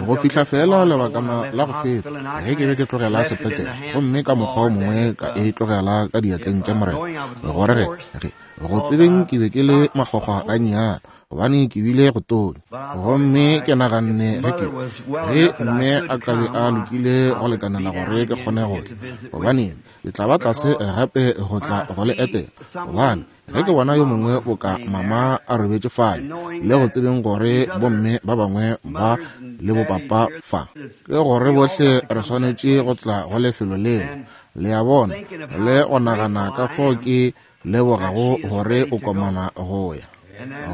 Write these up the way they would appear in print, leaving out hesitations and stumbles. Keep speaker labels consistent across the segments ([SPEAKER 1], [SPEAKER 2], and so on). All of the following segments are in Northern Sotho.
[SPEAKER 1] Go fihla feela lebakana la go feta, ge ke be ke tlogela sepetlele, gomme ka mokgwa wo mongwe ka e tlogela ka diatleng tša Morena, gore ge, ge, go tsebeng ke be ke le makgwakgwa gannyane, gobane ke bile go tonya. Gomme ke naganne ge ke, ge mme a ka be a lokile go lekanela gore ke kgone go tla, gobaneng, ke tla ba tlase gape go tla go le etela, gobane Ge ke bona yo mongwe boka mama a robetše fale, le go tsebeng gore bomme ba bangwe ba le bopapa fa, ke gore bohle re swanetše go tla go lefelo leo, le a bona, le go nagana ka fao ke lebogago gore o komana go ya.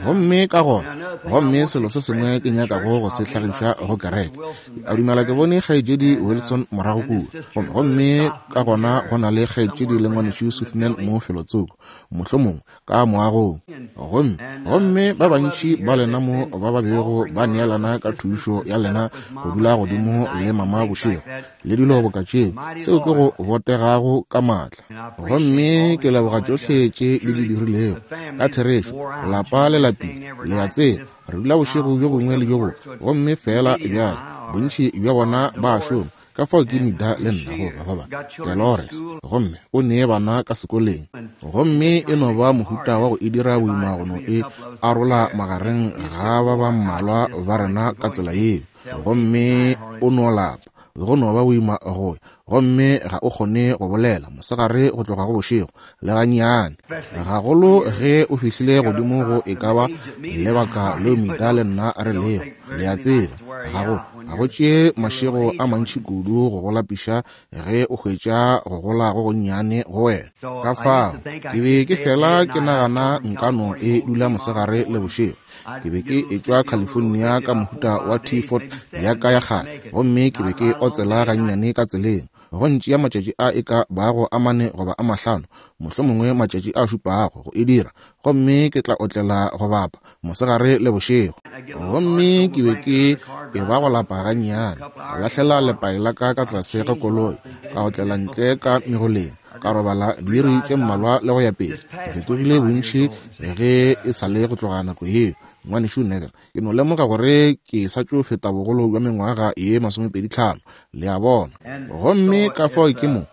[SPEAKER 1] Gomme ka gona, gomme selo se sengwe ke nyakago go se hlagiša go kereke, ke a dumela ke bone Kgaetšedi Wilson morago kua, gomme, gomme ka gona go na le Kgaetšedi le Ngwanešu Sothmann mo felotsoko, mohlomongwe ka moagong. Gomme, gomme ba bantši ba lena mo ba ba bego ba neelana ka thušo ya lena go dula godimo le mama bošego, le dilo boka tšeo, seo ke go botegago ka maatla. Gomme ke leboga tšohle tše le di dirilego. Ka therešo, lapa le lapile, le a tseba. Re dula bošego bjo bongwe le bjo bongwe, gomme feela bjale bontši bja bona ba a šoma. Ka fao ke Nida le nna go ba ba Delores, gomme o nee bana ka sekoleng. Gomme e no ba mohuta wa go e dira boima go no e arola magareng ga ba ba mmalwa ba rena ka tsela yeo. Gomme o no lapa, go no ba boima go ya, gomme ga o kgone go bolela mosegare go tloga go bošego le gannyane, gagolo ge o fihlile godimo go e ka ba lebaka leo Mida le nna re lego, le a tseba. Ga go, ga go tšee mašego a mantši kudu go go lapiša ge o hwetša go gola go gonnyane go wena. Ka fao, ke be ke fela ke nagana nka no e dula mosegare le bošego. Ke be ke etšwa California ka mohuta wa T-Ford ya ka ya kgale, gomme ke be ke otsela gannyane ka tseleng. Go ntšea matšatši a e ka bago a mane goba a mahlano, mohlomongwe matšatši a šupago, go e dira, gomme ke tla otlela go bapa, mosegare le bošego. Gomme ke be ke e ba go lapa gannyane, ka lahlela lepai la ka ka tlase ga koloi, ka otlela ntle ka megoleng, ka robala diiri tše mmalwa le go ya pele. Ke fetogile bontši ge e sa le go tloga nako yeo, Ngwanešu Neville. Ke no lemoga gore ke sa tšo feta bogolo bja mengwaga ye masomepeditlhano, le a bona. Gomme ka fao ke mo,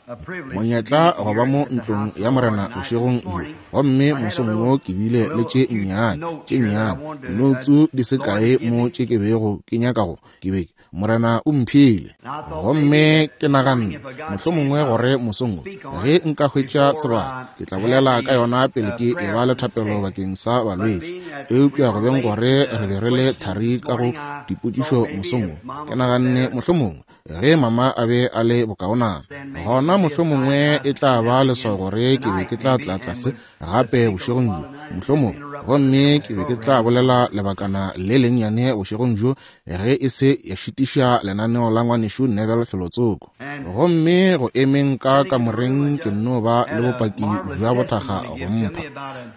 [SPEAKER 1] monyetla go ba mo ntlong ya Morena bošegong bjo. Gomme mosong wo ke bile le tše nnyane, tše nnyane, dinoutsu di se kae mo tše ke bego ke nyaka go, ke be, Morena o mphile. Gomme ke naganne, mohlomongwe gore mosong wo, ge nka hwetša sebaka, ke tla bolela ka yona pele ke e ba le thapelo bakeng sa balwetši. Eupša go beng gore re be re le thari ka go dipotšišo mosong wo, ke naganne mohlomongwe ge mama a be a le bokaonana, gona mohlomongwe e tla ba leswao gore ke be ke tla tla tlase gape bošegong bjo, mohlomongwe, gomme ke be ke tla bolela lebakana le lennyane bošegong bjo ge e se ya šitiša lenaneo la ngwanešu Neville felotsoko. Gomme go emeng ka kamoreng ke nno ba le bopaki bja bothakga go mpha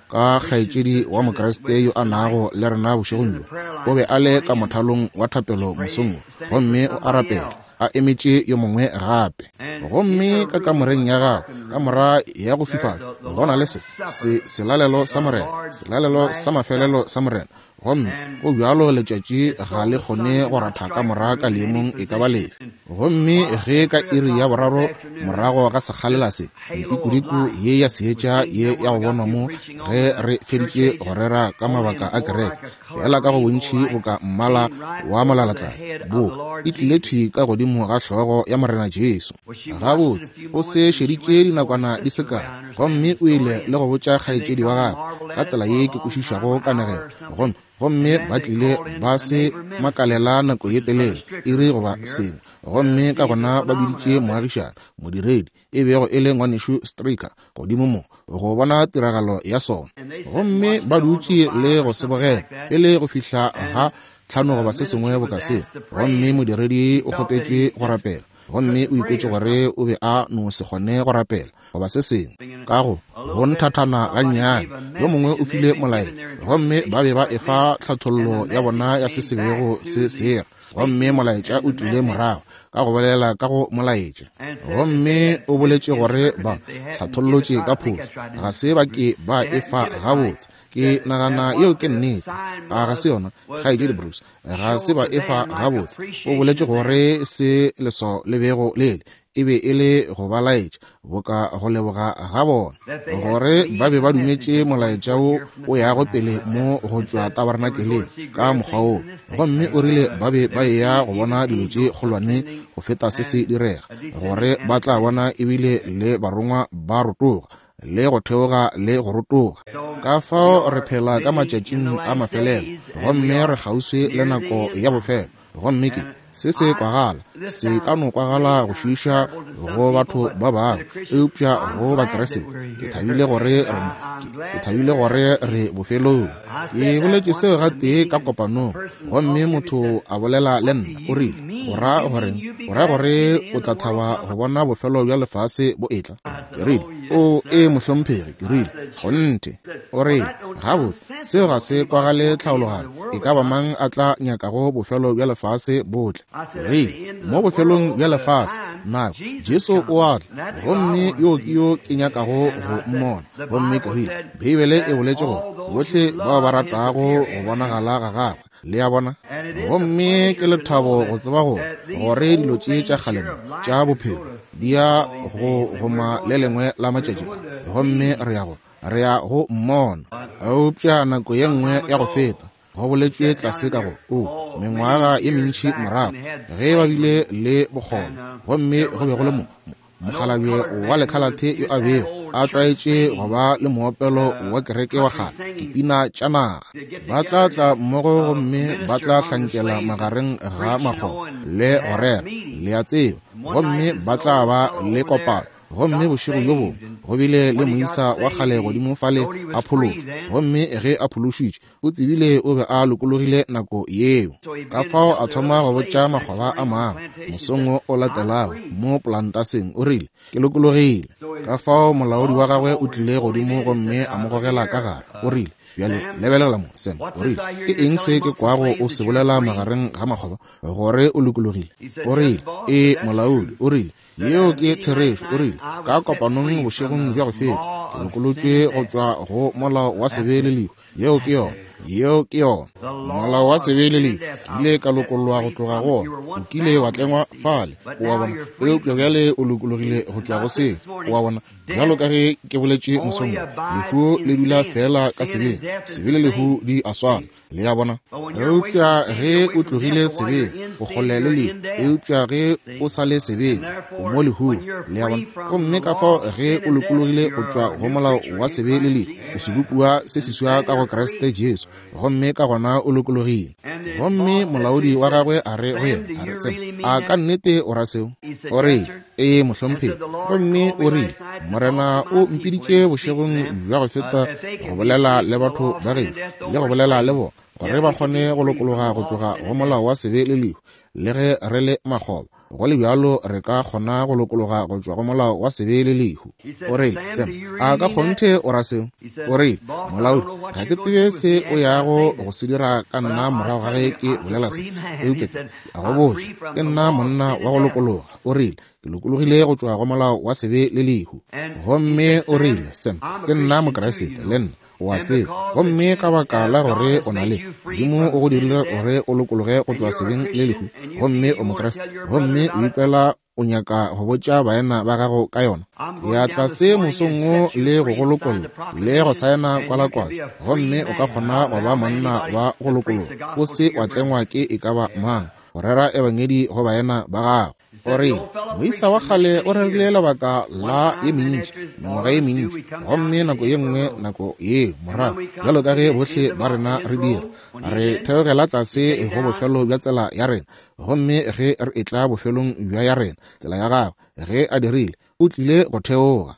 [SPEAKER 1] ka kgaetšedi wa Mokriste yo a nago le rena bošegong bjo. O be a le ka mothalong wa thapelo mosong wo, gomme o a rapela, a emetše yo mongwe gape. Gomme ka kamoreng ya gagwe, kamora ya go fifala, go na le se, se selalelo sa Morena, selalelo sa mafelelo sa Morena. Gomme go bjalo letšatši ga le kgone go ratha ka mora ka leemong e ka ba lefe. Gomme ge ka iri ya boraro morago ga sekgalela se, ntikudiku ye ya seetša ye ya go bonwa mo ge re feditše go rera ka mabaka a kereke, feela ka go bontši boka mmala wa molalatladi, boka e tlile thwi ka godimo ga hlogo ya Morena Jesu. Gabotse, o se šeditše dinakwana di se kae, Gomme o ile le go botša kgaetšedi wa gagwe ka tsela ye ke kwešišago kanegelo, gomme, gomme ba tlile ba se makalela nako ye telele, iri goba sengwe. Gomme ka gona ba biditše moagišana, modiredi, e bego e le Ngwanešu Stricker, godimo mo, go bona tiragalo ya sona. Gomme ba dutše le go se bogela pele go fihla ga tlhano goba se sengwe boka seo. Gomme modiredi o kgopetšwe go rapela, gomme o ikwetše gore o be a no se kgone go rapela. goba se sengwe. Ka go go nthathana gannyane, yo mongwe o file molaetša, gomme ba be ba efa tlhathollo ya bona ya se se bego se sera. Gomme molaetša o tlile morago ka go bolela ka go molaetša, gomme o boletše gore ba hlathollotše ka phošo, ga se ba ke ba efa gabotse. Ke nagana yeo ke nnete, a ga se yona, Kgaetšedi Bruce? Ga se ba efa gabotse. O boletše gore se leswao le bego le le e be e le go ba laetša boka go leboga ga bona gore ba be ba dumetše molaetša wo o yago pele mo go tšwa tabernakeleng ka mokgwa woo. Gomme o rile ba be ba eya go bona dilo tše kgolwane go feta se se direga, gore ba tla bona ebile le barongwa ba rotoga le go theoga le go rotoga. Ka fao re phela ka matšatšing a mafelelo, gomme re kgauswi le nako ya bofelo. Gomme ke se se kwagala, se ka no kwagala go šiiša go batho ba bangwe, eupša go Bakriste ke thabile gore re mo, ke thabile gore re bofelong. Ke boletše seo gatee ka kopanong, gomme motho a bolela le nna, o rile, O ra goreng? O ra gore o tla thaba go bona bofelo bja lefase bo etla? Ke rile, O, ee, mohlomphegi. Ke rile, Kgonthe. O rile, Gabotse, seo ga se kwagale tlhaologanyo. E ka ba mang a tla nyakago bofelo bja lefase bo tle? Ke rile, Mo bofelong bja lefase, nako, Jesu o a tla, gomme yo ke yo ke nyakago go mmona. Gomme ke rile, Beibele e boletše gore bohle bao ba ratago go bonagala ga gagwe, le a bona. Gomme ke lethabo go tseba gore, gore dilo tše tša kgale mo tša bophelo di ya go goma le lengwe la matšatši a, gomme re ya go, re ya go mmona. Eupša nako ye nngwe ya go feta, go boletšwe tlase ka go, o, mengwaga ye mentši morago, ge ba bile le bokgoba, gomme go be go le mo, mo, mokgalabje wa lekhalathe yo a bego a tlwaetše go ba le moopelo wa kereke wa kgale, dipina tša naga. Ba tla tla mmogo gomme ba tla hlankela magareng ga makgoba le go rera, le a tseba, gomme ba tla ba le kopano. Gomme bošego bjo bongwe go bile le moisa wa kgale godimo fale a phološwa, gomme ge a phološitšwe, o tsebile o be a lokologile nako yeo. Ka fao a thoma go botša makgoba a mangwe mosong wo o latelago mo polantaseng, o rile, Ke lokologile. Ka fao molaodi wa gagwe o tlile godimo gomme a mo gogela ka gare, o rile, Bjale lebelela mo, Sam. O rile, Ke eng se ke kwago o se bolela magareng ga makgoba, gore o lokologile? O rile, Ee, molaodi. O rile, Yeo ke therešo. O rile, Ka kopanong bošegong bja go feta, ke lokolotšwe go tšwa go molao wa sebe le lehu. Yeo ke yona. Yeo ke yona. Molao wa sebe le lehu, ke ile ka lokollwa go tloga go ona. O kile wa tlengwa fale, o a bona, eupša bjale o lokologile go tšwa go seo, o a bona. Bjalo ka ge ke boletše mosong wo, lehu le dula feela ka sebeng. Sebe le lehu di a swana. Le a bona? Eupša ge o tlogile sebeng, o kgole le lehu. Eupša ge o sa le sebeng, o mo lehung. Le a bona? Gomme ka fao ge o lokologile go tšwa go molao wa sebe le lehu, o sebopiwa se seswa ka go Kriste Jesu, gomme ka gona o lokologile. Gomme molaodi wa gagwe a re go yena, a re, Sam, a ka nnete o ra seo? O rile, Ee, mohlomphegi. Gomme o rile, Morena o mpiditše bošegong bja go feta go bolela le batho ba gešo, le go bolela le bona, gore ba kgone go lokologa go tloga go molao wa sebe le lehu, le ge re le makgoba. Go le bjalo re ka kgona go lokologa go tšwa go molao wa sebe le lehu. O rile, Sam, a ka kgonthe o ra seo? O rile, Molaodi, ga ke tsebe se o yago go se dira ka nna morago ga ge ke bolela se, eupša ke a go botša, ke nna monna wa go lokologa. O rile, Ke lokologile go tšwa go molao wa sebe le lehu. Gomme o rile, Sam, ke nna Mokriste, le nna, o a tseba. Gomme ka baka la gore o na le, Modimo o go dirile gore o lokologe go tšwa sebeng le lehu, gomme o Mokriste, gomme o ikwela o nyaka go botša baena ba gago ka yona. Ke ya tlase mosong wo le go go lokolla, le go saena kwalakwatšo, gomme o ka kgona go ba monna wa go lokologa, o se wa tlengwa ke e ka ba mang, go rera Ebangedi go baena ba gago. O rile, Moisa wa kgale o rerile lebaka la ye mentši, mengwaga ye mentši, gomme nako ye nngwe nako yeo morago, bjalo ka ge bohle ba rena re dira, re theogela tlase go bofelo bja tsela ya rena. Gomme ge re etla bofelong bja ya rena, tsela ya gagwe, ge a dirile, O tlile go theoga.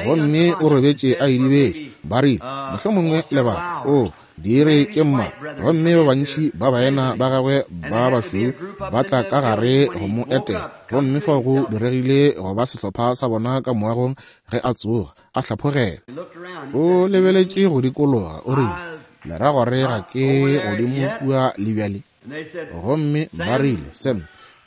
[SPEAKER 1] Gomme o robetše a idibetše. Ba rile, mohlomongwe lebaka, o, diiri tše mmalwa, gomme ba bantši ba baena ba gagwe ba bašweu ba tla ka gare go mo etela. Gomme fao go diregile go ba sehlopha sa bona ka moagong ge a tsoga, a hlaphogela. O lebeletše go dikologa, o rile, Le ra gore ga ke godimo kua le bjale? Gomme ba rile, Sam,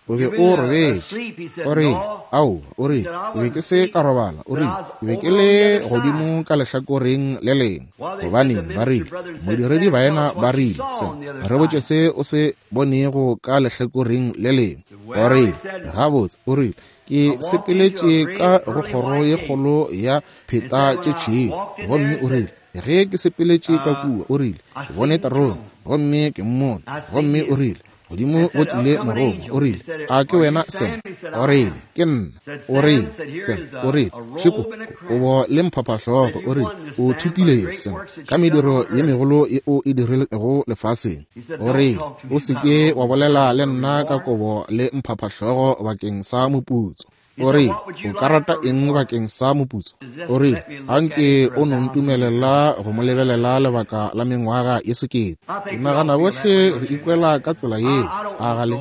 [SPEAKER 1] o be o robetše. O rile, Aowa, o rile, ke be ke se ka robala. O rile, Ke be ke le godimo ka lehlakoreng le lengwe. Gobaneng, ba rile, modiredi baena ba rile, Sam, re botše se o se bonego ka lehlakoreng le lengwe. O rile, Gabotse, o rile, ke sepeletše ka go kgoro ye kgolo ya pheta tše tšhweu. Gomme o rile, Ge ke sepeletše ka kua, o rile, ke bone terone, gomme ke mmone. Gomme o rile, godimo go tlile morongwa, o rile, a ke wena Sam? O rile, ke nna. O rile, Sam, o rile, šeko kobo le mphaphahlogo, o rile, o thopile Sam ka mediro ye megolo ye o e dirilego lefaseng. O rile, o se ke wa bolela le nna ka kobo le mphaphahlogo bakeng sa moputso. O rile, o ka rata eng bakeng sa moputso? O rile, anke o no ntumelela go mo lebelela lebaka la mengwaga ye sekete. Ke nagana bohle re ikwela ka tsela yeo. A ga le?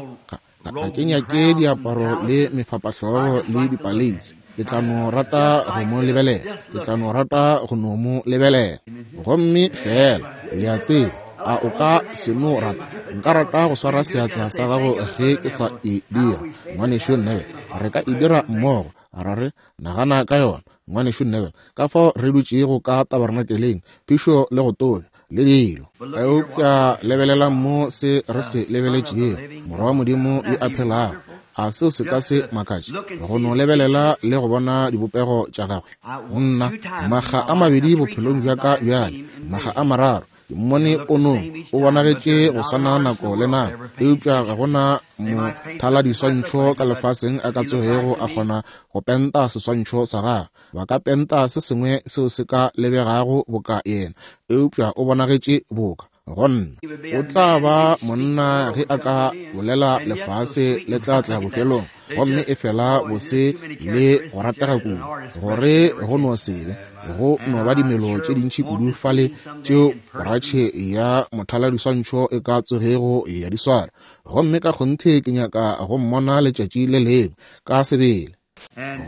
[SPEAKER 1] Ga ke nyake diaparo le mefapahlogo le dipaleisi. Ke tla no rata go mo lebelela. Ke tla no rata go no mo lebelela. Gomme feela, le a tseba, a o ka se no rata? Nka rata go swara seatla sa gago ge ke sa e dira, Ngwanešu Neville. Re ka e dira mmogo, ra re, nagana ka yona, Ngwanešu Neville, ka fao re dutšego ka tabernakeleng, phišo le go tonya, le dilo. Eupša lebelelang mo se re se lebeletšego, Morwa wa Modimo yo a phelago. A seo se ka se makatše, go no lebelela le go bona dibopego tša Gagwe? Nna, makga a mabedi bophelong bja ka bjale, makga a mararo, ke mmone ponong, o bonagetše go swana nako le nako, eupša ga go na mothaladiswantšho ka lefaseng a ka tsogego a kgona go penta seswantšho sa gagwe. Ba ka penta se sengwe seo se ka lebegago boka yena, eupša o bonagetše boka go nna. O tla ba monna ge a ka bolela lefase le tla tla bofelong, gomme efela bose le go ratega kudu gore go no se be go no ba dimelo tše dintši kudu fale tšeo poratšhe ya mothaladiswantšho e ka tsogego ya di swara. Gomme ka kgonthe ke nyaka go mmona letšatši le lengwe ka sebele.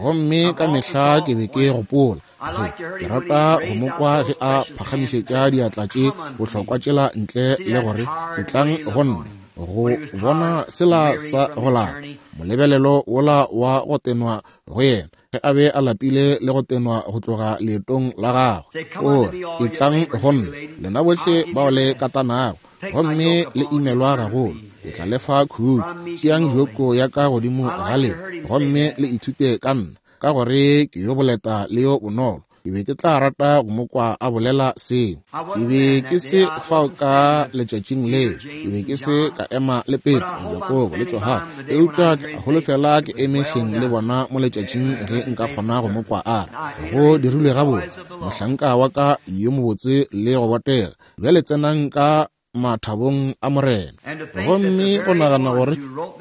[SPEAKER 1] Gomme ka mehla ke be ke gopola ge ke rata go mo kwa ge a phagamišetša diatla tše bohlokwa tšela ntle le gore etlang go nna, go bona sela sa go lapa, molebelelo wola wa go tenwa go yena ge a be a lapile le go tenwa go tloga leetong la gagwe. O re, etlang go nna, lena bohle bao le katanago gomme le imelwa gagolo, ke tla le fa khutšo. Tšeang joko ya ka godimo ga lena gomme le ithute ka nna, ka gore ke yo boleta le yo bonolo. Ke be ke tla rata go mo kwa a bolela seo. Ke be ke se fao ka letšatšing leo. Ke be ke se ka ema le Petro, Jakobo le Johane, eupša ke a holofela ke eme hleng le bona mo letšatšing ge nka kgona go mo kwa a re, Go dirilwe gabotse, mohlanka wa ka yo mobotse le go botega. Bjale tsenang ka mathabong a Morena. Gomme go nagana gore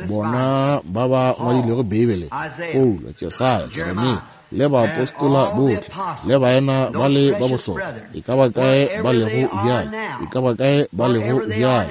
[SPEAKER 1] bona ba ba ngwadilego Beibele, Paulo, Jesaya, Jeremia, le baapostola bohle, le baena ba le ba bohlokwa, e ka ba kae ba lego bjale, e ka ba kae ba lego bjale,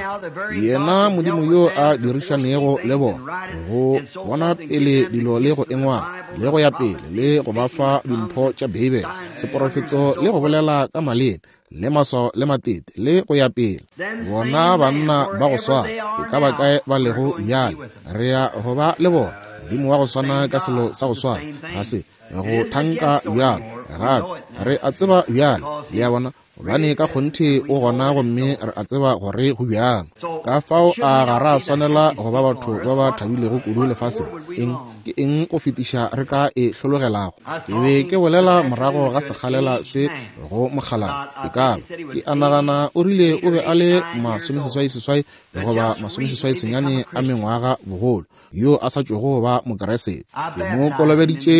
[SPEAKER 1] yena Modimo yo a dirišanego le bona, go bona pele dilo le go engwala, le go ya pele, le go ba fa dimpho tša Beibele, seporofeto le go bolela ka maleme, le maswao le matete, le go ya pele. Bona banna ba go swana, e ka ba kae ba lego bjale, re ya go ba le bona. Modimo wa go swana ka selo sa go swana, ga se go thanka bjalo gape. Re a tseba bjale, le a bona, gobane ka kgonthe o gona, gomme re a tseba gore go bjalo. Ka fao a ga ra swanela go ba batho ba ba thabilego kudu lefaseng? Eng ke eng go fetiša re ka e hlologelago? Ke be ke bolela morago ga sekgalela se go mokgalabje, e ka ba, ke a nagana o rile o be a le 68 goba 69 a mengwaga bogolo, yo a sa tšwego ba Mokeresete. Ke mo kolobeditše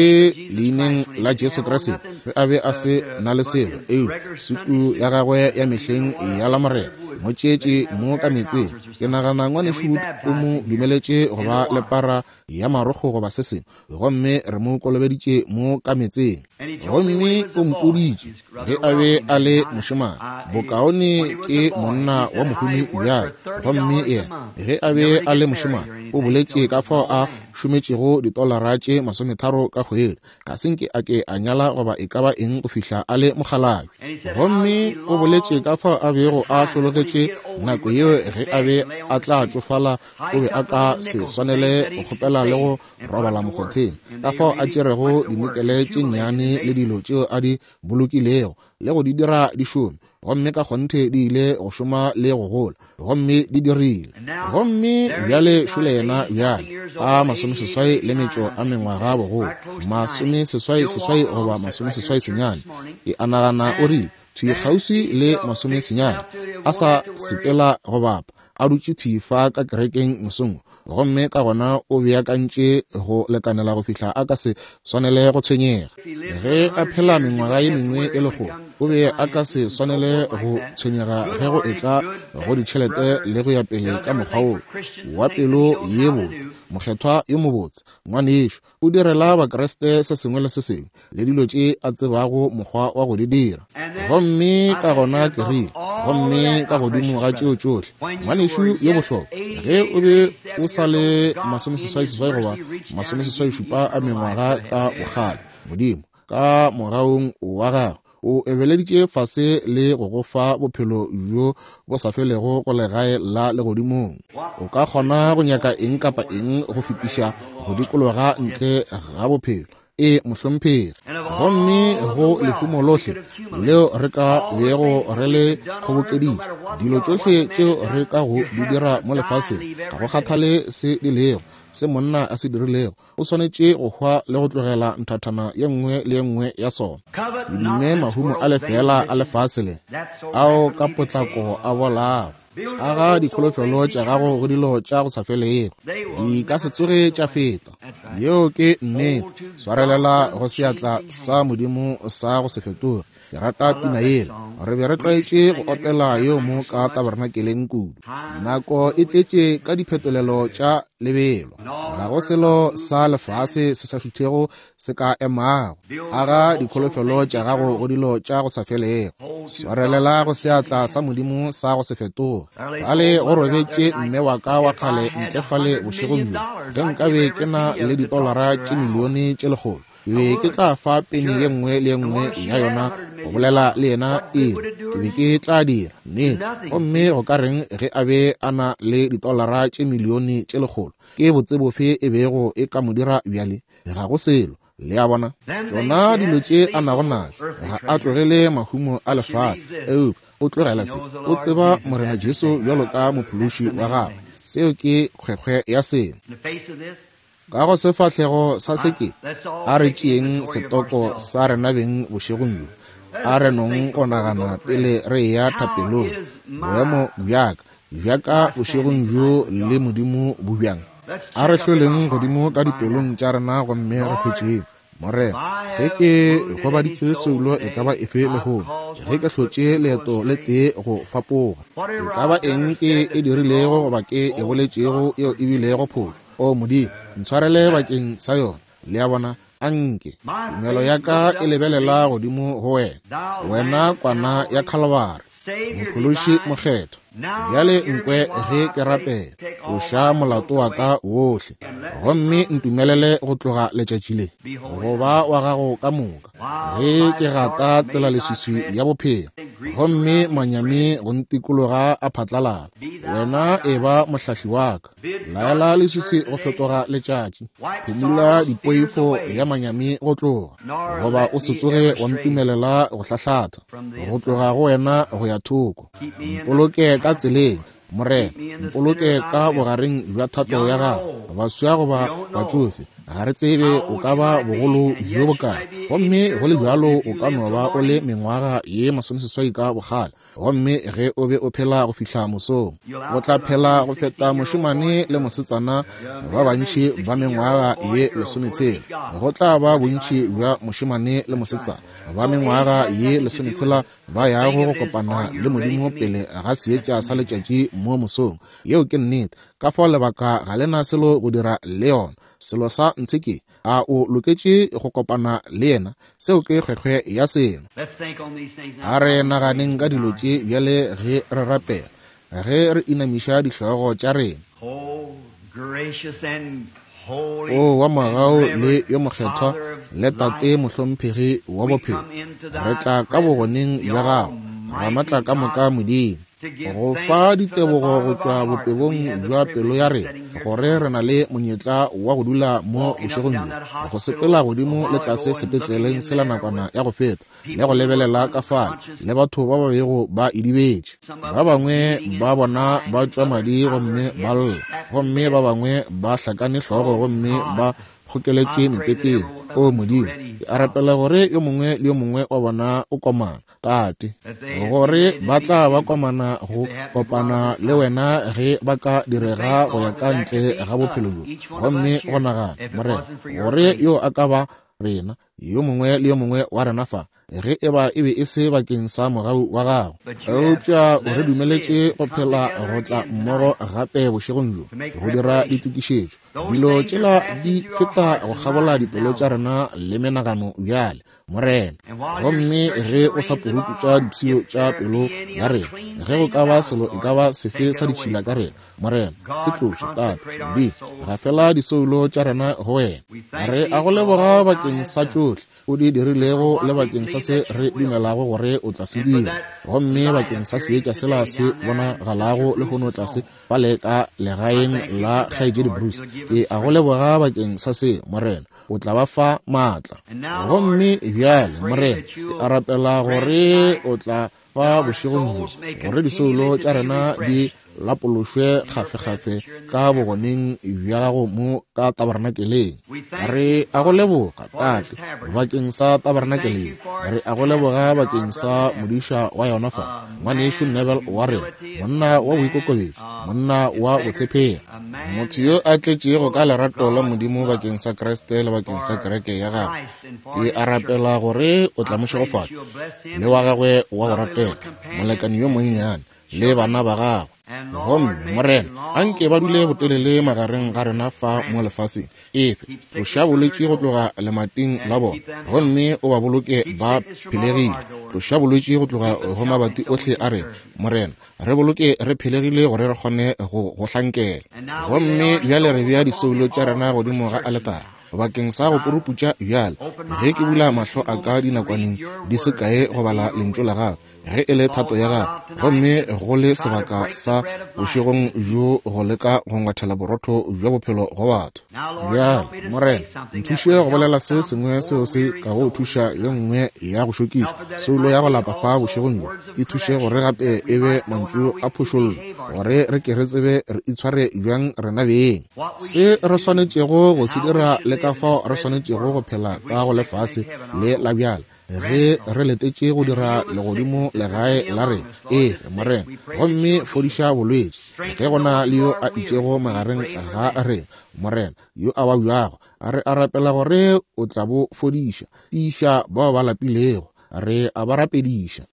[SPEAKER 1] leineng la Jesu Kriste ge a be a se na le selo, eupša sutu ya gagwe ya mehleng ya Lamorena. Mo tšeetše mo ka meetseng. Ke nagana Ngwanešu Wood o mo dumeletše go ba le para ya marokgo goba se sengwe, gomme re mo kolobeditše mo ka meetseng. Gomme o mpoditše ge a be a le mošemane, bokaone ke monna wa mohumi bjale. Gomme yena, ge a be a le mošemane, o boletše ka fao a šometšego ditolara tše 30 ka kgwedi. Ga se nke a ke a nyala goba e ka ba eng go fihla a le mokgalabje. Gomme o boletše ka fao a bego a hlologetše nako yeo ge a be a tla tšofala, o be a ka se swanele go kgopela le go robala mokgotheng, ka fao a tšerego dinikele tše nnyane le dilo tšeo a di bolokilego le go di dira di šome, gomme ka kgonthe di ile go šoma le go gola, gomme di dirile. Gomme bjale šole yena bjale ka 85 a mengwaga bogolo, 88 goba 89, ke a nagana o rile thwi kgauswi le 90, a sa sepela go bapa, a dutše thwi fa ka kerekeng mosong, gomme ka gona o beakantše go lekanela go fihla a ka se swanele go tshwenyega. Ge a phela mengwaga ye mengwe e lekgolo, o be a ka se swanele go tshwenyega ge go etla go ditšhelete le go ya pele ka mokgwa wo wa pelo ye botse, mokgethwa yo mobotse, ngwanešo. O direla Bakriste se sengwe le se sengwe le dilo tše a tsebago mokgwa wa go di dira. Gomme ka gona ke rile, gomme ka godimo ga tšeo tšohle, ngwanešu yo bohlokwa, ge o be o sa le 88 goba 87 a mengwaga ka bokgale, Modimo ka mogaung wa gagwe o ebeleditše fase le go go fa bophelo bjo bo sa felego go legae la legodimong. O ka kgona go nyaka eng kapa eng go fetiša go dikologa ntle ga bophelo. E, mohlomphegi. Gomme go lehumo lohle leo re ka bego re le kgobokeditše, dilo tšohle tšeo re ka go di dira mo lefaseng, ga go kgathale se di lego, se monna a se dirilego, o swanetše go hwa le go tlogela nthathana ye nngwe le ye nngwe ya sona. Se dume mahumo a lefeela a lefase le, ao ka potlako a bolago. Aga dikholofelo tša gago go dilo tša go sa felego, di ka se tsoge tša feta. Yeo ke nnete. Swarelela go seatla sa Modimo sa go se fetoge. Ke rata pina yela. Re be re tlwaetše go opela yeo mo ka tabernakeleng kudu. Nako e tletše ka diphetolelo tša lebelo. Ga go selo sa lefase se sa šuthego se ka emago. Aga dikholofelo tša gago go dilo tša go sa felego. Swarelela go seatla sa Modimo sa go se fetoge. Fale go robetše mme wa ka wa kgale ntle fale bošegong bjo. Ge nkabe ke na le ditolara tše milione tše 100, ke be ke tla fa peni ye nngwe le ye nngwe ya yona go bolela le yena iri. Ke be ke tla dira nnete. Gomme go ka reng ge a be a na le ditolara tše milione tše 100? Ke botse bofe e bego e ka mo dira bjale? Ga go selo. Le a bona? Tšona dilo tše a nago našo, ga a tlogele mahumo a lefase, eupša o tlogela se. O tseba Morena Jesu bjalo ka Mophološi wa gagwe. Seo ke kgwekgwe ya selo. Ka go sefahlego sa se ke, a re tšeeng setoko sa rena beng bošegong bjo. A re nong go nagana pele re eya thapelong. Boemo bjaka, bjaka bošegong bjo le Modimo bo bjang? A re hloleng godimo ka dipelong tša rena gomme re hwetšeng. Morena, ge ke gobaditše soulo e ka ba efe lehono, ge ke hlotše leeto le tee go fapoga, e ka ba eng ke e dirilego goba ke e boletšego yeo e bilego phošo, O Modimo, ntshwarele bakeng sa yona. Le a bona? Anke tumelo ya ka e lebelela godimo go Wena, Wena Kwana ya Khalabari, Mophološi Mokgethwa. Bjale nkwe ge ke rapela, tloša molato wa ka wohle, gomme ntumelele go tloga letšatši le go ba wa gago ka moka, ge ke gata tsela leswiswi ya bophelo, gomme manyami go ntikologa a phatlalala. Wena e ba mohlahli wa ka. Laela leswiswi go fetoga letšatši, phumula dipoifo ya manyami go tloga, goba o se tsoge wa ntumelela go hlahlatha go tloga go wena go ya thoko. Mpoloke ka tseleng, Morena, mpoloke ka bogareng bja thato ya gago. Baswa goba batšofe, Ga re tsebe o ka ba bogolo bjo bokae, gomme go le bjalo o ka no ba o le mengwaga ye 80 ka bokgale. Gomme ge o be o phela go fihla mosong, o tla phela go feta mošemane le mosetsana ba bantši ba mengwaga ye 60. Go tla ba bontši bja mošemane le mosetsana ba mengwaga ye 60 ba yago go kopana le Modimo pele ga seetša sa letšatši mo mosong. Yeo ke nnete. Ka fao lebaka ga le na selo go dira le yona. Selo sa ntshe ke, a o loketše go kopana le yena? Seo ke kgwekgwe ya selo. A re naganeng ka dilo tše bjale ge re rapela, ge re inamiša dihlogo tša rena. O wa mogau le yo mokgethwa le Tate mohlomphegi wa bophelo, re tla ka bogoneng bja gago, Ramatla ka moka Modimo, go fa ditebogo go tšwa bopebong bja pelo ya rena, gore re na le monyetla wa go dula mo bošegong bjo, go sepela godimo le tlase sepetleleng sela nakwana ya go feta, le go lebelela ka fale le batho ba ba bego ba idibetše. Ba bangwe ba bona ba tšwa madi gomme ba lla, gomme ba bangwe ba hlakane hlogo gomme ba kgokeletše mepeteng. O Modimo, ke a rapela gore yo mongwe le yo mongwe wa bona o komana, Tate, gore ba tla ba komana go kopana le wena ge ba ka direga go ya ka ntle ga bophelo bjo. Gomme go nagana, Morena, gore yo a ka ba rena, yo mongwe le yo mongwe wa rena fa, ge e ba e be e se bakeng sa mogau wa gago, eupša o re dumeletše go phela go tla mmogo gape bošegong bjo go dira ditokišetšo. Dilo tšela di feta go kgabola dipelo tša rena le menagano bjale, Morena. Gomme ge o sa puruputša dipshio tša pelo ya rena, ge go ka ba selo e ka ba sefe sa ditšhila ka rena, Morena, se tloše, Tate Modimo, gafela disoulo tša rena go wena. Re a go leboga bakeng sa tšohle o di dirilego le bakeng sa se re dumelago gore o tla se dira, gomme bakeng sa seetša sela se bonagalago lehono tlase fale ka legaeng la Kgaetšedi Bruce. Ke a go leboga bakeng sa se, Morena. O tla ba fa maatla. Gomme bjale, Morena, ke a rapela gore o tla fa bošegong bjo, gore disoulo tša rena di lapološwe kgafekgafe ka bogoneng bja gago mo ka tabernakeleng. Re a go leboga, Tate, bakeng sa tabernakeleng. Re a go leboga bakeng sa modiša wa yona fa, ngwanešu Neville wa rena, monna wa boikokobetšo, monna wa botshepegi, motho yo a tletšego ka lerato la Modimo bakeng sa Kriste le bakeng sa kereke ya gagwe. Ke a rapela gore o tla mo šegofatša le wa gagwe wa go ratega, molekane yo monnyane, le bana ba gagwe. Gomme, Morena, anke ba dule botelele magareng ga rena fa mo lefaseng. Efe, tloša bolwetši go tloga lemating la bona, gomme o ba boloke ba phelegile. Tloša bolwetši go tloga go mabati ohle a rena, Morena. Re boloke re phelegile gore re kgone go go hlankela. Gomme bjale re bea disoulo tša rena godimo ga aletara bakeng sa go puruputša bjale, ge ke bula mahlo a ka dinakwaneng di se kae go bala lentšu la gago, ge e le thato ya gago, gomme go le sebaka sa bošegong bjo go leka go ngwathela borotho bja bophelo go batho. Bjale, Morena, nthuše go bolela se sengwe seo se ka go thuša ye nngwe ya go šokiša soulo ya go lapa fa bošegong bjo. E thuše gore gape e be mantšu a phošollo, gore re ke re tsebe re itshware bjang rena beng, se re swanetšego go se dira le ka fao re swanetšego go phela ka go lefase le la bjale, ge re letetše go dira legodimo legae la rena. Efe, Morena, gomme fodiša bolwetši. Ge go na le yo a itšego magareng ga rena, Morena, yo a babjago, re a rapela gore o tla bo fodiša. Tiiša bao ba lapilego, re a ba rapediša.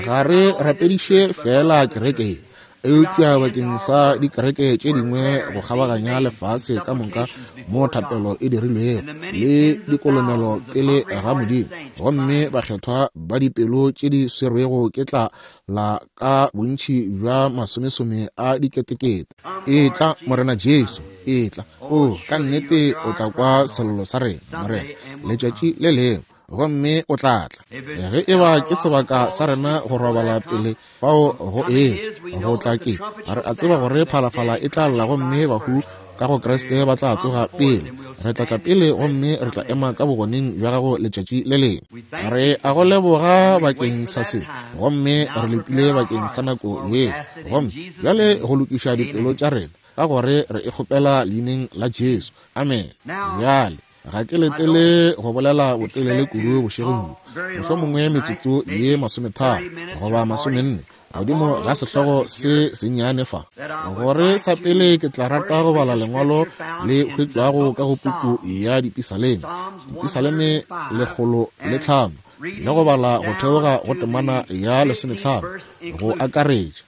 [SPEAKER 1] Ga re rapediše feela kereke ye, eupša bakeng sa dikereke tše dingwe go kgabaganya lefase ka moka mo thapelo e dirilwego le dikolomelo pele ga Modimo, gomme bakgethwa ba dipelo tše di swerwego ke tlala ka bontši bja masomesome a diketekete. Etla, Morena Jesu, etla. O, ka nnete o tla kwa sello sa rena, Morena, letšatši le lengwe, gomme o tla tla. Ge e ba ke sebaka sa rena go robala pele fao go etla, go tla ke re a tseba gore phalafala e tla lla gomme bahu ka go Kriste ba tla tsoga pele. Re tla tla pele gomme re tla ema ka bogoneng bja gago letšatši le lengwe. Re a go leboga bakeng sa se, gomme re letile bakeng sa nako ye. Gomme bjale go lokiša dipelo tša rena. Ka gore re e kgopela leineng la Jesu. Amene. Bjale, ga ke letele go bolela botelele kudu bošegong bjo, mohlomongwe metsotso ye 30 goba 40, godimo ga sehlogo se sennyane fa. Gore sa pele ke tla rata go bala lengwalo le hwetšwago ka go puku ya Dipisaleme, Dipisaleme 105, le go bala go theoga go temana ya 15 go akaretša.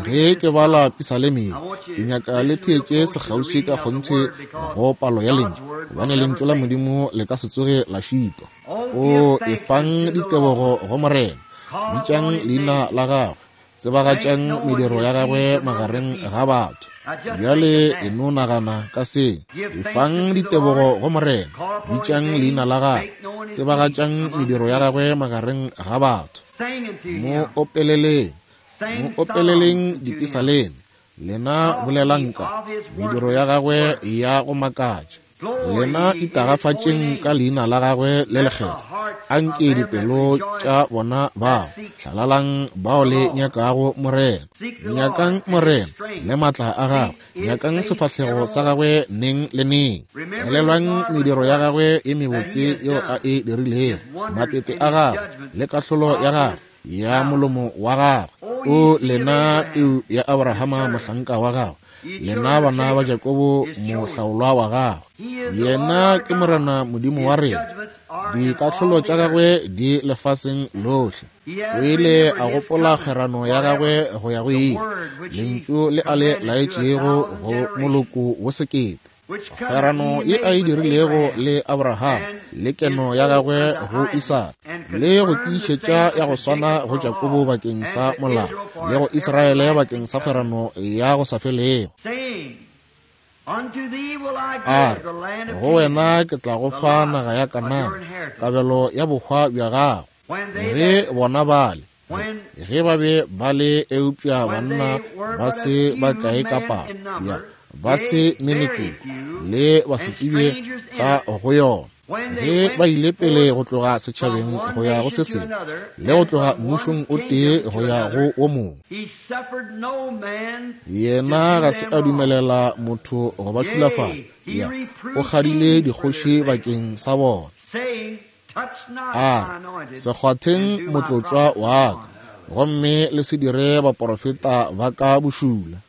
[SPEAKER 1] Ge ke bala Pisaleme ye, ke nyaka le theetše sekgauswi ka kgonthe go palo ya lentšu, gobane lentšu la Modimo le ka se tsoge la šitwa. O efang ditebogo go Morena, bitšang leina la gagwe, tsebagatšang mediro ya gagwe magareng ga batho. Bjale e no nagana ka se. Efang ditebogo go Morena, bitšang leina la gagwe, tsebagatšang mediro ya gagwe magareng ga batho. Mo opeleleng, mo opeleleng dipisaleme, lena bolelang ka mediro ya gagwe ya go makatša. Lena itagafatšeng ka leina la gagwe le lekgethwa. Anke dipelo tša bona bao hlalalang bao le nyakago Morena. Nyakang Morena le matla a gagwe, nyakang sefahlego sa gagwe neng le neng. Elelwang mediro ya gagwe e mebotse yeo a e dirilego, matete a gagwe le kahlolo ya gagwe ya molomo wa gagwe. O lena peu ya Abrahama mohlanka wa gagwe, lena bana ba Jakobo mohlaolwa wa gagwe. Yena ke Morena Modimo wa rena, dikahlolo tša gagwe di lefaseng lohle. O ile a gopola kgwerano ya gagwe go ya go ile, lentšu le a le laetšego go moloko wo sekete. Kgwerano ye a e dirilego le Abraham, le keno ya gagwe go Isaka, le go tiišetša ya go swana go Jakobo bakeng sa molao, le go Israele bakeng sa kgwerano ya go sa felego. A re, go wena ke tla go fa naga ya Kanana, kabelo ya bohwa bja gago. Ge bona bale, ge ba be ba le eupša banna ba se ba kae ka palo, ya ba se menekoko le ba se tsebje ka go yona. Ge ba ile pele go tloga setšhabeng go ya go se sengwe, le go tloga mmušong o tee go ya go o mongwe, yena ga se a dumelela motho go ba šulafatša. Ya, o kgadile dikgoši bakeng sa bona. A re, se kgwatheng motlotlwa wa ka, gomme le se dire baporofeta ba ka bošula.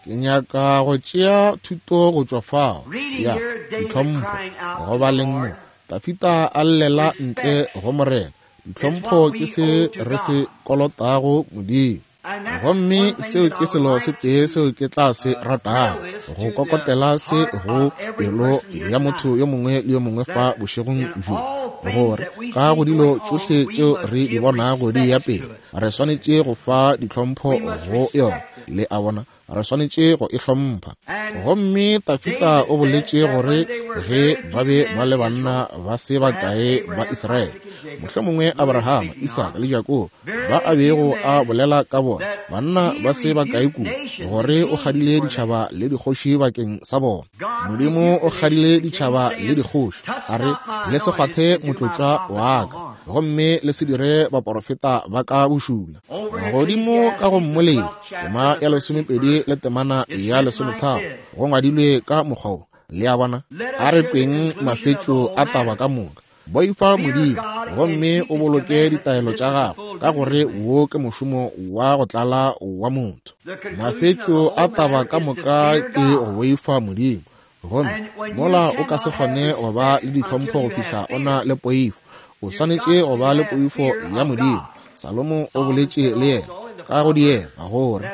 [SPEAKER 1] Ke nyaka go tšea thuto go tšwa fao ya ditlhompho. Go baleng mo, Dafida a llela ntle go Morena. Ditlhompho ke se re se kolotago Modimo. Gomme seo ke selo se tee seo ke tla se ratago, go kokotela se go pelo ya motho yo mongwe le yo mongwe fa bošegong bjo, gore ka go dilo tšohle tšeo re di bonago di ya pele, re swanetše go fa ditlhompho go yona. Le a bona, re swanetše go e hlompha. Gomme Dafida o boletše gore ge ba be ba le banna ba se bakae ba Israele, mohlomongwe Abrahama, Isaka le Jakobo, ba a bego a bolela ka bona, banna ba se bakae kudu, gore o kgadile ditšhaba le dikgoši bakeng sa bona. Modimo o kgadile ditšhaba le dikgoši, a re, le se kgwathe motlotlwa wa ka, gomme le se dire baporofeta ba ka bošula. Godimo ka go Mmoledi, tema ya 12 le temana ya 13, go ngwadilwe ka mokgwa wo. Le a bona? A re kweng mafetšo a taba ka moka. Boifa Modimo gomme o boloke ditaelo tša gagwe, ka gore wo ke mošomo wa go tlala wa motho. Mafetšo a taba ka moka ke go boifa Modimo, gomme mola o ka se kgone go ba le ditlhompho go fihla o na le poifo. O swanetše go ba le poifo ya Modimo. Salomo o boletše le yena ka go diega gore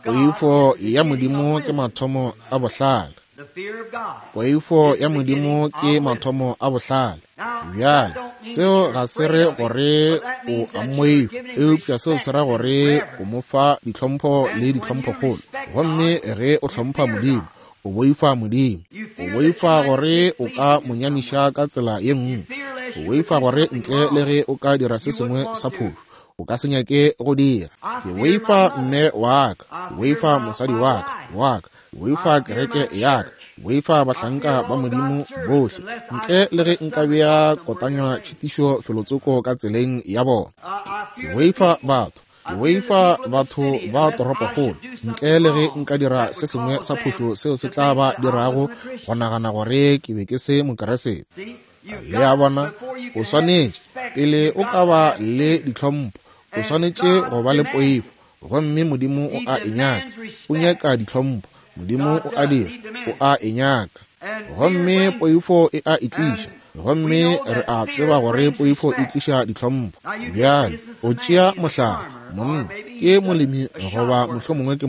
[SPEAKER 1] poifo ya Modimo ke mathomo a bohlale. Poifo ya Modimo ke mathomo a bohlale. Bjale, seo ga se re gore o a mmoifa, eupša seo se ra gore o mo fa ditlhompho le ditlhomphokgolo. Gomme ge o hlompha Modimo, o boifa Modimo. O boifa gore o ka mo nyamiša ka tsela ye nngwe. O boifa gore ntle le ge o ka dira se sengwe sa phošo, o ka se nyake go dira. Ke boifa mme wa ka, ke boifa mosadi wa ka, ke boifa kereke ya ka, ke boifa bahlanka ba Modimo bohle, ntle le ge nka bea kotanywa tšhitišo felotsoko ka tseleng ya bona. Ke boifa batho. Ke boifa batho ba toropokgolo, ntle le ge nka dira se sengwe sa phošo seo se tla ba dirago go nagana gore ke be ke se Mokeresete. Le a bona, o swanetše, pele o ka ba le ditlhompho, o swanetše go ba le poifo. Gomme Modimo o a e nyaka. O nyaka ditlhompho. Modimo o a dira. O a e nyaka. Gomme poifo e a e tliša. Gomme re a tseba gore poifo e tliša ditlhompho. Bjale, o tšea mohlala, monna ke molemi goba mohlomongwe ke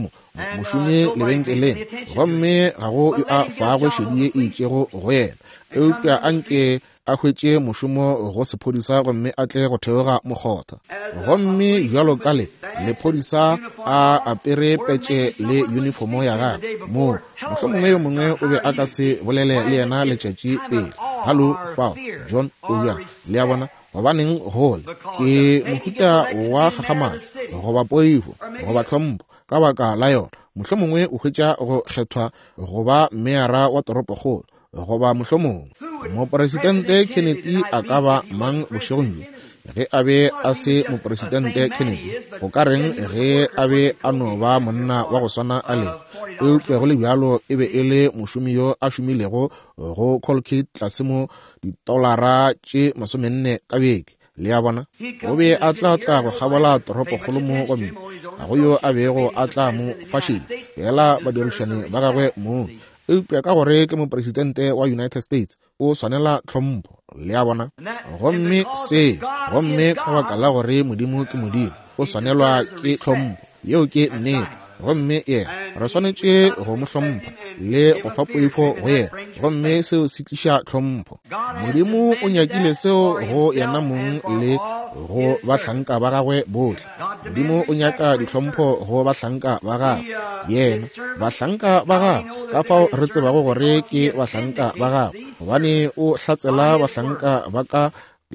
[SPEAKER 1] mošomi lebenkeleng, gomme ga go yo a fago šedi ye e itšego go yena, eupša a nke a hwetše mošomo go sephodisa gomme a tle go theoga mokgotha. Gomme bjalo ka le lephodisa a apere petše le uniformo ya gagwe, moo mohlomongwe yo mongwe o be a ka se bolele le yena letšatši pele. Hallo, fao, John, o bjang? Le a bona, gobaneng gole ke mohuta wa kgakgamatšo goba poifo goba tlhompho ka baka la yona. Mohlomongwe o hwetša go kgethwa go ba meyara wa toropokgolo, goba mohlomongwe Moporesidente Kennedy a ka ba mang bošegong bjo? Ge a be a se Moporesidente Kennedy, go ka reng ge a be a no ba monna wa go swana a lego? Eupša go le bjalo e be e le mošomi yo a šomilego go Colgate tlase mo ditolara tše 40 ka beke. Le a bona? O be a tla tla go kgabola toropokgolo mo, gomme ga go yo a bego a tla mo fa šedi, feela badirišani ba gagwe mong. Eupša ka gore ke mopresidente wa United States, o swanela tlhompho. Le a bona? Gomme se, gomme ka baka la gore Modimo ke Modimo, o swanelwa ke tlhompho. Yeo ke nnete. Gomme yena, re swanetše go mo hlompha le go fa poifo go yena, gomme seo se tliša tlhompho. Modimo o nyakile seo go yena mong le go bahlanka ba gagwe bohle. Modimo o nyaka ditlhompho go bahlanka ba gagwe. Yena, bahlanka ba gagwe, ka fao re tsebago gore ke bahlanka ba gagwe, gobane o hlatsela bahlanka ba ka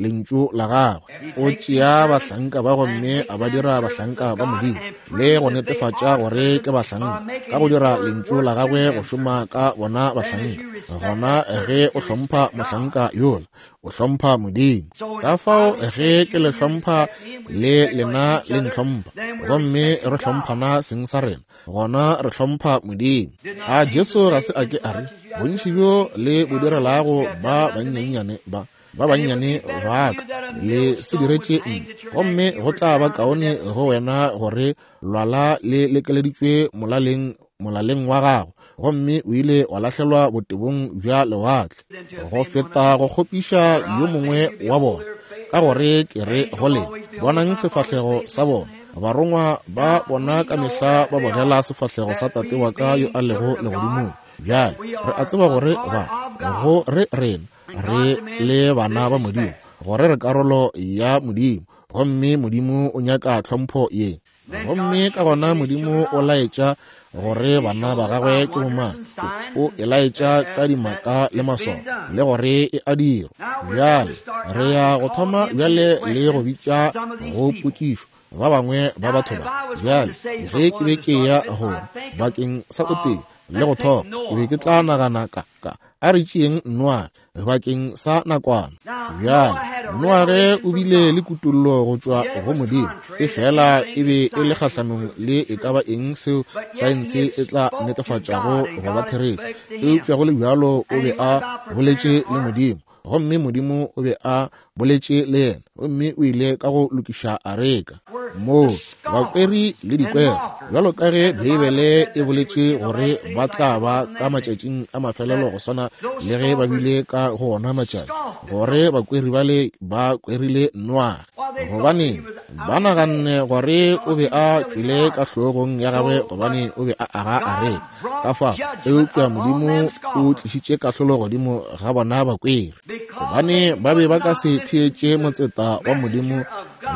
[SPEAKER 1] lentšu la gagwe. O tšea bahlanka ba gomme a ba dira bahlanka ba Modimo, le go netefatša gore ke bahlanka ka go dira lentšu la gagwe go šoma ka bona bahlanka. Gona ge o hlompha mohlanka yola, o hlompha Modimo. Ka fao ge ke le hlompha le lena le ntlhompha, gomme re hlomphana seng sa rena, gona re hlompha Modimo. A Jesu ga se a ke a re, bontši bjo le bo direlago ba bannyannyane ba ba bannyane ba ka, le se diretše nna, gomme go tla ba kaone go wena gore lwala le lekeleditšwe molaleng wa gago, gomme o ile wa lahlelwa botebong bja lewatle, go feta go kgopiša yo mongwe wa bona. Ka gore ke re go lena, bonang sefahlego sa bona. Barongwa ba bona ka mehla ba bogela sefahlego sa Tate wa ka yo a lego legodimong. Bjale re a tseba gore ba go re rena re le bana ba Modimo, gore re karolo ya Modimo, gomme Modimo o nyaka tlhompho ye. Gomme ka gona Modimo o laetša gore bana ba gagwe ke bomang, o e laetša ka dimaka le maswao, le gore e a dirwa. Bjale re ya go thoma bjale le go bitša go potšišo ba bangwe ba batho ba. Bjale ge ke be ke ya gore bakeng sa o tee le go thoma, ke be ke tla nagana ka a re tšeeng Noage bakeng sa nakwana. Bjale Noage o bile le kutollo go tšwa go Modimo, e fela e be e le kgahlanong le e ka ba eng seo saense e tla netefatšago go ba therešo. Eupša go le bjalo o be a boletše le Modimo, gomme Modimo o be a boletše le yena, gomme o ile ka go lokiša areka moo bakweri le dikwero, bjalo ka ge Beibele e boletše gore ba tla ba ka matšatšing a mafelelo go swana le ge ba bile ka go ona matšatši, gore bakweri bale ba kwerile Noage. Gobane ba naganne gore o be a tšwele ka hlogong ya gagwe, gobane o be a aga areka. Ka fao, eupša Modimo o tlišitše kahlolo godimo ga bona bakweri, gobane ba be ba ka se theetše motseta wa Modimo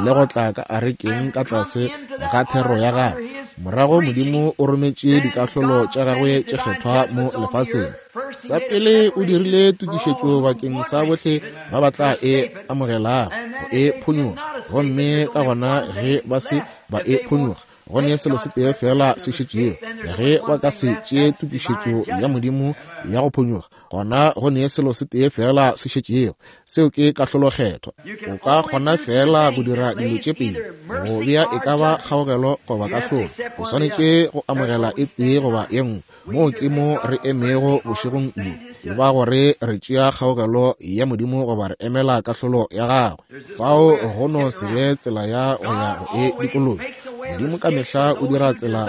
[SPEAKER 1] le go tla ka arekeng ka tlase ga thero ya gagwe. Morago Modimo o rometše dikahlolo tša gagwe tše kgethwa mo lefaseng. Sa pele o dirile tokišetšo bakeng sa bohle ba ba tla e amogelago go e phonyoga, gomme ka gona ge ba se ba e phonyoga, Go ne selo se tee feela se šetšego. Ge ba ka se tšee tokišetšo ya Modimo ya go phonyokga, gona go ne selo se tee feela se šetšego, seo ke kahlolo Kgethwa. O ka kgona feela go dira dilo tše pedi, go bea e ka ba kgaogelo goba kahlolo. O swanetše go amogela e tee goba ye nngwe. Moo ke mo re emego bošegong bjo, e ba gore re tšea kgaogelo ya Modimo goba re emela kahlolo ya gagwe. Fao go no se be tsela ya go ya go e dikologa. Modimo ka mehla o dira tsela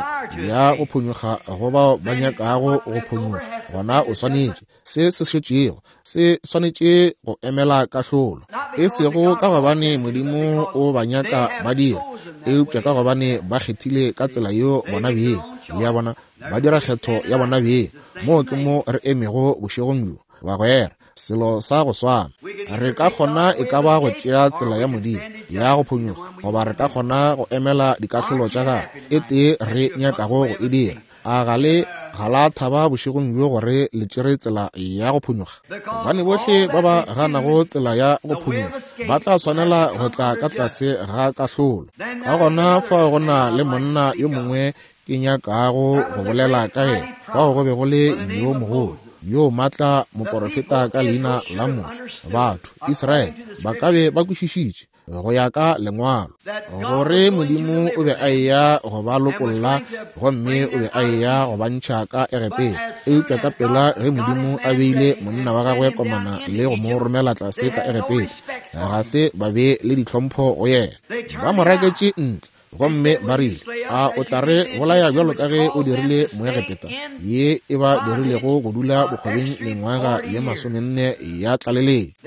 [SPEAKER 1] ya go phonyokga go bao ba nyakago go phonyokga. Gona o swanetše, se se šetšego se swanetše go emela kahlolo, e sego ka gobane Modimo o ba nyaka ba dira, eupša ka gobane ba kgethile ka tsela yeo bona beng. Le a bona, ba dira kgetho ya bona beng. Moo ke mo re emego bošegong bjo, bagwera, selo sa go swana. Re ka kgona e ka ba go tšea tsela ya Modimo ya go phonyokga, goba re ka kgona go emela dikahlolo tša gagwe. E tee re nyakago go e dira. A ga le ga la thaba bošegong bjo gore le tšere tsela ya go phonyokga? Gobane bohle ba ba ganago tsela ya go phonyokga ba tla swanela go tla ka tlase ga kahlolo. Ka gona fao go na le monna yo mongwe ke nyakago go bolela ka yena, fao go be go le yo mogolo, yo matla moporofeta ka leina la Moshe. Batho, Israele, ba ka be ba kwešišitše go ya ka Lengwalo gore Modimo o be a eya go ba lokolla gomme o be a eya go ba ntšha ka Egepeta. Eupša ka pela ge Modimo a beile monna wa gagwe komana le go mo romela tlase ka Egepeta, ga se ba be le ditlhompho go yena. Ba mo raketše ntle gomme ba rile, A o tla re bolaya bjalo ka ge o dirile Moegepeta, ye e ba dirilego go dula bokgobeng mengwaga ye masomenne ya tlaleletšo?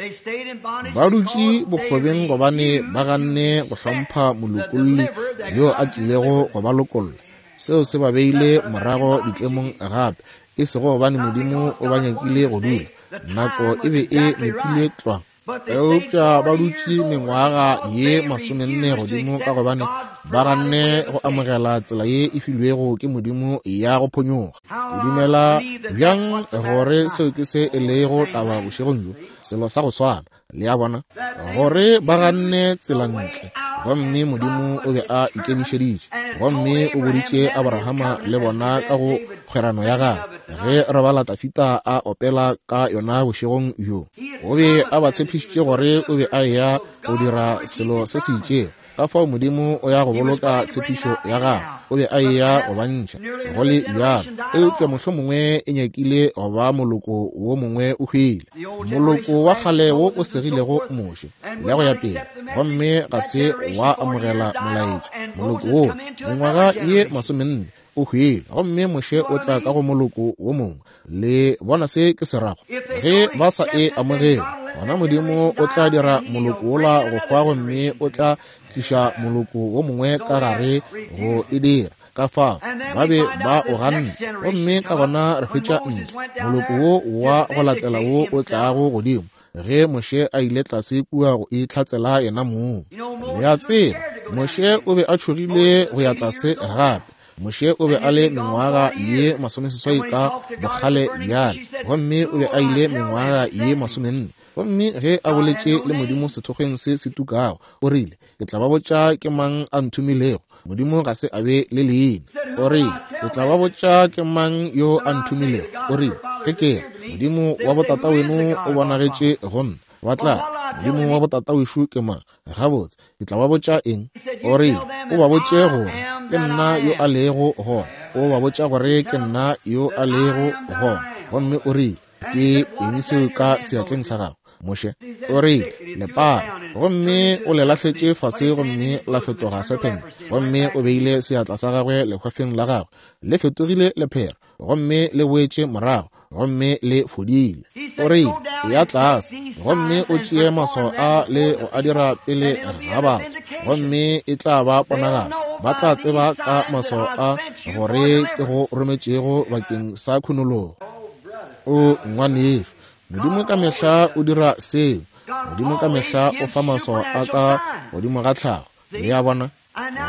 [SPEAKER 1] Ba dutše bokgobeng gobane ba ganne go hlompha molokolli yo a tlilego go ba lokolla. Seo se ba beile morago ditlemong gape, e sego gobane Modimo o ba nyakile go dula. Nako e be e nepile tlwa. Eupša ba dutše mengwaga ye masomenne godimo ka gobane ba ganne go amogela tsela ye e filwego ke Modimo ya go phonyokga. Ke dumela bjang gore seo ke se e lego taba bošegong bjo, selo sa go swana, le a bona, gore ba ganne tsela ntle. Gomme Modimo o be a ikemišeditše, gomme o boditše Abrahama le bona ka go kgwerano ya gagwe, ge re bala Dafida a opela ka yona bošegong bjo. O be a ba tshepišitše gore o be a eya go dira selo se se itšego. Ka fao Modimo o ya go boloka tshepišo ya gagwe. O be a eya go ba ntšha, go le bjalo. Eupša mohlomongwe e nyakile go ba moloko wo mongwe o hwile, moloko wa kgale wo o segilego Moshe, le go ya pele, gomme ga se wa amogela molaetša. Moloko wo, mengwaga ye masomenne, o hwile, gomme Moshe o tla ka go moloko wo mongwe. Le bona se ke se rago? Ge ba sa e amogele, gona Modimo o tla dira moloko wola go hwa gomme o tla tliša moloko wo mongwe ka gare go e dira. Ka fao ba be ba o ganne, gomme ka gona re hwetša ntle moloko wo wa go latela wo o tlago godimo, ge Moshe a ile tlase kua go itlhatsela yena mong. Le a tseba, Moshe o be a tšhogile go ya tlase gape. Moshe o be a le mengwaga ye masomeseswai ka bokgale bjale, gomme o be a ile mengwaga ye masomenne. Gomme ge a boletše le Modimo sethokgweng se se tukago, o rile, Ke tla ba botša ke mang a nthomilego. Modimo ga se a be le leina. O rile, Ke tla ba botša ke mang yo a nthomilego. O rile, Ge ke re, Modimo wa botataweno o bonagetše go nna, ba tla re, Modimo wa botatawešo ke mang? Gabotse, ke tla ba botša eng? O rile, O ba botše gore ke nna yo a lego gona. O ba botša gore ke nna yo a lego gona. Gomme o rile, Ke eng seo ka seatleng sa gago, Moshe? O rile, Lepara. Gomme o le lahletše fase gomme la fetoga sephente. Gomme o beile seatla sa gagwe lehwafeng la gagwe, le fetogile lephera, gomme le boetše morago, gomme le fodile. O rile, Eya tlase gomme o tšee maswao a le go a dira pele ga batho, gomme e tla ba ponagalo. Ba tla tseba ka maswao a gore ke go rometšego bakeng sa khunologo. O ngwanešu, Modimo ka mehla o dira seo. Modimo ka mehla o fa maswao a ka godimo ga tlhago. Le a bona?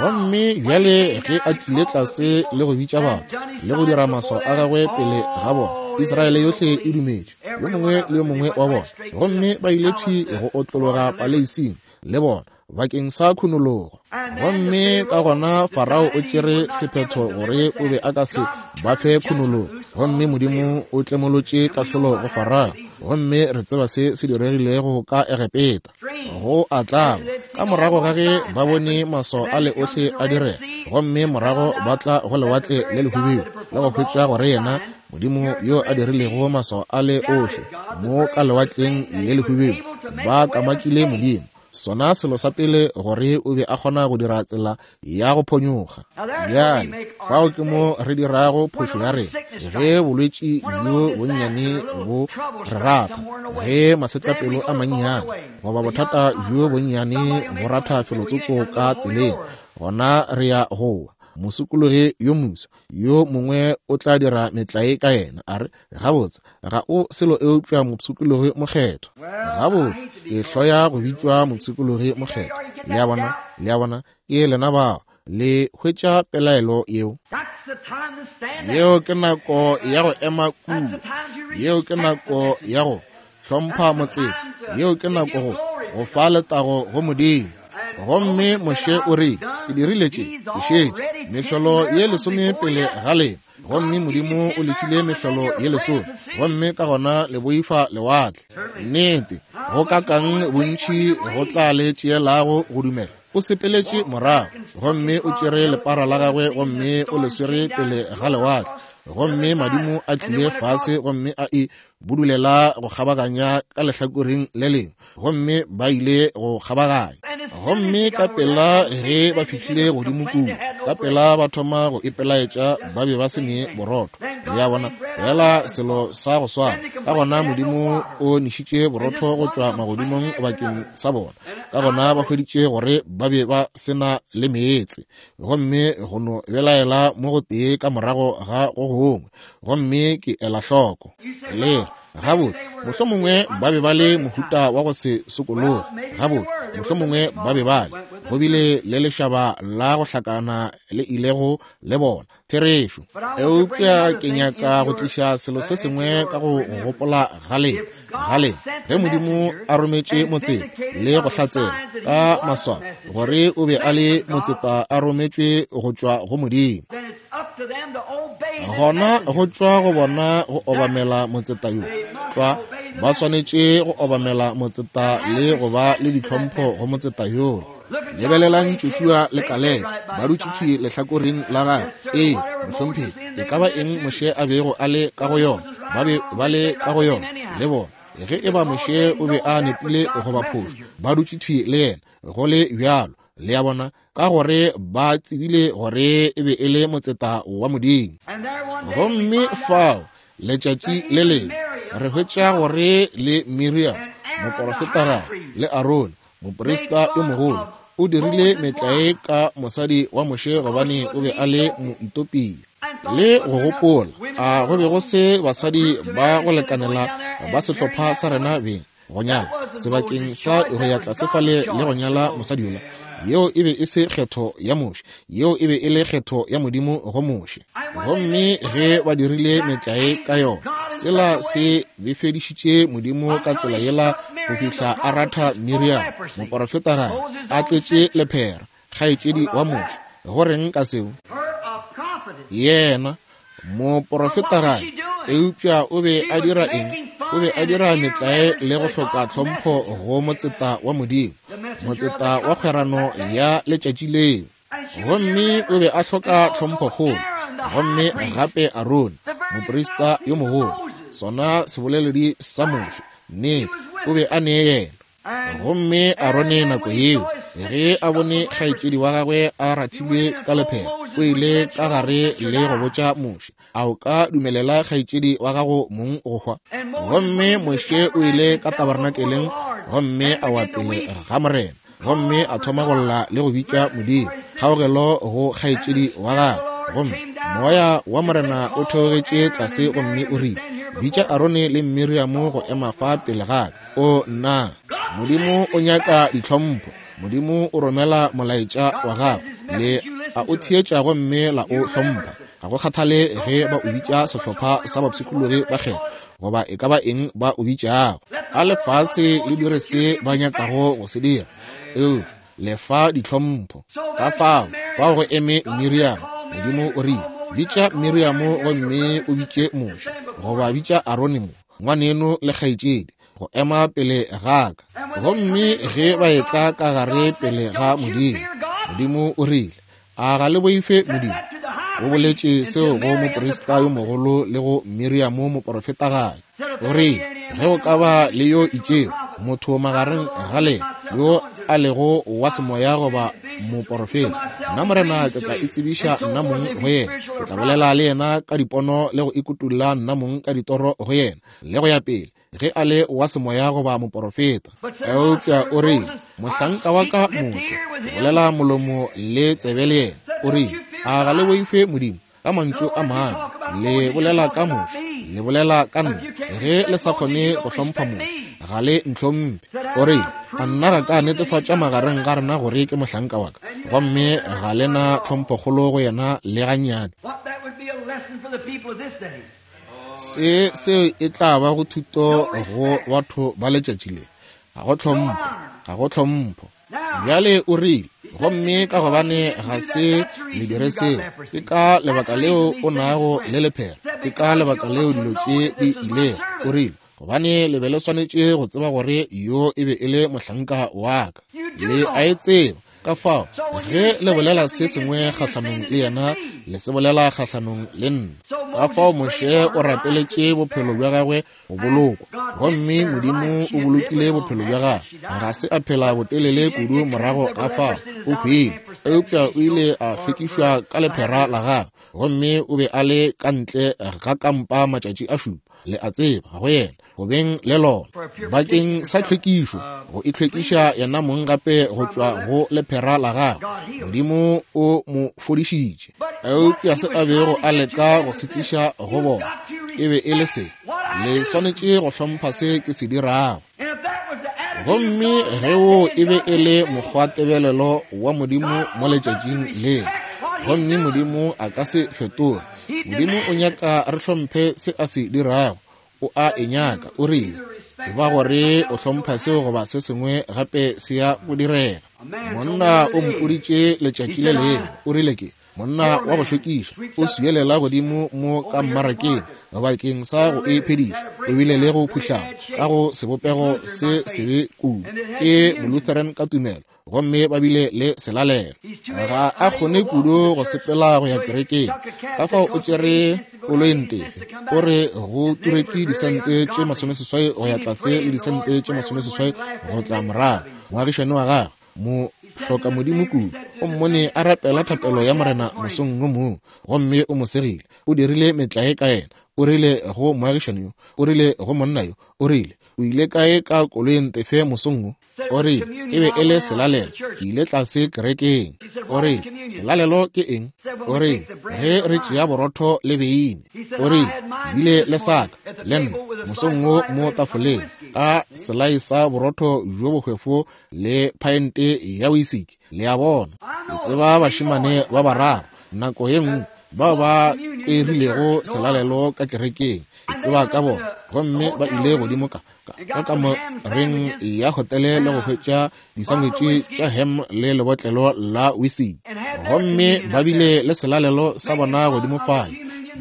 [SPEAKER 1] Gomme bjale ge a tlile tlase le go bitša batho, le go dira maswao a gagwe pele ga bona, Israele yohle e dumetše, yo mongwe le yo mongwe wa bona. Gomme ba ile thwi go otlologa paleising le bona. bakeng sa khunologo. Gomme ka gona Farao o tšere sephetho gore o be a ka se ba fe khunologo, gomme Modimo o tlemolotše kahlolo go Farao. Gomme re tseba se se diregilego ka Egepeta. Go a tlaba, ka morago ga ge ba bone maswao ale ohle a direga, gomme morago ba tla go Lewatle le Lehubedu le go hwetša gore yena Modimo yo a dirilego maswao ale ohle mo ka Lewatleng le Lehubedu, ba kamakile Modimo. Sona selo sa pele gore o be a kgona go dira tsela ya go phonyokga. Bjale, fao ke mo re dirago phošo ya rena. Ge bolwetši bjo bonnyane bo re ratha, ge masetlapelo a mannyane goba bothata bjo bonnyane bo ratha felotsoko ka tseleng, gona re ya go wa. Mosokologi yo mofsa yo mongwe o tla dira metlae ka yena, a re, Gabotse, ga o selo eupša mopshikologi mokgethwa. Gabotse, ke hloya go bitšwa mopshikologi mokgethwa. Le a bona? Le a bona? Ke lena bao. Le hwetša pelaelo yeo? Yeo ke nako ya go ema kua. Yeo ke nako ya go hlompha motseta. Yeo ke nako go go fa letago go Modimo. Gomme Moshe o rile, Ke dirile tše, ke šetše mehlolo ye lesome pele ga lena, gomme Modimo o le file mehlolo ye lesome, gomme ka gona le boifa lewatle. Nnete, go kakang bontši go tla le tšeelago go dumela. O sepeletše morago, gomme o tšere lepara la gagwe gomme o le swere pele ga lewatle, gomme madimo a tlile fase gomme a e budulela go kgabaganya ka lehlakoreng le lengwe, gomme ba ile go kgabaganya. Gomme ka pela ge ba fihlile godimo kua, ka pela ba thoma go ipelaetša, ba be ba se ne borotho. Le a bona, fela selo sa go swana. Ka gona Modimo o nešitše borotho go tšwa magodimong bakeng sa bona. Ka gona ba hweditše gore ba be ba se na le meetse, gomme go no belaela mo go tee ka morago ga go gongwe. Gomme ke ela hloko le gabotse, mohlomongwe ba be ba le mohuta wa go se sokologe. Gabotse, mohlomongwe ba be ba le, go bile le lešaba la go hlakana le ilego le bona, therešo. Eupša ke nyaka go tliša selo se sengwe ka go gopola ga lena, ga lena, ge Modimo a rometše motseta le go hlatsela ka maswao gore o be a le motseta a rometšwe go tšwa go Modimo, gona go tšwa go bona go obamela motseta yo. Tlwa, ba swanetše go obamela motseta le go ba le ditlhompho go motseta yoo. Lebelelang Joshua le Kalebe ba dutše thwi lehlakoreng la gagwe. Ee, mohlomphegi, e ka ba eng Moshe a bego a le ka go yona, ba be ba le ka go yona le bona. Ge e ba Moshe o be a nepile goba phošo, ba dutše thwi le yena go le bjalo. Le a bona, ka gore ba tsebile gore e be e le motseta wa Modimo. Gomme fao letšatši le lengwe re hwetša gore le Miriam moporofetagadi le Arone moprista yo mogolo o dirile metlae ka mosadi wa Moshe gobane o be a le Moetopia. Le go gopola, a go be go se basadi ba go lekanela ba sehlopha sa rena beng go nyala sebakeng sa go ya tlase fale le go nyala mosadi yola? Yeo e be e se kgetho ya Moshe, yeo e be e le kgetho ya Modimo go Moshe. Gomme ge ba dirile metlae ka yona, sela se befedišitše Modimo ka tsela yela go fihla a ratha Miriam moporofetagadi a tletše lephera, kgaetšedi wa Moshe. Go reng ka seo? Yena moporofetagadi, eupša o be a dira eng? O be a dira metlae le go hloka tlhompho go motseta wa Modimo, motseta wa kgwerano ya letšatši leo. Gomme o be a hloka tlhomphokgolo. Gomme gape Arone, moprista yo mogolo, sona seboleledi sa Moshe, nnete, o be a ne yena. Gomme Arone nako yeo, ge a bone kgaetšedi wa gagwe a rathilwe ka lephera, o ile ka gare le go botša Moshe, a o ka dumelela kgaetšedi wa gago mong go hwa? Gomme Moshe o ile ka tabernakeleng gomme a wa pele ga Morena, gomme a thoma go lla le go bitša Modimo kgaogelo go kgaetšedi wa gagwe. Gomme moya wa Morena o theogetše tlase gomme o rile, bitša Arone le Miriamo go ema fa pele ga ka. O nna, Modimo o nyaka ditlhompho. Modimo o romela molaetša wa gagwe, le a o theetša gomme la o hlompha. Ga go kgathale ge ba o bitša sehlopha sa bapshikologi ba kgetho goba e ka ba eng ba o bitšago. A lefase le dire se ba nyakago go se dira. Eupša Le fa ditlhompho. Ka fao, fao go eme Miriamo. Modimo o rile, Bitša Miriamo gomme o bitše Moshe, goba bitša Arone mo, ngwaneno le kgaetšedi, go ema pele ga ka. Gomme ge ba etla ka gare pele ga Modimo, Modimo o rile, A ga le boife Modimo? O boletše seo go moprista yo mogolo le go Miriamo moporofetagadi. O rile, Ge go ka ba le yo itšego motho magareng ga lena yo a lego wa semoya goba moporofeta, nna Morena ke tla itsebiša nna mong go yena. Ke tla bolela le yena ka dipono le go ikutolla nna mong ka ditoro go yena, le go ya pele, ge a le wa semoya goba moporofeta. Eupša o rile, Mohlanka wa ka Moshe, ke bolela molomo le tsebe le yena. O rile, A ga le boife Modimo? Ka mantšu a mangwe, le bolela ka Moshe, le bolela ka nna. Ge le sa kgone go hlompha Moshe, ga le ntlhomphe. O rile, A nna ga ka netefatša magareng ga rena gore ke mohlanka wa ka, gomme ga le na tlhomphokgolo go yena le gannyane? Se seo e tla ba go thuto go batho ba letšatši le. Ga go tlhompho, ga go tlhompho. Bjale o rile, gomme ka gobane ga se le dire seo, ke ka lebaka leo o nago le lephera, ke ka lebaka leo dilo tše di ilego. O rile, gobane le be le swanetše go tseba gore yo e be e le mohlanka wa ka. Le a e tseba. Ka fao, ge le bolela se sengwe kgahlanong le yena, le se bolela kgahlanong le nna. Ka fao Moshe o rapeletše bophelo bja gagwe go bolokwa, gomme Modimo o bolokile bophelo bja gagwe. Ga se a phela botelele kudu morago ga fao, o hwile, eupša o ile a hlwekišwa ka lephera la gagwe, gomme o be a le ka ntle ga kampa matšatši a šupa, le a tseba, go yena go beng le lona bakeng sa tlhwekišo, go itlhwekiša yena mong gape go tšwa go lephera la gagwe. Modimo o mo fodišitše. Eupša se a bego a leka go se tliša go bona e be e le se: le swanetše go hlompha se ke se dirago. Gomme ge wo e be e le mokgwatebelelo wa Modimo mo letšatšing leo, gomme Modimo a ka se fetoge. Modimo o nyaka re hlomphe se a se dirago. O a e nyaka. O rile, E ba gore o hlompha seo goba se sengwe gape se ya go direga. Monna o mpoditše letšatši le lengwe, o rile ke monna wa go šokiša, o swielela godimo mo ka mmarakeng bakeng sa go iphediša. O bile le go phuhlama ka go sebopego se sebe kudu. Ke Molutheran ka tumelo, gomme ba bile le selalelo. Ga a kgone kudu go sepela go ya kerekeng, ka fao o tšere koloentefe. O re go turetše disente tše 80 go ya tlase le disente tše 80 go tla morago. Moagišani wa gagwe, mo hloka Modimo kudu, o mmone a rapela thapelo ya Morena mosong wo mongwe, gomme o mo segile. O dirile metlae ka yena. O rile go moagišani yo, o rile go monna yo, o rile, O ile kae ka koloentefe mosong wo? O rile, E be e le selalelo. Ke ile tlase kerekeng. O rile, Selalelo ke eng? O rile, Ge re tšea borotho le beine. O rile, Ke bile le saka, le nna, mosong wo mo tafoleng, ka selai sa borotho bjo bohwefo le phaente ya wisiki. Le a bona? Ke tseba bašemane ba bararo, nako ye nngwe, bao ba kwerilego selalelo ka kerekeng. Ke tseba ka bona. Gomme ba ile godimo ka ka kamoreng ya hotele le go hwetša disangwetše tša ham le lebotlelo la wisiki, gomme ba bile le selalelo sa bona godimo fale.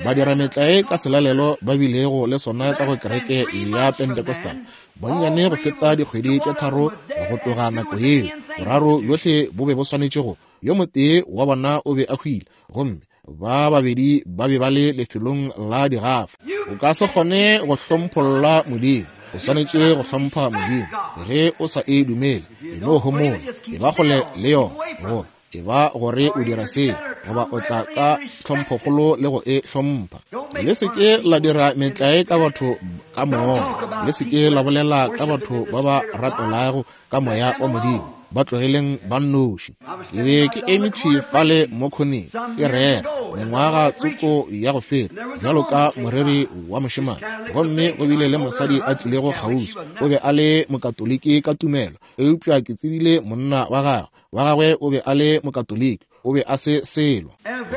[SPEAKER 1] Ba dira metlae ka selalelo ba bilego le sona ka go kereke ya Pentecostal, bonnyane go feta dikgwedi tše tharo go tloga nako yeo. Boraro bjohle bo be bo swanetše go, yo motee wa bona o be a hwile, gomme ba babedi ba be ba le lefelong la digafa. O ka se kgone go hlompholla Modimo. O swanetše go hlompha Modimo. Ge o sa e dumele, e no homola, e ba kgole le yona, goba e ba gore o dira seo, goba o tla ka tlhomphokgolo le go e hlompha. Le se ke la dira metlae ka batho ka moya. Le se ke la bolela ka batho ba ba rapelago ka moya wa Modimo. Ba tlogeleng ba nnoši. Ke be ke eme thwi fale mo khoneng, ke rera, mengwaga tsoko ya go feta, bjalo ka moreri wa mošemane. Gomme go bile le mosadi a tlilego kgauswi. O be a le Mokatoliki ka tumelo, eupša ke tsebile monna wa gagwe. Wa gagwe o be a le Mokatoliki, o be a se selo.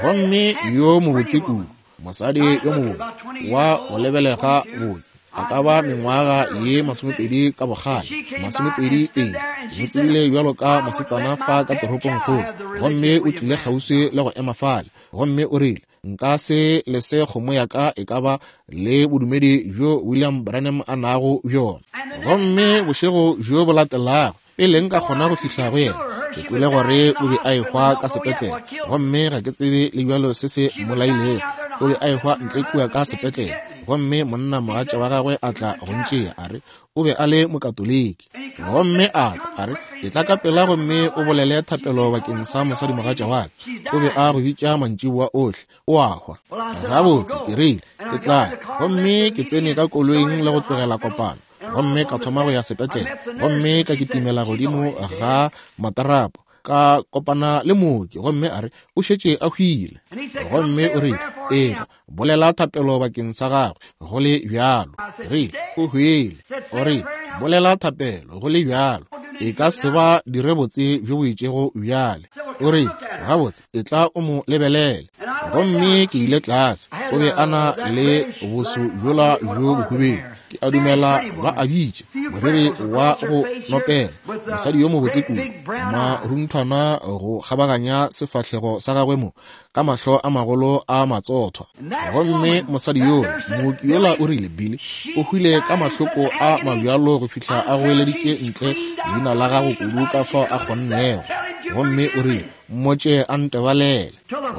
[SPEAKER 1] Gomme yo mobotse kudu. Mosadi yo mobotse, wa go lebelega botse, a ka ba mengwaga ye 20 ka bokgale, 22, mo tsebile bjalo ka mosetsana fa ka toropongkgolo, gomme o tlile kgauswi le go ema fale, gomme o rile, Nka se lese kgomo ya ka e ka ba le bodumedi bjo William Branham a nago bjona. Gomme bošego bjo bo latelago, pele nka kgona go fihla go yena, ke kwele gore o be a ehwa ka sepetlele, gomme ga ke tsebe le bjalo se se mmolailego. O be a ehwa ntle kua ka sepetlele, gomme monna mogatša wa gagwe a tla go ntšea, a re o be a le Mokatoliki. Gomme a tla, a re, Etla ka pela gomme o bolele thapelo bakeng sa mosadimogatša wa ka. O be a go bitša mantšiboa ohle, o a hwa. Gabotse, ke rile, ke tla ya. Gomme ke tsene ka koloing le go tlogela kopano, gomme ka thoma go ya sepetlele, gomme ka kitimela godimo ga matarapo, ka kopana le mooki, gomme a re, O šetše a hwile. Gomme o rile, Etla, bolela thapelo bakeng sa gagwe, go le bjalo. Ke rile, O hwile. O rile, Bolela thapelo, go le bjalo. E ka se ba dire botse bjo bo itšego bjale. O rile, Gabotse, etla o mo lebelele. Gomme ke ile tlase. O be a na le boso bjola bjo bohubedu. Ke a dumela ba a bitša moriri wa go nopela, mosadi yo mobotse kudu, marunthwana go kgabaganya sefahlego sa gagwe mo, ka mahlo a magolo a matsothwa. Gomme mosadi yola, mooki yola o rile, Billy, o hwile ka mahloko a mabjalo go fihla a goeleditše ntle leina la gago kudu ka fao a kgonnego. Gomme o rile, Mmotše a ntebalele.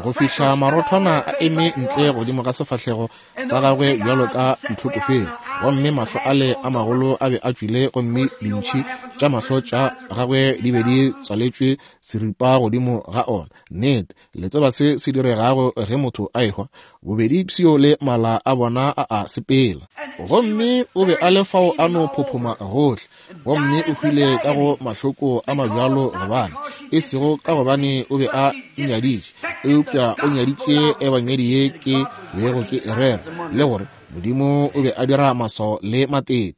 [SPEAKER 1] Go fihla marothwana a eme ntle godimo ga sefahlego sa gagwe bjalo ka ditlhokofele, gomme mahlo ale a magolo a be a tšwile, gomme dintšhi tša mahlo tša gagwe di be di tswaletšwe seripa godimo ga ona. Nnete, le tseba se se diregago ge motho a ehwa, bobedi pshio le mala a bona a a sepela. Gomme o be a le fao a no phophoma gohle, gomme o hwile ka go mahloko a mabjalo, gobane, e sego ka gobane o be a nnyaditše, eupša o nyaditše ebangedi ye ke bego ke e rera, le gore Modimo o be a dira maswao le matete.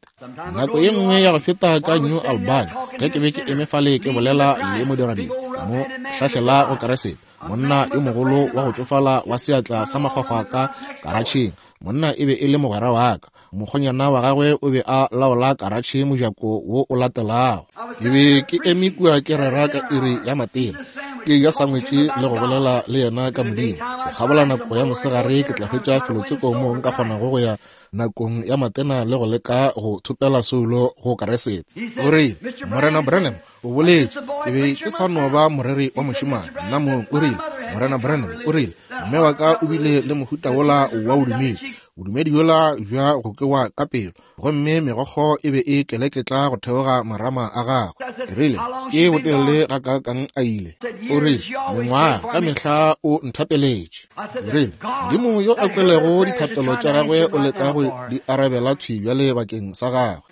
[SPEAKER 1] Nako ye nngwe ya go feta ka New Albany, ge ke be ke eme fale ke bolela le modiradibe, mo hlahlela go Keresete, monna yo mogolo wa go tšofala wa seatla sa makgwakgwa ka karatšheng. Monna e be e le mogwera wa ka. Mokgonyana wa gagwe o be a laola karatšhe mojako wo o latelago. Ke be ke eme kua ke rera ka iri ya matena, ke ja sangwetše le go bolela le yena ka Modimo. Go kgabola nako ya mosegare ke tla hwetša felotsoko moo nka kgonago go ya nakong ya matena le go leka go thopela soulo go Keresete. O rile, Morena Branham o boletše, ke be ke sa no ba moreri wa mošemane nna mong. O rile, Morena Branham, o rile, mme wa ka o bile le mohuta wola wa bodumedi, bodumedi bjola bja go kewa ka pelo, gomme megokgo e be e keleketla go theoga marama a gagwe. Ke rile, Ke botelele gakaakang a ile? O rile, Mengwaga, ka mehla o nthapeletše. Ke rile, Modimo yo a kwelego dithapelo tša gagwe o leka go di arabela thwi bjale bakeng sa gagwe.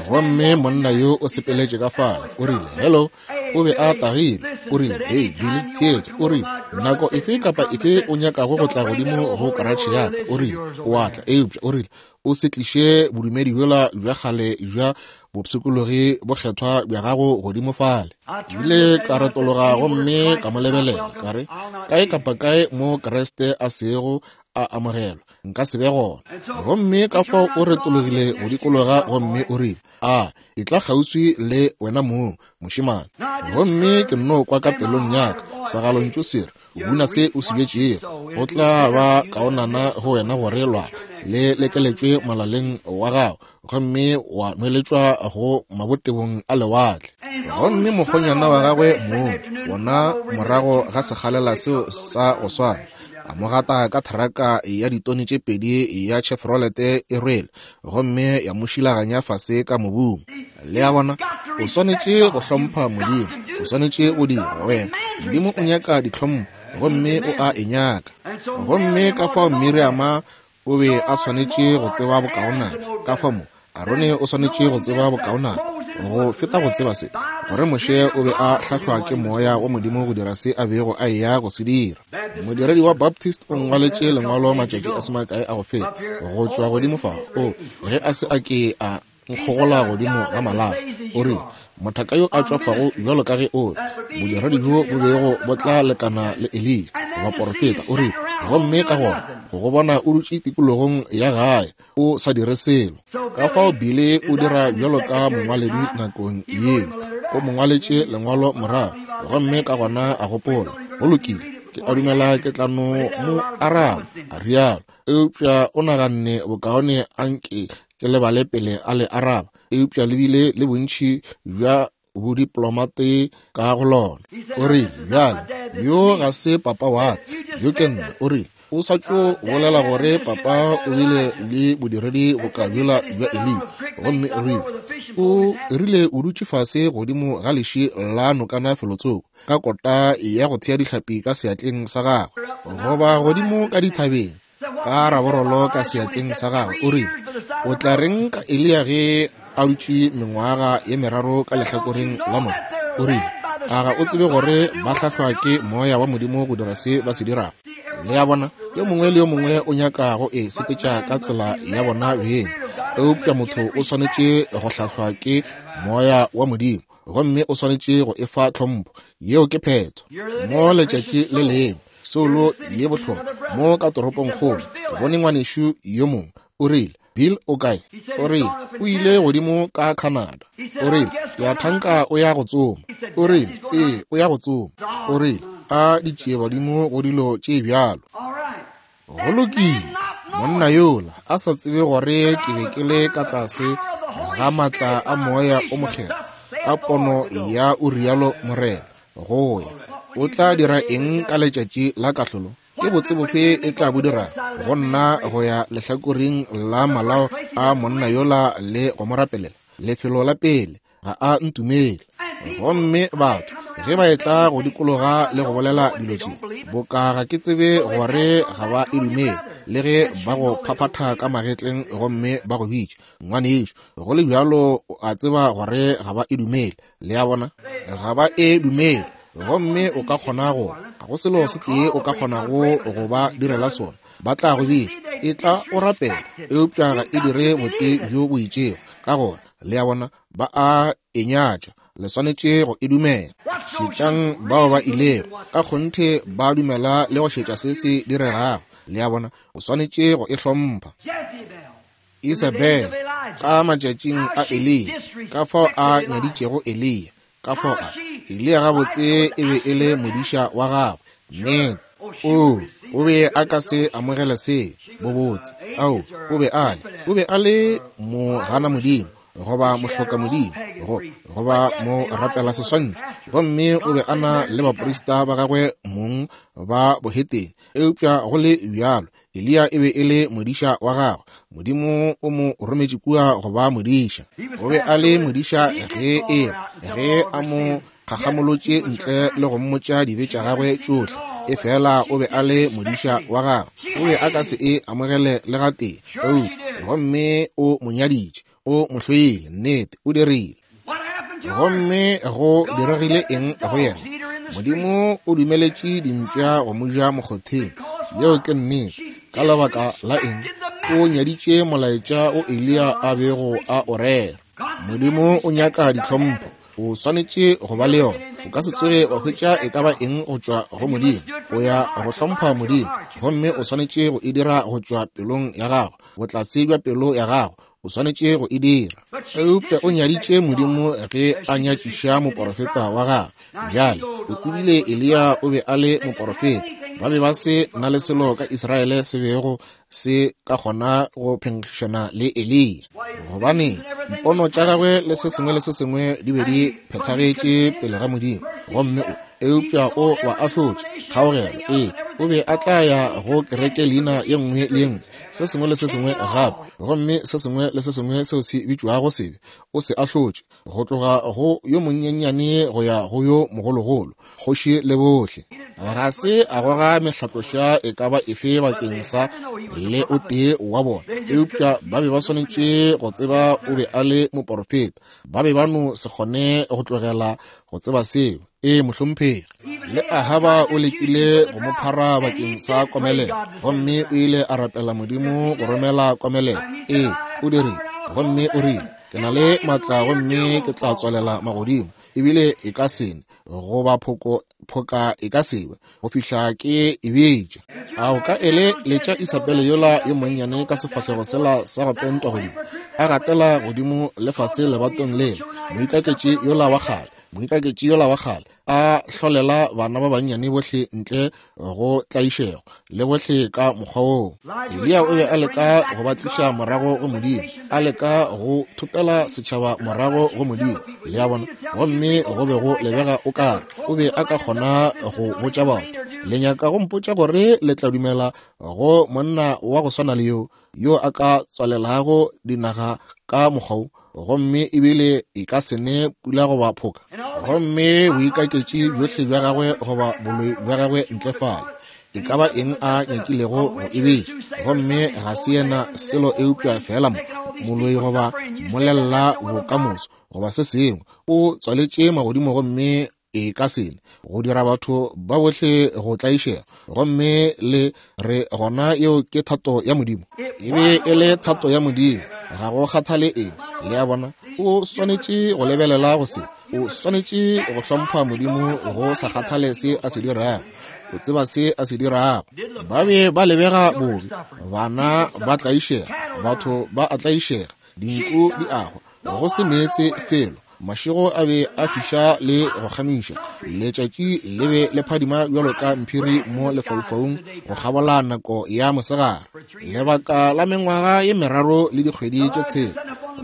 [SPEAKER 1] Gomme monna yo o sepeletše ka fale, o rile, Hello. O be a tagile. O rile, Hei, Billy, theetša. O rile, Nako efe kapa efe o nyakago go tla godimo go karatšhe ya ka, o rile, o a tla. Eupša, o rile, o se tliše bodumedi bjola bja kgale bja bopshikologi bokgethwa bja gago godimo fale. Ke ile ka retologa gomme ka mo lebelela, ka re, Kae kapa kae mo Kriste a sego a amogelwa, nka se be gona. Gomme ka fao o retologile go dikologa gomme o rile, A etla kgauswi le wena mong, mošemane. Gomme ke nno kwa ka pelong ya ka segalontšu se re, O buna se o se bjetšego. Go tla ba kaonana go wena gore lwa le lekeletšwe molaleng wa gago gomme wa nweletšwa go mabotebong a lewatle. Gomme mokgonyana wa gagwe mong, wona morago ga sekgalela seo sa go swana, a mo gata ka theraka ya ditone tše pedi ya Chevrolet e rwele gomme ya mo šilaganya fase ka mobung. Le a bona, o swanetše go hlompha Modimo, o swanetše go dira wena. Modimo o nyaka ditlhompho gomme o a e nyaka. Gomme ka fao Miriama o be a swanetše go tseba bokaonana, ka fao mo Arone o swanetše go tseba bokaonana go feta go tseba se, gore Moshe o be a hlahlwa ke Moya wa Modimo go dira se a bego a eya go se dira. Modiredi wa Baptist o ngwaletše lengwalo matšatši a se makae a go feta, go tšwa godimo fa, o ge a se a ke a nkgogola godimo ga malahla, o rile, Mothaka yo a tšwafago bjalo ka ge o re, bodiredi bjo bo bego bo tla lekana le Eliya, goba porofeta, o rile, Gomme ka gona go go bona o dutše tikologong ya gae o sa dire selo. Ka fao Billy o dira bjalo ka mongwaledi nakong yeo, o mo ngwaletše lengwalo morago, gomme ka gona a gopola, Go lokile, ke a dumela ke tla no mo araba, a rialo. Eupša o naganne bokaone a nke ke lebale pele a le araba, eupša le bile le bontši bja bodiplomate ka go lona. O rile, Bjale, yo ga se papa wa ka, yo ke nna. O rile, O sa tšo bolela gore papa o bile le bodiredi boka bjola bja Eliya. Gomme o rile, O rile o dutše fase godimo ga leši la nokana felotsoko, ka kota ya go thea dihlapi ka seatleng sa gagwe, goba godimo ka dithabeng, ka raborolo ka seatleng sa gagwe. O rile, O tla reng ka Eliya ge a dutše mengwaga ye meraro ka lehlakoreng la noka? O rile, A ga o tsebe gore ba hlahlwa ke Moya wa Modimo go dira se ba se dirago? Le a bona, yo mongwe le yo mongwe o nyaka go e sepetša ka tsela ya bona beng, eupša motho o swanetše go hlahlwa ke Moya wa Modimo, gomme o swanetše go e fa tlhompho. Yeo ke phetho. Mo letšatši le lengwe, soulo ye bohlokwa mo ka toropongkgolo, ke bone ngwanešu yo mongwe, o rile, Bill o kae? O rile, o ile godimo ka Canada. O rile, ke a thanka o ya go tsoma. O rile, ee, o ya go tsoma. O rile, a ditšiebadimo go dilo tše bjalo. Go lokile, monna yola a sa tsebe gore ke be ke le ka tlase ga maatla a Moya o Mokgethwa, ka pono ya o rialo Morena, go ya. O tla dira eng ka letšatši la kahlolo? Ke botse bofe e tla bo dira go nna go ya lehlakoreng la malao a monna yola le go mo rapelela? Lefelo la pele, ga a ntumele. Gomme batho ge ba etla go dikologa le go bolela dilo tše, boka ga ke tsebe gore ga ba e dumele, le ge ba go phaphatha ka magetleng gomme ba go bitša ngwanešu, go le bjalo o a tseba gore ga ba e dumele. Le a bona, ga ba e dumele. Gomme o ka kgona go, ga go selo se tee o ka kgonago go ba direla sona, ba tla go bitša, etla o rapele, eupša ga e dire botse bjo bo itšego. Ka gona, le a bona, ba a e nyatša. Le swanetše go e dumela. Šetšang bao ba ilego, ka kgonthe ba dumela le go šetša se se diregago. Le a bona, o swanetše go e hlompha. Isabel, ka matšatšing a Eliya, ka fao a nyaditšego Eliya, ka fao a, Eliya gabotse e be e le modiša wa gagwe. Nnete. Oo, o be a ka se amogele se, bobotse. Ao, o be a le, o be a le mogana Modimo, goba mohloka Modimo, go, goba mo rapela seswantšho. Gomme o be a na le baprista ba gagwe mong ba bohetene. Eupša go le bjalo, Eliya e be e le modiša wa gagwe. Modimo o mo rometše kua go ba modiša. O be a le modiša ge e ge a mo kgakgamolotše ntle le go mmotša dibe tša gagwe tšohle. Efela o be a le modiša wa gagwe. O be a ka se e amogele le gatee. Gomme o mo nyaditše. O mo hloile. Nnete, o dirile. Gomme go diregile eng go yena? Modimo o dumeletše dimpša go mo ja mokgotheng. Yeo ke nnete. Ka lebaka la eng? O nyaditše molaetša o Eliya a bego a o rera. Modimo o nyaka ditlhompho. O swanetše go ba le yona. O ka se tsoge wa hwetša e ka ba eng go tšwa go Modimo. O ya go hlompha Modimo, gomme o swanetše go e dira go tšwa pelong ya gago, botlase bja pelo ya gago. O swanetše go e dira. Eupša o nyaditše Modimo ge a nyatšiša moporofeta wa gagwe. Bjale, o tsebile Eliya o be a le moporofeta. Ba be ba se na le selo ka Israele se bego se ka kgona go phenkgišana le Eliya, gobane dipono tša gagwe le se sengwe le se sengwe di be di phethagetše pele ga Modimo. Gomme o, eupša o ba ahlotše. Kgaogelo, ee, o be a tla ya go kereke leina ye nngwe le ye nngwe, se sengwe le se sengwe gape, gomme se sengwe le se sengwe seo se bitšwago sebe, o se ahlotše, go tloga go yo monyenyane go ya go yo mogologolo, kgoši le bohle. Ga se a goga mehlatloša e ka ba efe bakeng sa le o tee wa bona, eupša ba be ba swanetše go tseba o be a le moporofeta. Ba be ba no se kgone go tlogela go tseba seo. Ee, mohlomphegi. Le Ahaba o lekile go mo phara bakeng sa komelelo, gomme o ile a rapela Modimo go romela komelelo. Ee, o dirile. Gomme o rile, Ke na le maatla gomme ke tla tswalela magodimo, ebile e ka se ne. goba phoka e ka se we go fihla ke e betša. A o ka eleletša Isabele yola yo monnyane ka sefahlego sela sa go pentwa godimo, a gatela godimo le fase lebatong lela, moikaketši yola wa kgale, moikaketši yola wa kgale, a hlolela bana ba bannyane bohle ntle go tlaišego le bohle ka mokgwa woo. Eliya o be a leka go ba tliša morago go Modimo, a leka go thopela setšhaba morago go Modimo, le a bona, gomme go be go lebega o kare o be a ka kgona go botša batho, Le nyaka go mpotša gore le tla dumela go monna wa go swana le yo, yo a ka tswalelago dinaga ka mokgwa wo, gomme ebile e ka se ne pula goba phoka, gomme boikaketši bjohle bja gagwe goba boloi bja gagwe ntle fale, e ka ba eng a nyakilego go e betša, gomme ga se yena selo eupša feela moloi goba molella bokamoso goba se sengwe, o tswaletše magodimo gomme e ka se ne go dira batho ba bohle go tlaišega, gomme le re gona yeo ke thato ya Modimo. E be e le thato ya Modimo, ga go kgathale eng. Le a bona, o swanetše go lebelela go se, o swanetše go hlompha Modimo go sa kgathale se a se dirago. O tseba se a se dirago. Ba be ba lebega bobe, bana ba tlaišega, batho ba a tlaišega, dinku di a hwa, go se meetse felo. Mašego a be a fiša le go kgamiša, letšatši le be le phadima bjalo ka mphiri mo lefaufaung go kgabola nako ya mosegare, lebaka la mengwaga ye meraro le dikgwedi tše tshela.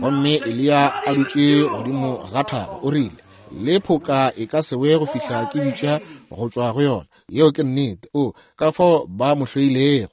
[SPEAKER 1] Gomme Eliya a dutše godimo ga thaba, o rile, Le phoka e ka se we go fihla ke bitša go tšwa go yona. Yeo ke nnete. O, ka fao ba mo hloilego.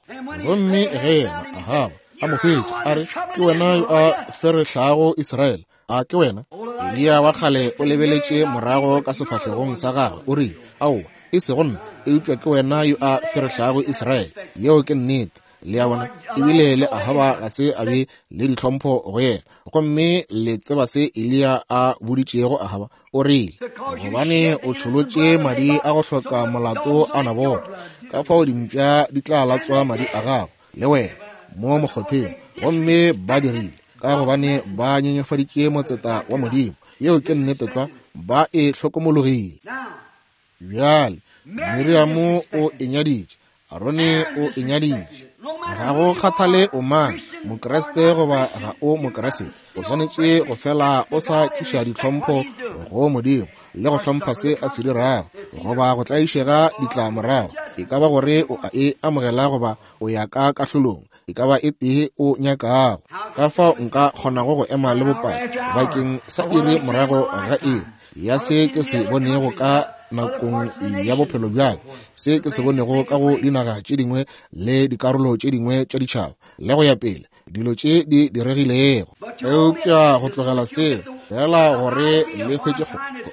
[SPEAKER 1] Gomme ge yena, Ahaba, a mo hwetša, a re, Ke wena yo a ferehlago Israele, a ke wena? Eliya wa kgale o lebeletše morago ka sefahlegong sa gagwe, o rile, Aowa, e sego nna, eupša ke wena yo a ferehlago Israele. Yeo ke nnete. Le a bona, ebile le Ahaba ga se a be le ditlhompho go yena. Gomme le tseba se Eliya a boditšego Ahaba? O rile, Gobane o tšholotše madi a go hloka molato a Nabothe, ka fao dimpša di tla latswa madi a gago le wena mo mokgotheng. Gomme ba dirile, ka gobane ba nyenyefaditše motseta wa Modimo. Yeo ke nnete tlwa, ba e hlokomologile. Bjale, Miriamo o e nyaditše, Arone o e nyaditše. Ga go kgathale o mang, Mokriste goba ga o Mokriste, o swanetše go fela o sa tliša ditlhompho go Modimo le go hlompha se a se dirago, goba go tlaišega ditlamorago, e ka ba gore o a e amogela goba o ya ka kahlolong, e ka ba e tee o nyakago. Ka fao nka kgonago go ema le bopaki bakeng sa iri morago ga iri ya se ke se bonego ka nakong ya bophelo bja ka, se ke se bonego ka go dinaga tše dingwe le dikarolo tše dingwe tša ditšhaba, le go ya pele, dilo tše di diregilego. Eupša go tlogela seo fela gore le hwetše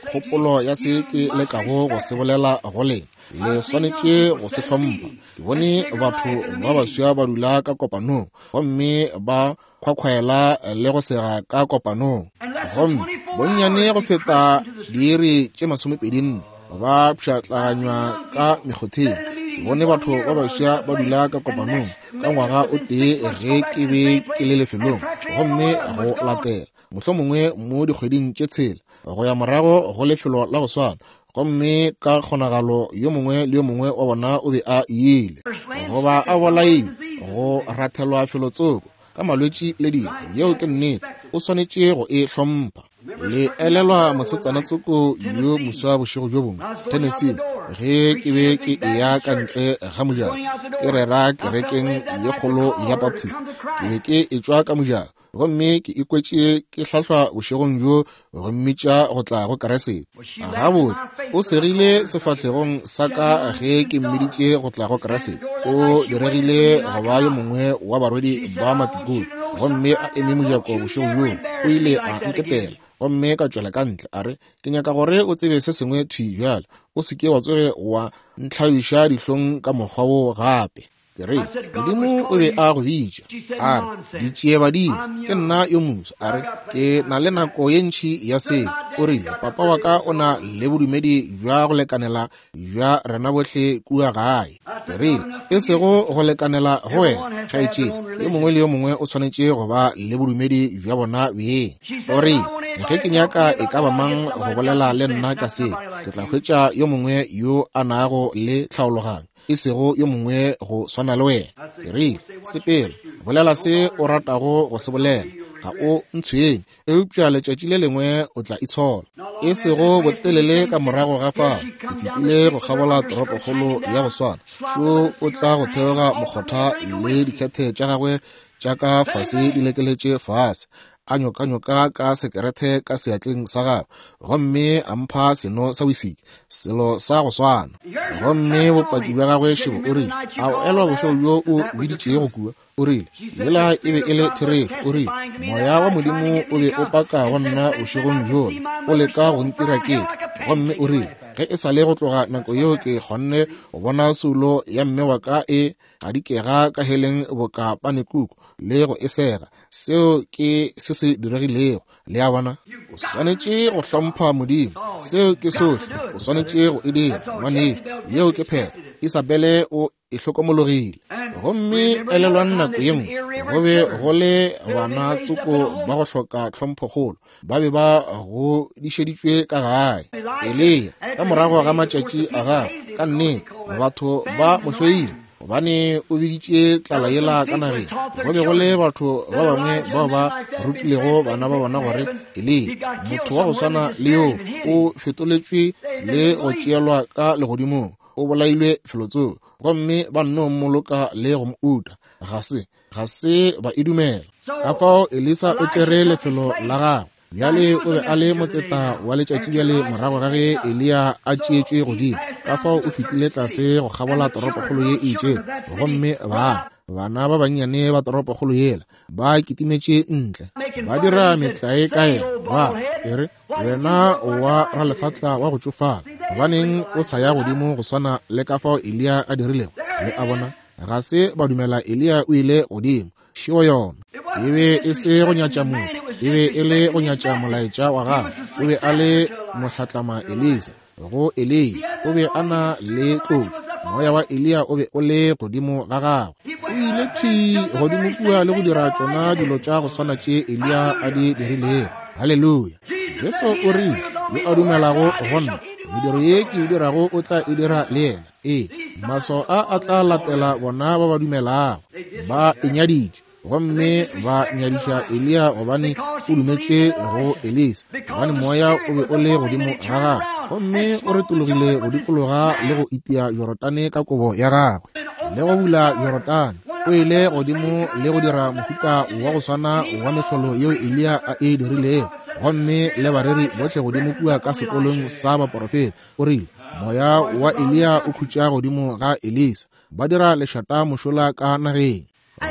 [SPEAKER 1] kgopolo ya se ke lekago go se bolela go lena, le swanetše go se hlompha. Ke bone batho ba baswa ba dula ka kopanong gomme ba khwakhwaela le go sega ka kopanong, gomme bonnyane go feta diiri tše 24 ba pšhatlaganywa ka mekgotheng. Ke bone batho ba baswa ba dula ka kopanong ka ngwaga o tee ge ke be ke le lefelong, gomme go latela mohlomongwe mo dikgweding tše tshela go ya morago go lefelo la go swana, gomme ka kgonagalo yo mongwe le yo mongwe wa bona o be a ile goba a bolailwe go rathelwa felotsoko ka malwetši le dilo. Yeo ke nnete, o swanetše go e hlompha. Le elelwa mosetsana tsoko yo moswa bošego bjo bongwe Tennessee, ge ke be ke eya ka ntle ga mojako ke rera kerekeng ye kgolo ya Baptist. Ke be ke etšwa ka mojako gomme ke ikwetše ke hlahlwa bošegong bjo go mmitša go tla go Kriste. Gabotse, o segile sefahlegong sa ka ge ke mmiditše go tla go Kriste. O diregile go ba yo mongwe wa barwedi ba matikone, gomme a eme mojako bošego bjoo. O ile a nketela, gomme ka tšwela ka ntle. A re, Ke nyaka gore o tsebe se sengwe thwi bjale. O se ke wa tsoge wa ntlhabiša dihlong ka mokgwa wo gape. Ke re, Modimo o be a go bitša. A re, Ditšiebadimo, ke nna yo moswa. A re, Ke na le nako ye ntši ya seo. O rile, Papa wa ka o na le bodumedi bja go lekanela bja rena bohle kua gae. Ke rile, E sego go lekanela go wena, kgaetšedi. Yo mongwe le yo mongwe o swanetše go ba le bodumedi bja bona beng. O rile, Ge ke nyaka e ka ba mang go bolela le nna ka se, ke tla hwetša yo mongwe yo a nago le tlhaologanyo, e sego yo mongwe go swana le wena. Ke rile, Sepela, bolela se o ratago go se bolela, ga o ntshwenye, eupša letšatši le lengwe o tla itshola. E sego botelele ka morago ga fao, ke fetile go kgabola toropokgolo ya go swana. Šo o tla go theoga mokgotha le dikhethe tša gagwe tša ka fase di lekeletše fase, a nyokanyoka ka sekerethe ka seatleng sa gagwe, gomme a mpha seno sa wisiki, selo sa go swana. Gomme bopaki bja gagwe šebo, o rile, A o elwa bošego bjo o biditšego kua? O rile, Yela e be e le therešo. O rile, Moya wa Modimo o be o paka go nna bošegong bjola, o leka go ntira ke tle. Gomme o rile, Ge e sa le go tloga nako yeo ke kgonne go bona soulo ya mme wa ka e gadikega ka heleng boka panekuku le go e sega. Seo ke se se diregilego. Le a bona? O swanetše go hlompha Modimo. Seo ke sohle o swanetše go e dira, ngwanešu. Yeo ke phetho. Isabele o e hlokomologile. Gomme elelwang nako ye nngwe go be go le bana tsoko ba go hloka tlhomphokgolo, ba be ba godišeditšwe ka gae. Eliya, ka morago ga matšatši a gagwe, ka nnete batho ba mo hloile gobane o biditše tlala yela ka nageng. Go be go le batho ba bangwe bao ba rutilego bana ba bona gore Eliya, motho wa go swana le yoo, o fetoletšwe le go tšeelwa ka legodimong, o bolailwe felotsoko, gomme ba nno mmoloka le go mo uta. Ga se, ga se ba e dumela. Ka fao Elisa o tšere lefelo la gagwe. Bjale o be a le motseta wa letšatši bjale morago ga ge Eliya a tšeetšwe godimo. Ka fao o fetile tlase go kgabola toropokgolo ye e itšego, gomme bana, bana ba bannyane ba toropokgolo yela ba kitimetše ntle, ba dira metlae ka yena, ba e re, Wena wa ralefatla wa go tšofala, gobaneng o sa ya godimo go swana le ka fao Eliya a dirilego? Le a bona, ga se ba dumela Eliya o ile godimo. Šeo yona. E be e se go nyatša motho, e be e le go nyatša molaetša wa gagwe. O be a le mohlatlama Elisa go Eliya. O be a na le tlotšo. Moya wa Eliya o be o le godimo ga gagwe. O ile thwi godimo kua le go dira tšona dilo tša go swana tše Eliya a di dirilego. Haleluya! Jesu o rile, Yo a dumelago go nna, mediro ye ke e dirago o tla e dira le yena. Ee, maswao a a tla latela bona ba ba dumelago. Ba e nyaditše, gomme ba nyadiša Eliya gobane o dumetše go Elisa, gobane moya o be o le godimo ga gagwe, gomme o retologile go dikologa le go itia Jorodane ka kobo ya gagwe, le go bula Jorodane. O ile godimo le go dira mohuta wa go swana wa mehlolo yeo Eliya a e dirilego, gomme le bareri bohle godimo kua ka sekolong sa baporofeta. O rile, Moya wa Eliya o khutša godimo ga Elisa. Ba dira lešata mošola ka nageng.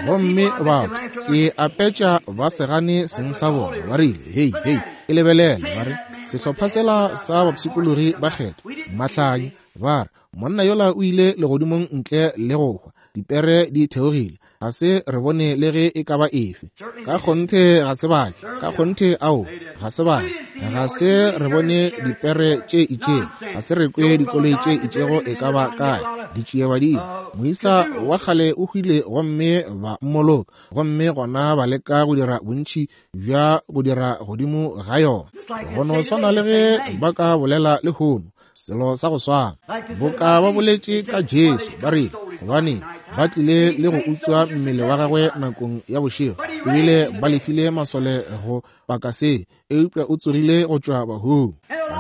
[SPEAKER 1] Gomme batho, ke apetša ba se gane seng sa bona. Ba rile, Hei, hei, e lebelele. Ba re, Sehlopha sela sa bapshikologi ba kgetho, mahlanya. Ba re, Monna yola o ile legodimong ntle le go hwa. Dipere di theogile. Ga se re bone le ge e ka ba efe. Ka kgonthe ga se ba ke. Ka kgonthe ao, ga se ba ke. Ga se re bone dipere tše itšego. Ga se re kwe dikoloi tše itšego e ka ba kae. Ditšiebadimo. Moisa wa kgale o hwile gomme ba mmoloka, gomme gona ba leka go dira bontši bja go dira godimo ga yona. Go no swana le ge ba ka bolela lehono, selo sa go swana boka ba boletše ka Jesu, ba rile, gobane ba tlile le go utswa mmele wa gagwe nakong ya bošego, ebile ba lefile masole go paka se, eupša o tsogile go tšwa bahung.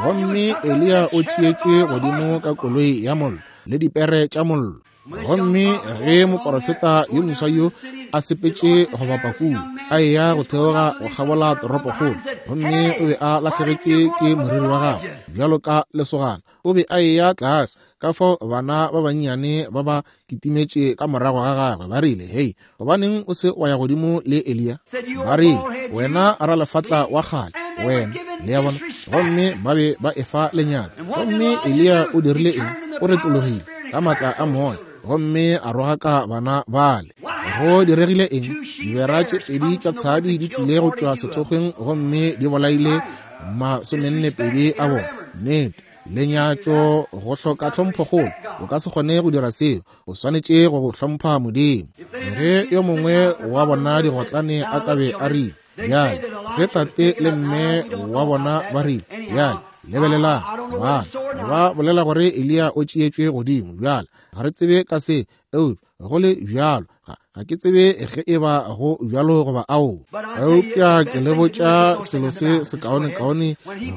[SPEAKER 1] Gomme Eliya o tšeetšwe godimo ka koloi ya mollo le dipere tša mollo. Gomme ge moporofeta yo moswa yo a sepetše go bapa kua, a eya go theoga go kgabola toropokgolo, gomme o be a lahlegetšwe ke moriri wa gagwe bjalo ka lesogana, o be a eya tlase, ka fao bana ba bannyane ba ba kitimetše ka morago ga gagwe, ba rile, Hei, gobaneng o se wa ya godimo le Eliya? Ba rile, Wena ralefatla wa kgale, wena. Le a bona? Gomme ba be ba efa lenyatšo. Gomme Eliya o dirile eng? O retologile ka maatla a moya gomme a rogaka bana bale. Go diregile eng? Dibera tše pedi tša tshadi di tlile go tšwa sethokgweng gomme di bolaile 42 a bona. Nnete. Lenyatšo, go hloka tlhomphokgolo. O ka se kgone go dira seo. O swanetše go go hlompha Modimo. Ge yo mongwe wa bona digotlane a ka be a rile, Bjale, Ge tate le mme wa bona ba rile, Bjale, lebelelang, bana ba bolela gore Eliya o tšeetšwe godimo. Bjale, ga re tsebe ka se, eupša go le bjalo ga ke tsebe ge e ba go bjalo goba ao. Eupša ke le botša selo se sekaonekaone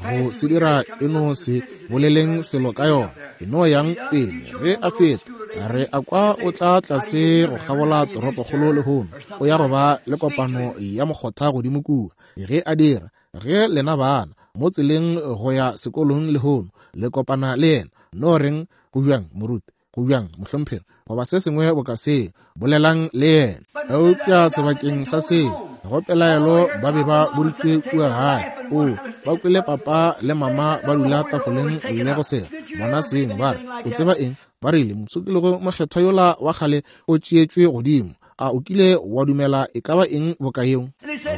[SPEAKER 1] go se dira, e no se boleleng selo ka yona, e no yang pele. Ge a feta, re a kwa o tla tlase go kgabola toropokgolo lehono, o ya go ba le kopano ya mokgotha godimo kua. Ge a dira, ge lena bana mo tseleng go ya sekolong lehono le kopana le yena, no reng, Go bjang, moruti? Go bjang, mohlomphegi? Goba se sengwe boka seo, bolelang le yena. Eupša sebakeng sa seo, go pelaelo ba be ba boditšwe kua gae. O, ba kwele papa le mama ba dula tafoleng le go sega bona seng, ba re, O tseba eng? Ba rile, Mosokologo mokgethwa yola wa kgale o tšeetšwe godimo. A o kile wa dumela e ka ba eng boka yeo?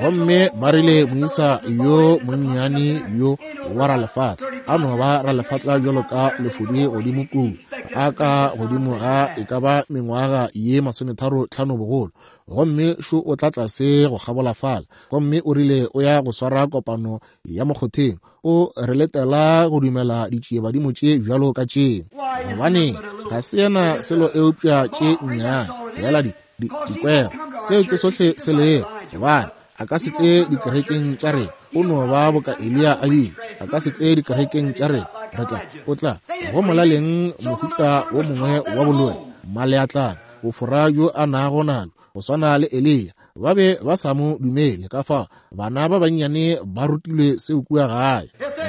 [SPEAKER 1] Gomme ba rile, Moisa yo monnyane yo wa ralefatla a no ba ralefatla bjalo ka lefodi godimo kua, a ka godimo ga e ka ba mengwaga ye 35 bogolo, gomme šo o tla tlase go kgabola fala, gomme o rile o ya go swara kopano ya mokgotheng. O re letela go dumela ditšiebadimo tše bjalo ka tše. Gobaneng, ga se yena selo eupša tše nnyane bjala dikwero. Seo ke sohle se lego. Gobane a ka se tle dikerekeng tša rena. O no ba boka Eliya a bile. A ka se tle dikerekeng tša rena. Re tla, o tla go molaleng mohuta wo mongwe wa boloi, maleatlana, bofora bjo a nago nalo, go swana le Eliya. Ba be ba sa mo dumele. Ka fao bana ba bannyane ba rutilwe seo kua gae.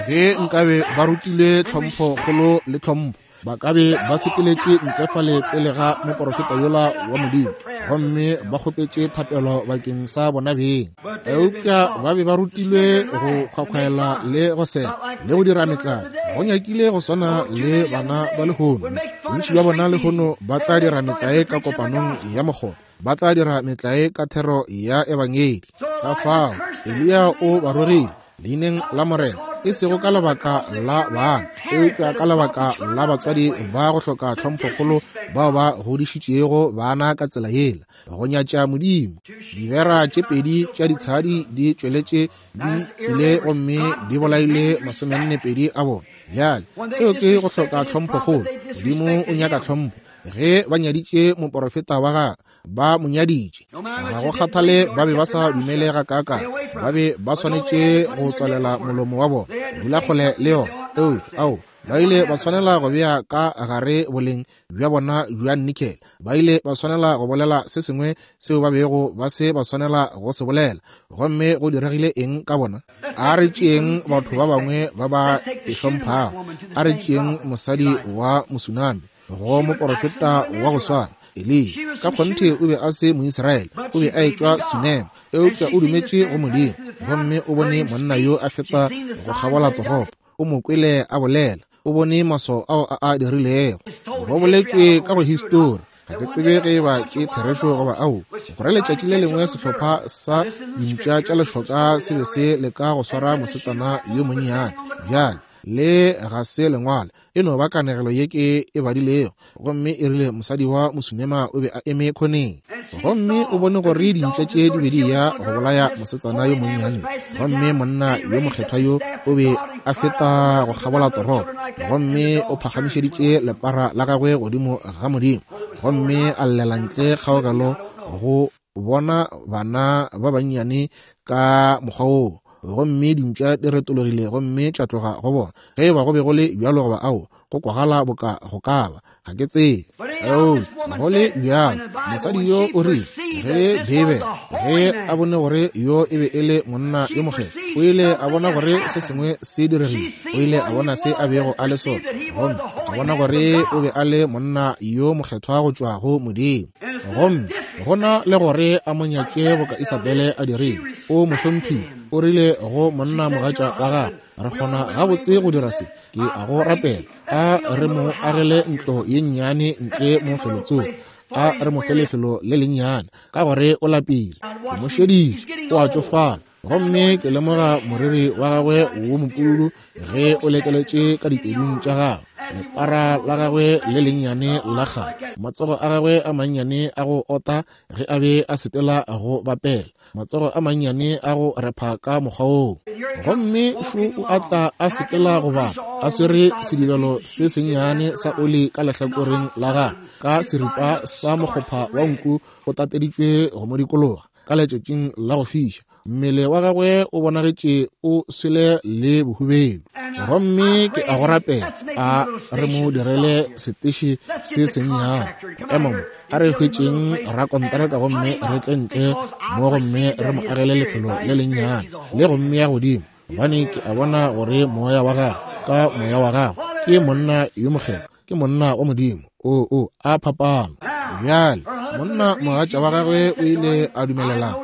[SPEAKER 1] Ge nkabe ba rutilwe tlhomphokgolo le tlhompho, ba ka be ba sepeletše ntle fale pele ga moporofeta yola wa Modimo, gomme ba kgopetše thapelo bakeng sa bona beng. Eupša ba be ba rutilwe go khwakhwaela le go sela le go dira metlae. Go nyakile go swana le bana ba lehono. Bontši bja bona lehono ba tla dira metlae ka kopanong ya mokgotha, ba tla dira metlae ka thero ya ebangedi. Ka fao Eliya o ba rogile leineng la Morena, e sego ka lebaka la bana, eupša ka lebaka la batswadi ba go hloka tlhomphokgolo bao ba godišitšego bana ka tsela yela, go nyatša Modimo. Dibera tše pedi tša ditshadi di tšweletše di tlile gomme di bolaile 42 a bona. Bjale seo ke go hloka tlhomphokgolo. Modimo o nyaka tlhompho. Ge ba nyaditše moporofeta wa gagwe, ba mo nyaditše. Ga go kgathale ba be ba sa dumele gakaakang, ba be ba swanetše go tswalela molomo wa bona, dula kgole le yona. Eupša ao, ba ile ba swanela go bea ka gare boleng bja bona bja nikele. Ba ile ba swanela go bolela se sengwe seo ba bego ba se ba swanela go se bolela. Gomme go diregile eng ka bona? A re tšeeng batho ba bangwe ba ba e hlomphago. A re tšeeng mosadi wa Mosunami go moporofeta wa go swana, Eliya. Ka kgonthe o be a se Moisraele, o be a etšwa Sunema, eupša o dumetše go Modimo. Gomme o bone monna yo a feta go kgabola toropo, o mo kwele a bolela, o bone maswao ao a a dirilego. Go boletšwe ka go histori, ga ke tsebe ge eba ke therešo goba ao, gore letšatši le lengwe sehlopha sa dimpša tša lešoka se be se leka go swara mosetsana yo monnyane. Bjale, le ga se lengwalo, e no ba kanegelo ye ke e badilego. Gomme e rile mosadi wa Mosunema o be a eme khoneng, gomme o bone gore dimpša tše di be di ya go bolaya mosetsana yo monnyane. Gomme monna yo mokgethwa yo o be a feta go kgabola toropo, gomme o phagamišeditše lepara la gagwe godimo ga Modimo, gomme a llela ntle kgaogelo go bona bana ba bannyane ka mokgwa woo. Gomme dimpša di retologile gomme tša tloga go bona. Ge e ba go be go le bjalo goba ao, go kwagala boka go ka ba, ga ke tsebe. Eupša go le bjalo, mosadi yo o rile, ge Beibele, ge a bone gore yo e be e le monna yo mokgethwa, o ile a bona gore se sengwe se diregile. O ile a bona se a bego a le sona, gomme a bona gore o be a le monna yo mokgethwa go tšwa go Modimo. Gomme go na le gore a mo nyatše boka Isabele a dirile, o mo hlomphile. O rile go monna mogatša wa gagwe, Re kgona gabotse go dira se, ke a go rapela, a re mo agele ntlo ye nnyane ntle mo felotsoko, a re mo fe lefelo le lennyane, ka gore o lapile. Ke mo šeditše, o a tšofala, gomme ke lemoga moriri wa gagwe wo mopududu ge o lekeletše ka ditedung tša gagwe. lepara la gagwe le lennyane la kgale, matsogo a gagwe a mannyane a go ota ge a be a sepela go bapela, matsogo a mannyane a go repha ka mokgwa woo. Gomme šo o a tla a sepela go bapa, a swere sedibelo se sennyane sa oli ka lehlakoreng la gagwe, ka seripa sa mokgopha wa nku o tateditšwe go mo dikologa ka letšatšing la go fiša. Mmele wa gagwe o bonagetše o swele le bohubedu. Gomme ke a go rapela, a re mo direle seteše se sennyane. Ema mo, a re hwetšeng rakonteraka gomme re tle ntle mo gomme re mo agele lefelo le lennyane le go mmea godimo, gobane ke a bona gore moya wa gagwe, ka moya wa gagwe, ke monna yo mokgethwa, ke monna wa Modimo. O, o, a phapano. Bjale, monna mogatša wa gagwe o ile a dumelelana.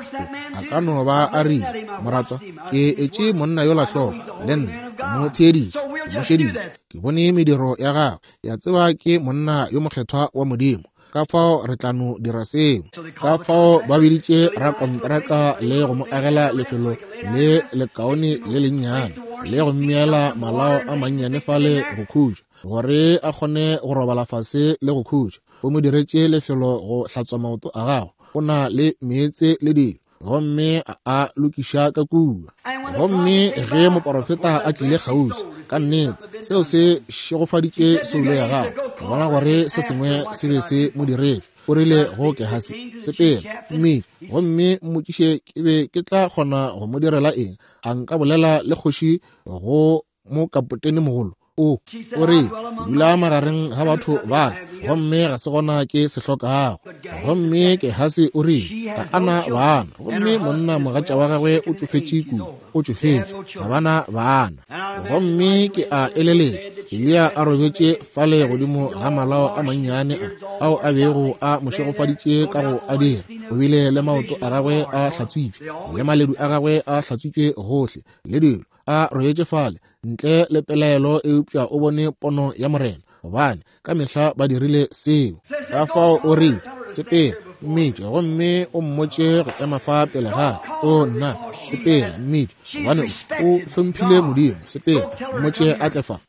[SPEAKER 1] A ka no ba a rile, Moratwa, ke etše monna yola hloko, le nna, ke mo theeditše, ke mo šeditše, ke bone mediro ya gagwe, ke a tseba ke monna yo mokgethwa wa Modimo. Ka fao re tla no dira seo. Ka fao ba biditše rakontraka le go mo agela lefelo le lekaone le lennyane, le go mmeela malao a mannyane fale go khutša, gore a kgone go robala fase le go khutša. O mo diretše lefelo go hlatswa maoto a gagwe, o na le meetse le dilo, gomme a a lokiša ka kua. Gomme ge moporofeta a tlile kgauswi, ka nnete seo se šegofaditše soulo ya gagwe go bona gore se sengwe se be se mo diretše. O rile go Gehasi, Sepela, mmitše, gomme mmotšiše ke be ke tla kgona go mo direla eng. A nka bolela le kgoši go mo kapotene mogolo? O, o re, dula magareng ga batho ba ka, gomme ga se gona ke se hlokago. Gomme Gehasi o rile, ga a na bana, gomme monna mogatša wa gagwe o tšofetše kudu, o tšofetše, ga ba na bana. Gomme ke a eleletša Eliya a robetše fale godimo ga malao a mannyane a, ao a bego a mo šegofaditše ka go a dira. O bile le maoto a gagwe a hlatswitšwe, le maledu a gagwe a hlatswitšwe gohle, le dilo, a robetše fale ntle le pelaelo, eupša o bone pono ya Morena, gobane ka mehla ba dirile seo. Ka fao o rile, Sepela, mmitše, gomme o mmotše go ema fa pele ga ka. O nna, sepela, mmitše, gobane o hlomphile Modimo. Sepela, mmotše a tle fa.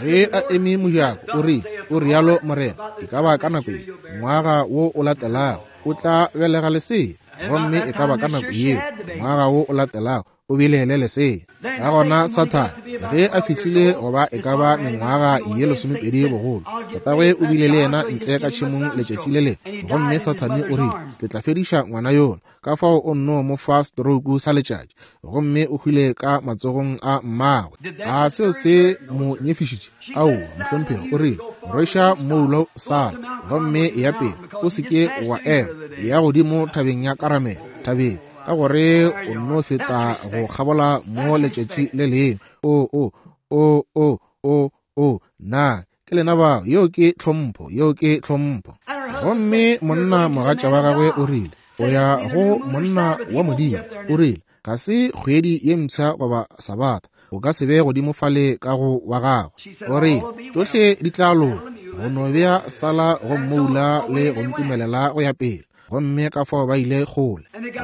[SPEAKER 1] Ge a eme mojako, o rile, O rialo Morena, e ka ba ka nako ye, ngwaga wo o latelago, o tla belega lesea. Gomme e ka ba ka nako yeo, ngwaga wo o latelago, o bile le lesea. Ka gona Sathane, ge a fihlile go ba e ka ba mengwaga ye 20 bogolo, tatagwe o bile le yena ntle ka tšhemong letšatši le lengwe, gomme Sathane o rile, Ke tla fediša ngwana yola. Ka fao o nno mo fa stroke sa letšatši, gomme o hwile ka matsogong a mmagwe. A seo se mo nyefišitše? Aowa, mohlomphegi. O rile, Rweša mmoulo sala, gomme eya pele, o se ke wa ema, eya godimo thabeng ya Karamele, thabeng, ka gore o nno feta go kgabola mo letšatši le lengwe. O, o, o, o, o, o, na ke lena bao? Yeo ke tlhompho, yeo ke tlhompho. Gomme monna mogatša wa gagwe o rile, o ya go monna wa Modimo, o rile, ga se kgwedi ye mpsha goba sabatha, o ka se be godimo fale ka go wa gagwe. O rile, tšohle di tla loka, go no bea sala go mmoula le go ntumelela go ya pele. Gomme ka fao ba ile kgole,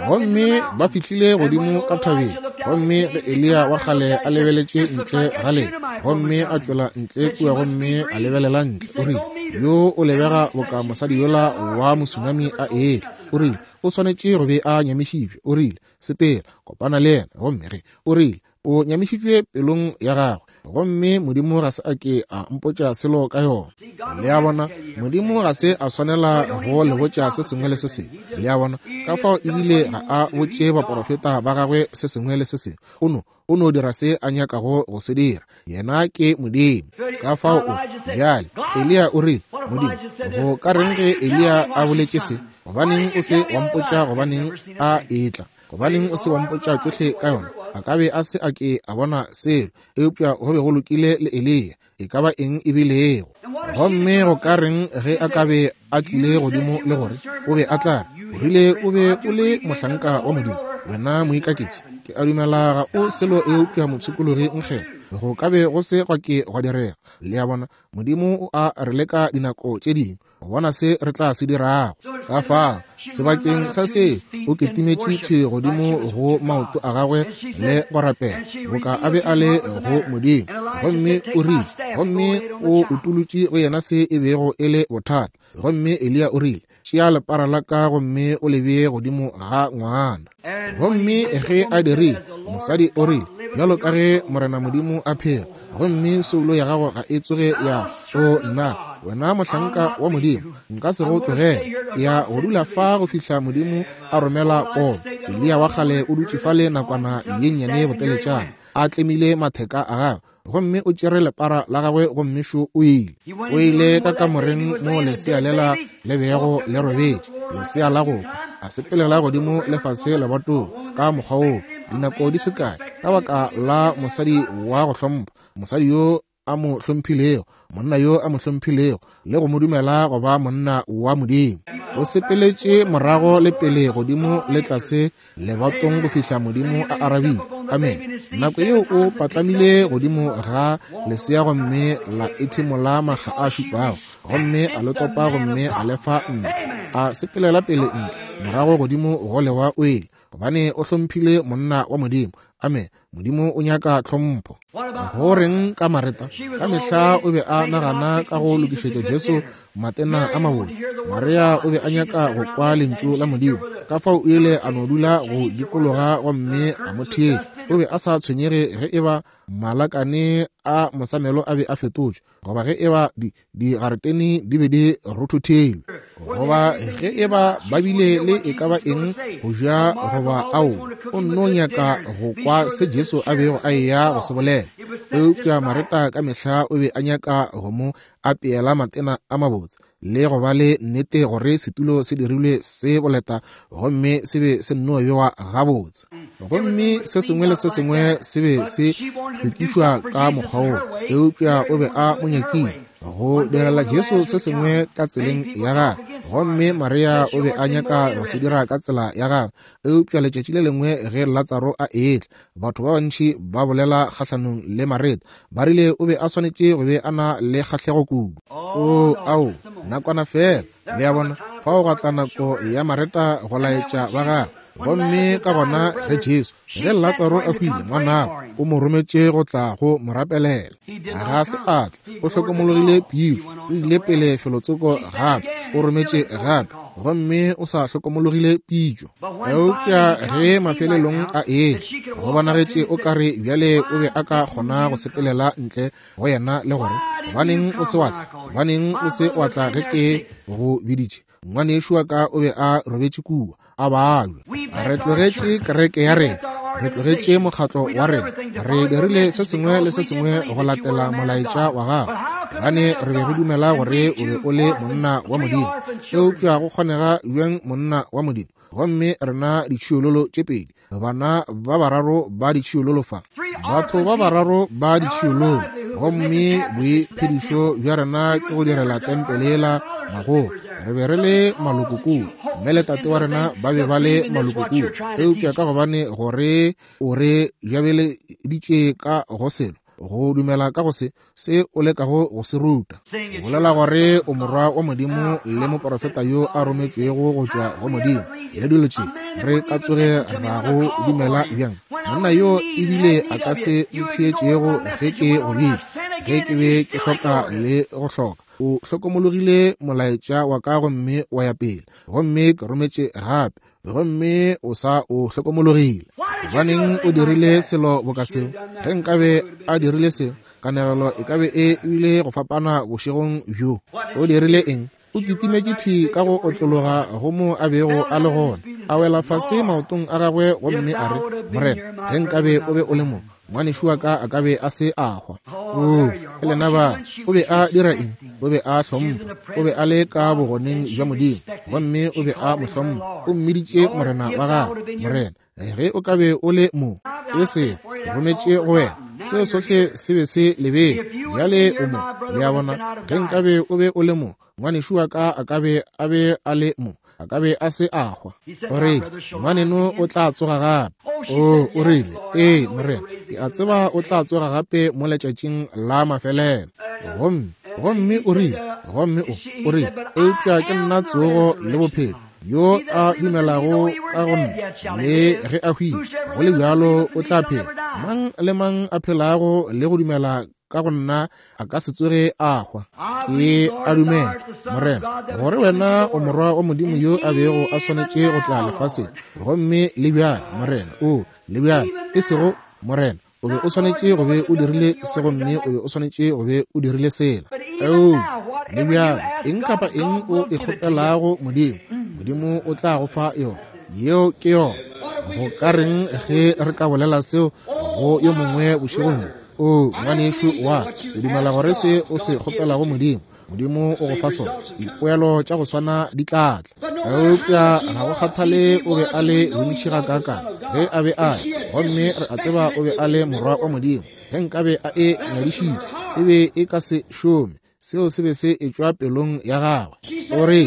[SPEAKER 1] gomme ba fihlile godimo ka thabeng. Gomme ge Eliya wa kgale a lebeletše ntle ga le, gomme a tšwela ntle kua gomme a lebelela ntle, o rile, Yo o lebega boka mosadi yola wa mosunami a etla. O rile, O swanetše go be a nyamišitšwe. O rile, Sepela, kopana le yena. Gomme ge, o rile, o nyamišitšwe pelong ya gagwe, gomme Modimo ga se a ke a mpotša selo ka yona. Le a bona, Modimo ga se a swanela go le botša se sengwe le se sengwe. Le a bona, ka fao ebile ga a botše baporofeta ba gagwe se sengwe le se sengwe. O no, o no dira se a nyakago go se dira. Yena ke Modimo. Ka fao o, bjale, Eliya o rile, Modimo, go ka reng ge Eliya a boletše se? Gobaneng o se wa mpotša gobaneng a etla? Gobaneng o se wa mpotša tšohle ka yona? A ka be a se a ke a bona selo, eupša go be go lokile le Eliya, e ka ba eng e bilego. Gomme go ka reng ge a ka be a tlile godimo le gore o be a tla re, o rile o be o le mohlanka wa Modimo, wena moikaketši, ke a dumela ga o selo eupša mopshikologi nkgele. Go ka be go se gwa ke gwa direga. Le a bona, Modimo o a re leka dinako tše dingwe, go bona se re tla se dirago. Ka fao Sebakeng sa se, o kitimetše thwi godimo go maoto a gagwe le go rapela, boka a be a le go Modimo. Gomme o rile, gomme o utolotše go yena se e bego e le bothata. Gomme Eliya o rile, Tšea lepara la ka gomme o le bee godimo ga ngwana. Gomme ge a dirile, mosadi o rile, Bjalo ka ge Morena Modimo a phela, gomme soulo ya gago ga e tsoge ya o nna, wena mohlanka wa Modimo, nka se go tlogele. Ke ya go dula fa go fihla Modimo a romela pono. Eliya wa kgale o dutše fale nakwana ye nnyane boteletšana, a tlemile matheka a gagwe, gomme o tšere lepara la gagwe gomme šo o ile. O ile ka kamoreng mo lesea lela le bego le robetše, lesea la go hwa. A sepelela godimo le fase lebatong ka mokgwa woo dinako di se kae, ka baka la mosadi wa go hlompha, mosadi yo a mo hlomphilego, monna yo a mo hlomphilego le go mo dumela go ba monna wa Modimo. O sepeletše morago le pele godimo le tlase lebatong go fihla Modimo a arabile. Amen. Nako yeo o patlamile godimo ga lesea gomme la ethimola makga a šupago, gomme a le topa gomme a le fa ntle. A sepelela pele ntle, morago godimo go lewa o ile, gobane o hlomphile monna wa Modimo. Amen. Modimo o nyaka tlhompho. Go reng ka Mareta? Ka mehla o be a nagana ka go lokišetša Jesu matena a mabotse. Maria o be a nyaka go kwa lentšu la Modimo, ka fao o ile a no dula go dikologa gomme a mo theetša. O be a sa tshwenyege ge e ba malakane a mosamelo a be a fetotšwe, goba ge e ba di digaretene di be di rothothilwe, goba ge e ba ba bile le e ka ba eng go ja goba ao. O nno nyaka go kwa se Jesu a bego a eya go se bolela. Eupša Mareta ka mehla o be a nyaka go mo apeela matena a mabotse le go ba le nnete gore setulo se dirilwe se boleta gomme se be se nno bewa gabotse, gomme se sengwe le se sengwe se be se hlwekišwa ka mokgwa woo. Eupša o be a mo nyakile go direla Jesu se sengwe ka tseleng ya gagwe, gomme Maria o be a nyaka go se dira ka tsela ya gagwe. Eupša letšatši le lengwe ge Latsaro a etla, batho ba bantši ba bolela kgahlanong le Mareta, ba rile o be a swanetše go be a na le kgahlego kudu. O, ao, nakwana feela, le a bona, fao gwa tla nako ya Mareta go laetša ba gagwe. Gomme ka gona ge Jesu, ge Latsaro a hwile, ngwanabo o mo rometše go tla go mo rapelela. Ga se a tla, o hlokomologile pitšo, o ile pele felotsoko gape, o rometše gape, gomme o sa hlokomologile pitšo. Eupša ge mafelelong a etla, go bonagetše o ka re bjale o be a ka kgona go sepelela ntle go yena le gore, Gobaneng o se wa tla? Gobaneng o se wa tla ge ke go biditše? Ngwanešu wa ka o be a robetše kua, a babja. Re tlogetše kereke ya rena, re tlogetše mokgatlo wa rena, re dirile se sengwe le se sengwe go latela molaetša wa gago, gobane re be re dumela gore o be o le monna wa Modimo. Eupša go kgonega bjang monna wa Modimo, gomme rena ditšhiololo tše pedi, bana ba bararo ba ditšhiololo fa, batho ba bararo ba ditšhiololo, gomme boiphedišo bja rena ke go direla tempele yela magogo. Re be re le maloko kua, mme le tate wa rena ba be ba le maloko kua, eupša ka gobane gore o re jabeleditše ka go selo, go dumela ka go se, se o lekago go se ruta, bolela gore o morwa wa Modimo le moporofeta yo a rometšwego go tšwa go Modimo, le dilo tše, re ka tsoge ra go dumela bjang? Monna yo ebile a ka se ntheetšego ge ke go bitša, ge ke be ke hloka le go hloka. O hlokomologile molaetša wa ka gomme wa ya pele, gomme ke rometše gape, gomme o sa o hlokomologile. Gobaneng o dirile selo boka seo? Ge nkabe a dirile seo, kanegelo e ka be e bile go fapana bošegong bjo. O dirile eng? O kitimetše thwi ka go otlologa go mo a bego a le gona, a wela fase maotong a gagwe gomme a re, Morena, ge nkabe o be o le mo, ngwanešu wa ka a ka be a se a hwa. Oo, ke lena ba. O be a dira eng? O be a hlompha. O be a le ka bogoneng bja Modimo, gomme o be a mo hlompha. O mmiditše Morena wa gagwe. Morena, ge o ka be o le mo, e se rometše go wena. Seo sohle se be se lebele. Bjale o mo. Le a bona? Ge nkabe o be o le mo, ngwanešu wa ka a ka be a be a le mo, a ka be a se a hwa. O rile, ngwaneno o tla tsoga gape. O, o rile, ee, Morena, ke a tseba o tla tsoga gape mo letšatšing la mafelelo. Gomme, gomme o rile, gomme o, o rile, eupša ke nna tsogo le bophelo. Yo a dumelago ka go nna, le ge a hwile, go le bjalo o tla phela. Mang le mang a phelago le go dumela ka go nna a ka se tsoge a hwa. Ke a dumela, Morena, gore wena o Morwa wa Modimo yo a bego a swanetše go tla lefaseng. Gomme le bjale, Morena, o le bjale, e sego Morena, o be o swanetše go be o dirile se gomme o be o swanetše go be o dirile sela. Eupša le bjale, eng kapa eng o e kgopelago Modimo, Modimo o tla go fa yona. Yeo ke yona. Go ka reng ge re ka bolela seo go yo mongwe bošegong bjo? O, ngwanešu wa ka, o dumela gore se o se kgopelago Modimo, Modimo o go fa sona. Dipoelo tša go swana di tla tla. Eupša ga go kgathale o be a le bontši gakaakang ge a be a ya, gomme re a tseba o be a le morwa wa Modimo. Ge nkabe a e ngwadišitše, e be e ka se šome. Seo se be se etšwa pelong ya gagwe. O re,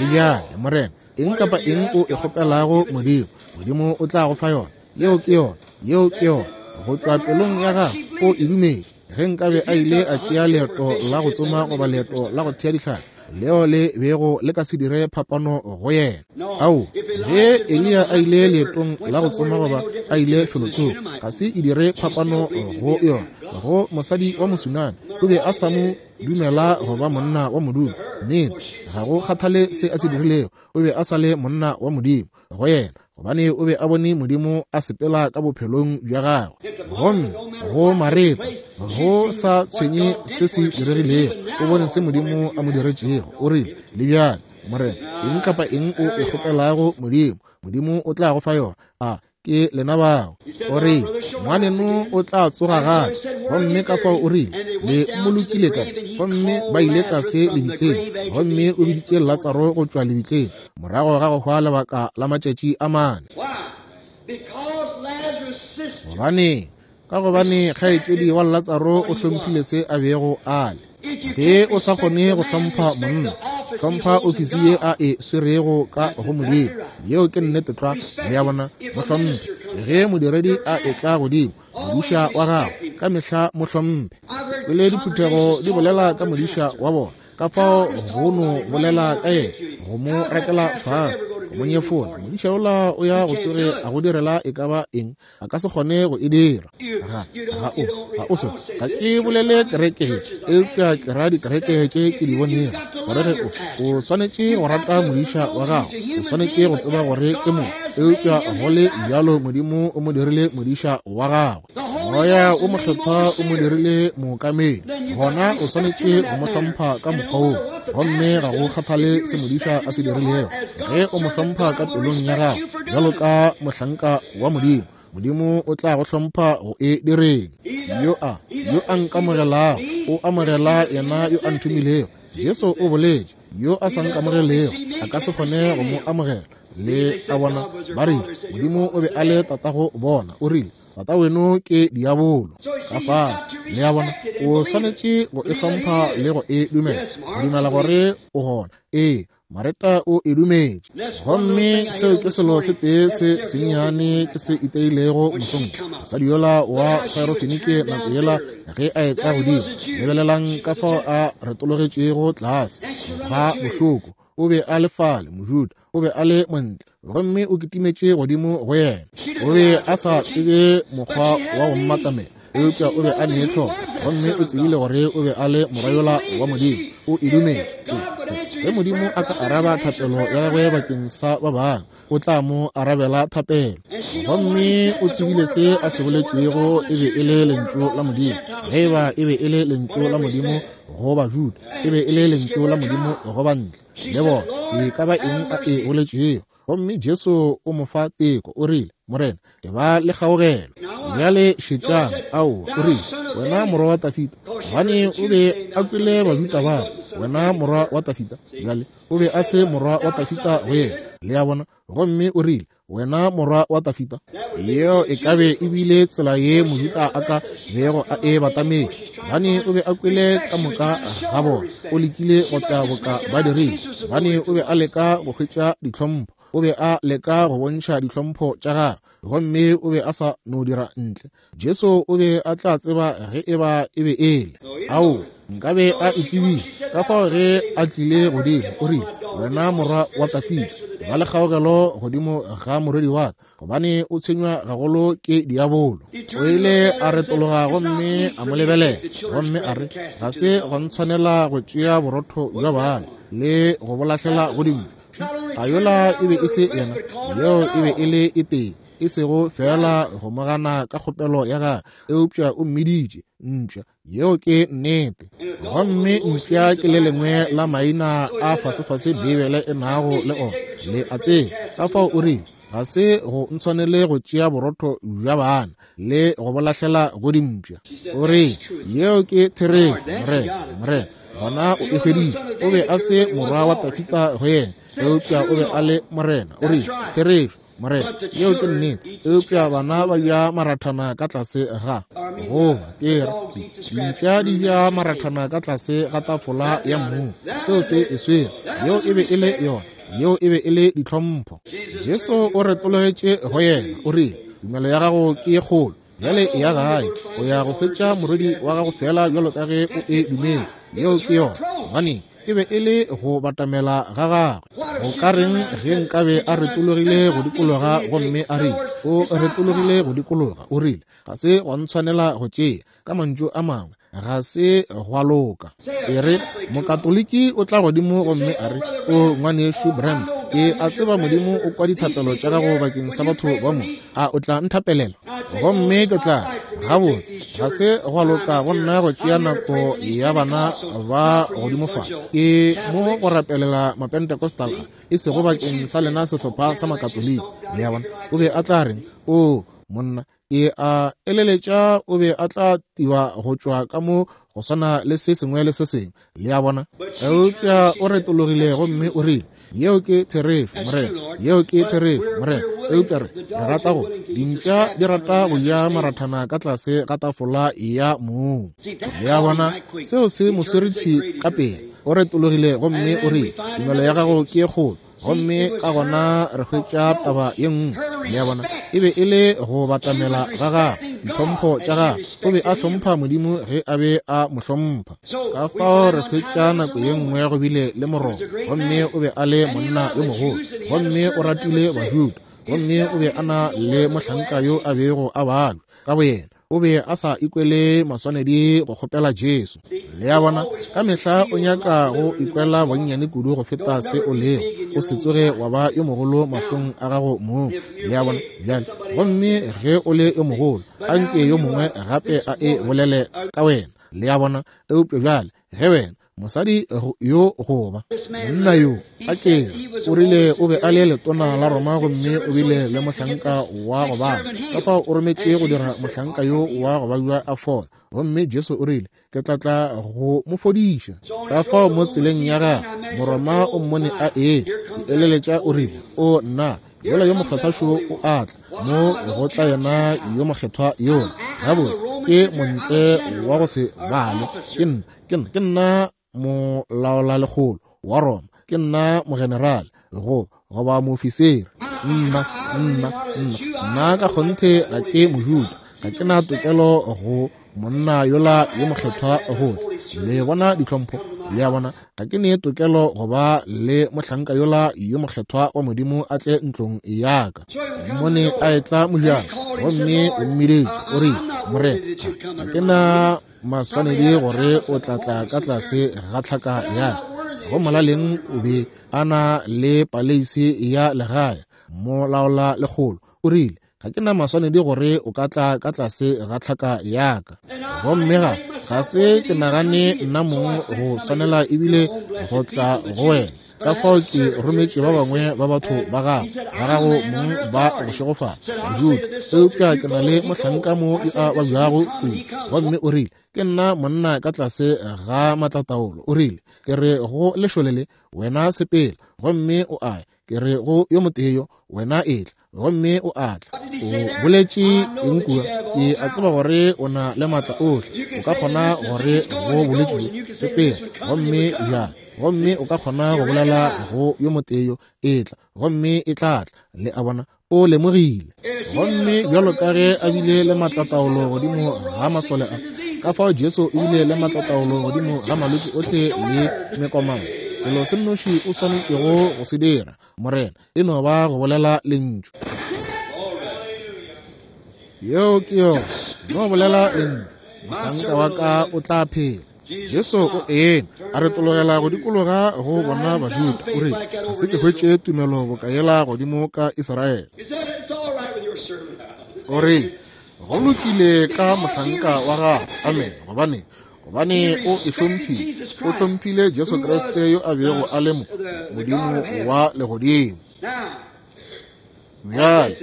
[SPEAKER 1] Le bjale, Morena, eng kapa eng o e kgopelago Modimo, Modimo o tla go fa yona. Yeo ke yona. Yeo ke yona. Go tšwa pelong ya gagwe, o e dumetše. Ge nkabe a ile a tšea leeto la go tsoma goba leeto la go thea dihlapi, leo le bego le ka se dire phapano go yena. Ao, ge Eliya a ile leetong la go tsoma goba a ile felotsoko, ga se e dire phapano go yona. Go mosadi wa Mosunami, o be a sa mo dumela go ba monna wa Modimo. Nnete, ga go kgathale se a se dirilego, o be a sa le monna wa Modimo go yena, gobane o be a bone Modimo a sepela ka bophelong bja gagwe. Gomme go Mareta, go sa tshwenye se se diregilego, o bone se Modimo a mo diretšego. O rile, Le bjale, Morena, eng kapa eng o e kgopelago Modimo, Modimo o tla go fa yona. A ke lena bao? O rile, Ngwaneno o tla tsoga gape. Gomme ka fao o rile, Le mmolokile kae? Gomme ba ile tlase lebitleng, gomme o biditše Latsaro go tšwa lebitleng morago ga go hwa lebaka la matšatši a mane. Gobaneng? Ka gobane kgaetšedi wa Latsaro o hlomphile se a bego a le. Ge o sa kgone go hlompha monna, hlompha ofisi ye a e swerego ka go Modimo. Yeo ke nnete tlwa. Le a bona? Mo hlomphe. Ge modiredi a etla godimo, modiša wa gago, ka mehla mo hlomphe. Kwele diphuthego di bolela ka modiša wa bona, ka fao go no bolela ka yena, go mo rakela fase, go mo nyefola. Modiša yola o ya go tsoge a go direla e ka ba eng a ka se kgone go e dira. Ga, ga o, ga o so. Ga ke bolele kereke, eupša ke ra dikereke tše ke di bonego. Gore ge o, o swanetše go rata modiša wa gago, o swanetše go tseba gore ke mo, eupša go le bjalo Modimo o mo dirile modiša wa gagwe. Moya o Mokgethwa o mo dirile mookamedi. Gona o swanetše go mo hlompha ka mokgwa woo. Gomme ga go kgathale se modiša a se dirilego, ge o mo hlompha ka pelong ya gago bjalo ka mohlanka wa Modimo, Modimo o tla go hlompha go e direng. Yo a, yo a nkamogelago, o amogela yena yo a nthomilego. Jesu o boletše, yo a sa nkamogelego a ka se kgone go mo amogela. Le a bona, ba rile Modimo o be a le tatago bona. O rile, Tata weno ke diabolo. Ka fao, le a bona, o swanetše go e hlompha le go e dumela, go dumela gore o gona. Ee, Mareta o e dumetše. Gomme seo ke selo se tee se sennyane ke se iteilego mosong. Mosadi yola wa Syrofenike nako yela ge a etla godimo, lebelelang ka fao a retologetšego tlase ga bohloko. O be a le fale, Mojuda, o be a le montle, gomme o kitimetše godimo go yena. O be a sa tsebe mokgwa wa go mmatamela, eupša o be a ne tlhoko, gomme o tsebile gore o be a le morwa yola wa Modimo. O e dumetše. Ge Modimo a ka araba thapelo ya gagwe bakeng sa ba bangwe, o tla mo arabela thapelo. Gomme o tsebile se a se boletšego e be e le lentšu la Modimo. Ge e ba e be e le lentšu la Modimo go Bajuda, e be e le lentšu la Modimo go bantle. Le bona, e ka ba eng a e boletšego. Gomme Jesu o mo fa teko, o rile, Morena, e ba le kgaogelo. Bjale šetšang, aowa, o rile, wena morwa wa Tafita, gobane o be a kwele Bajuda ba re, wena morwa wa Tafita. Bjale o be a se morwa wa Tafita go yena, le a bona. Gomme o rile, Wena morwa wa Tafita. Yeo e ka be e bile tsela ye Mojuda a ka bego a e batametše, gobane o be a kwele ka moka ga bona. O lekile go tla boka ba dirile, gobane o be a leka go hwetša ditlhompho. O be a leka go bontšha ditlhompho tša gagwe, gomme o be a sa no dira ntle. Jesu o be a tla tseba ge e ba e be e le. Ao, nkabe a e tsebile. Ka fao ge a tlile godimo, o rile, Wena Morwa wa Dafida, ba le kgaogelo godimo ga morwedi wa ka, gobane o tshwenywa gagolo ke diabolo. O ile a retologa gomme a mo lebelela, gomme a re, Ga se gwa ntshwanela go tšea borotho bja bana le go bo lahlela go dimpša. A yola e be e se yena? Yeo e be e le e tee, e sego feela go mo gana ka kgopelo ya gagwe, eupša o mmiditše mpša. Yeo ke nnete. Gomme mpša ke le lengwe la maina a fasefase Beibele e nago le ona, le a tseba. Ka fao o rile, Ga se go ntshwanele go tšea borotho bja bana le go bo lahlela go dimpša. O re, Yeo ke therešo, Morena, Morena. Gona o e hweditše. O be a se morwa wa Dafida go yena, eupša o be a le Morena. O rile, Therešo, Morena, yeo ke nnete. Eupša bana ba ja marathana ka tlase ga, goba ke re, dimpša di ja marathana ka tlase ga tafola ya mmu. Seo se e swere. Yeo e be e le yona. Yeo e be e le ditlhompho. Jesu o retologetše go yena, o rile, Tumelo ya gago ke ye kgolo. Bjale eya gae, o ya go hwetša morwedi wa gago feela bjalo ka ge o e dumetše. Yeo ke yona. Gobaneng? E be e le go batamela ga gagwe. Go ka reng ge nkabe a retologile go dikologa gomme a rile, o retologile go dikologa, o rile, Ga se gwa ntshwanela go tšea. Ka mantšu a mangwe, ga se gwa loka. E re, Mokatoliki o tla godimo gomme a re, O Ngwanešu Branham, ke a tseba Modimo o kwa dithapelo tša gago bakeng sa batho ba mo. A o tla nthapelela? Gomme ke tla re, Gabotse, ga se gwa loka go nna go tšea nako ya bana ba godimo fa. Ke mo go rapelela Mapentecostal a, e sego bakeng sa lena sehlopha sa Makatoliki. Le a bona? O be a tla reng? Oo, monna, Ke a eleletša o be a tla tiba go tšwa ka mo go swana le se sengwe le se sengwe, le a bona. Eupša o retologile gomme o rile, Yeo ke therešo, Morena. Yeo ke therešo, Morena. Eupša re, re rata go, dimpša di rata go ja marathana ka tlase ga tafola ya mong. Le a bona, seo se mo swere thwi ka pele. O retologile gomme o rile, Tumelo ya gago ke ye kgolo. Gomme ka gona re hwetša taba ye nngwe, le a bona, e be e le go batamela ga gagwe, ditlhompho tša gagwe. O be a hlompha Modimo ge a be a mo hlompha. Ka fao re hwetša nako ye nngwe go bile le Moroma, gomme o be a le monna yo mogolo, gomme o ratile Bajuda, gomme o be a na le mohlanka yo a bego a balwa ka boyena. O be a sa ikwele maswanedi go kgopela Jesu. Le a bona, ka mehla o nyaka go ikwela bonnyane kudu go feta se o lego. O se tsoge wa ba yo mogolo mahlong a gago mong. Le a bona? Bjale, gomme ge o le yo mogolo, anke yo mongwe gape a e bolele ka wena. Le a bona? Eupša bjale, ge wena, Mosadi yo goba monna yo a ke o rile o be a le letona la Roma gomme o bile le mohlanka wa go bala. Ka fao o rometše go dira mohlanka yo wa go babja a fola. Gomme Jesu o rile, Ke tla tla go mo fodiša. Ka fao mo tseleng ya gagwe, Moroma o mmone a etla. Ke eleletša o rile, O nna, yola yo mokgethwa šo o a tla. Mo go tla yena yo mokgethwa yola. Gabotse, ke montle wa go se bale. Ke nna. Ke nna, ke nna molaolalekgolo wa Roma, ke nna mogenerale, go, goba moofisiri. Nna, nna, nna, nna ka kgonthe ga ke Mojuda, ga ke na tokelo go monna yola yo mokgethwa go tla. Le bona ditlhompho? Le a bona, ga ke ne tokelo go ba le mohlanka yola yo mokgethwa wa Modimo a tle ntlong ya ka. Mmone a etla mojako, gomme o mmiditše, o rile, Morena, ga ke na maswanedi gore o tla tla ka tlase ga tlhaka ya go molaleng o be a na le paleisi ya legae molaola lekgolo o rile ga ke na maswanedi gore o ka tla ka tlase ga tlhaka ya ka gomme ga ga se ke nagane nna mong go swanela ebile go tla go wena Ka fao ke rometše ba bangwe ba batho ba gago, ba gago mong ba go šegofala, Bajuda. Eupša ke na le mohlanka mo yo a babjago kudu. Gomme o rile, Ke nna monna ka tlase ga maatlataolo. O rile, Ke re go lešole le, Wena sepela, gomme o a ya. Ke re go yo motee yo, Wena etla, gomme o a tla. O boletše eng kua? Ke a tseba gore o na le maatla ohle. O ka kgona gore go bolwetši bjo, sepela, gomme bjale. Gomme o ka kgona go bolela go yo motee yo, etla, gomme e tla tla. Le a bona? O lemogile. Gomme bjalo ka ge a bile le maatlataolo godimo ga masole a, Ka fao Jesu o bile le maatlataolo godimo ga malwetši ohle le mekomano. Selo se nnoši o swanetšego go se dira, Morena, e no ba go bolela lentšu. Yeo ke yona. No bolela lentšu, mohlanka wa ka o tla phela. Jesu o eme, a retologela go dikologa go bona Bajuda, o rile, Ga se ke hwetše tumelo boka yela godimo ka Israele. O rile, Go lokile ka mohlanka wa gago. Amen. Gobane, gobane o e hlomphile. O hlomphile Jesu Kriste yo a bego a le mo, Modimo wa Legodimo. Bjale,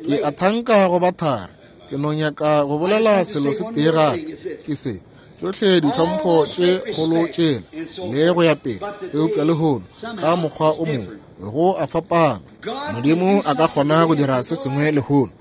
[SPEAKER 1] ke a thanka go ba thari. Ke no nyaka go bolela selo se tee gape, ke se. Tšohle ditlhompho tše kgolo tšela, le go ya pele, eupša lehono, ka mokgwa o mongwe, go a fapana. Modimo a ka kgona go dira se sengwe lehono,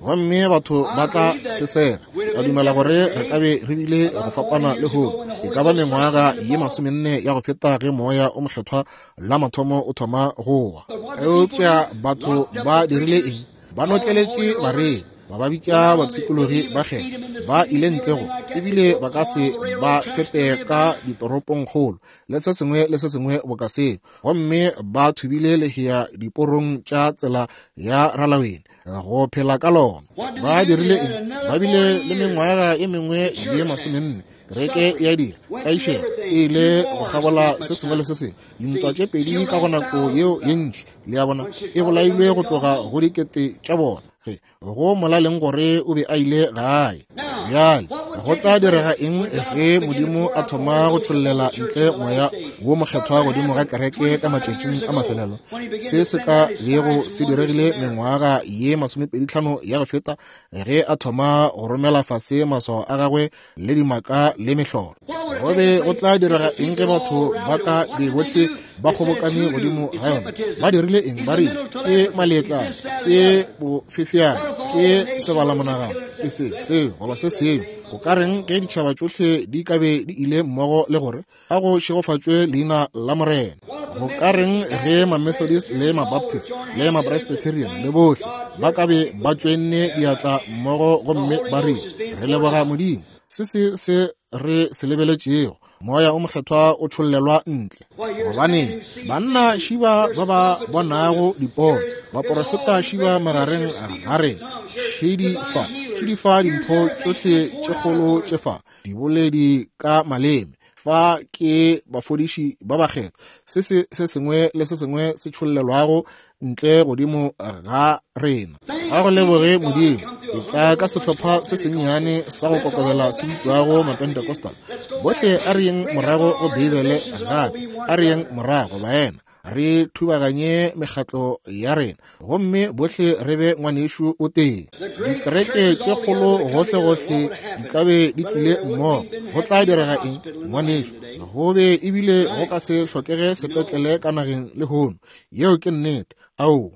[SPEAKER 1] gomme batho ba tla se sega. Ba dumela gore re ka be re bile go fapana lehono, e ka ba mengwaga ye 40 ya go feta ge Moya o Mokgethwa la mathomo o thoma go wa. Eupša batho ba dirile eng? Ba notleletše bareri, ba ba bitša bapshikologi ba kgetho, ba ile ntle go, ebile ba ka se ba fepe ka ditoropongkgolo le se sengwe le se sengwe boka seo, gomme ba thubile lehea diporong tša tsela ya ralawene go phela ka lona. Ba dirile eng? Ba bile le mengwaga e mengwe ye 40. Kereke ya dira tlaišego e ile go kgabola se sengwe le se sengwe, dintwa tše pedi ka go nako yeo ye ntši, le a bona, e bolailwe go tloga go dikete tša bona. Ge go molaleng gore o be a ile gae. Bjale go tla direga eng ge Modimo a thoma go tšhollela ntle Moya wo Mokgethwa godimo ga kereke ka matšatšing a mafelelo? Se se ka bego se diregile mengwaga ye 25 ya go feta ge a thoma go romela fase maswao a gagwe le dimaka le mehlolo. Go be go tla direga eng ge batho ba ka be bohle ba kgobokane godimo ga yona? Ba dirile eng? Ba rile ke maletlana, ke bofefeane, ke sebalamonagano, ke se seo goba se sengwe. Go ka reng ge ditšhaba tšohle di ka be di ile mmogo le gore a go šegofatšwe leina la Morena? Go ka reng ge ma-Methodist le ma-Baptist le ma-Presbyterian le bohle ba ka be ba tšoenne diatla mmogo gomme ba rile, Re leboga Modimo, se se se re se lebeletšego, Moya o Mokgethwa o tšhollelwa ntle. Gobaneng, banna šiba ba ba bonago dipono, baporofeta šiba magareng ga rena, šedi fa, šedi fa dimpho tšohle tše kgolo tše fa, diboledi ka maleme, fa ke bafodiši ba bakgethwa, se se se sengwe le se sengwe se tšhollelwago ntle godimo ga rena. Ga go leboge Modimo, e tla ka sehlopha se sennyane sa go kokobela se bitšwago Mapentecostal. Bohle a re yeng morago go Beibele gape, a re yeng morago, baena, re thubaganye mekgatlo ya rena gomme bohle re be ngwanešu o tee. Dikereke tše kgolo gohlegohle di ka be di tlile mmogo. Go tla direga eng, ngwanešu? Go be ebile go ka se hlokege sepetlele ka nageng lehono. Yeo ke nnete. Ao,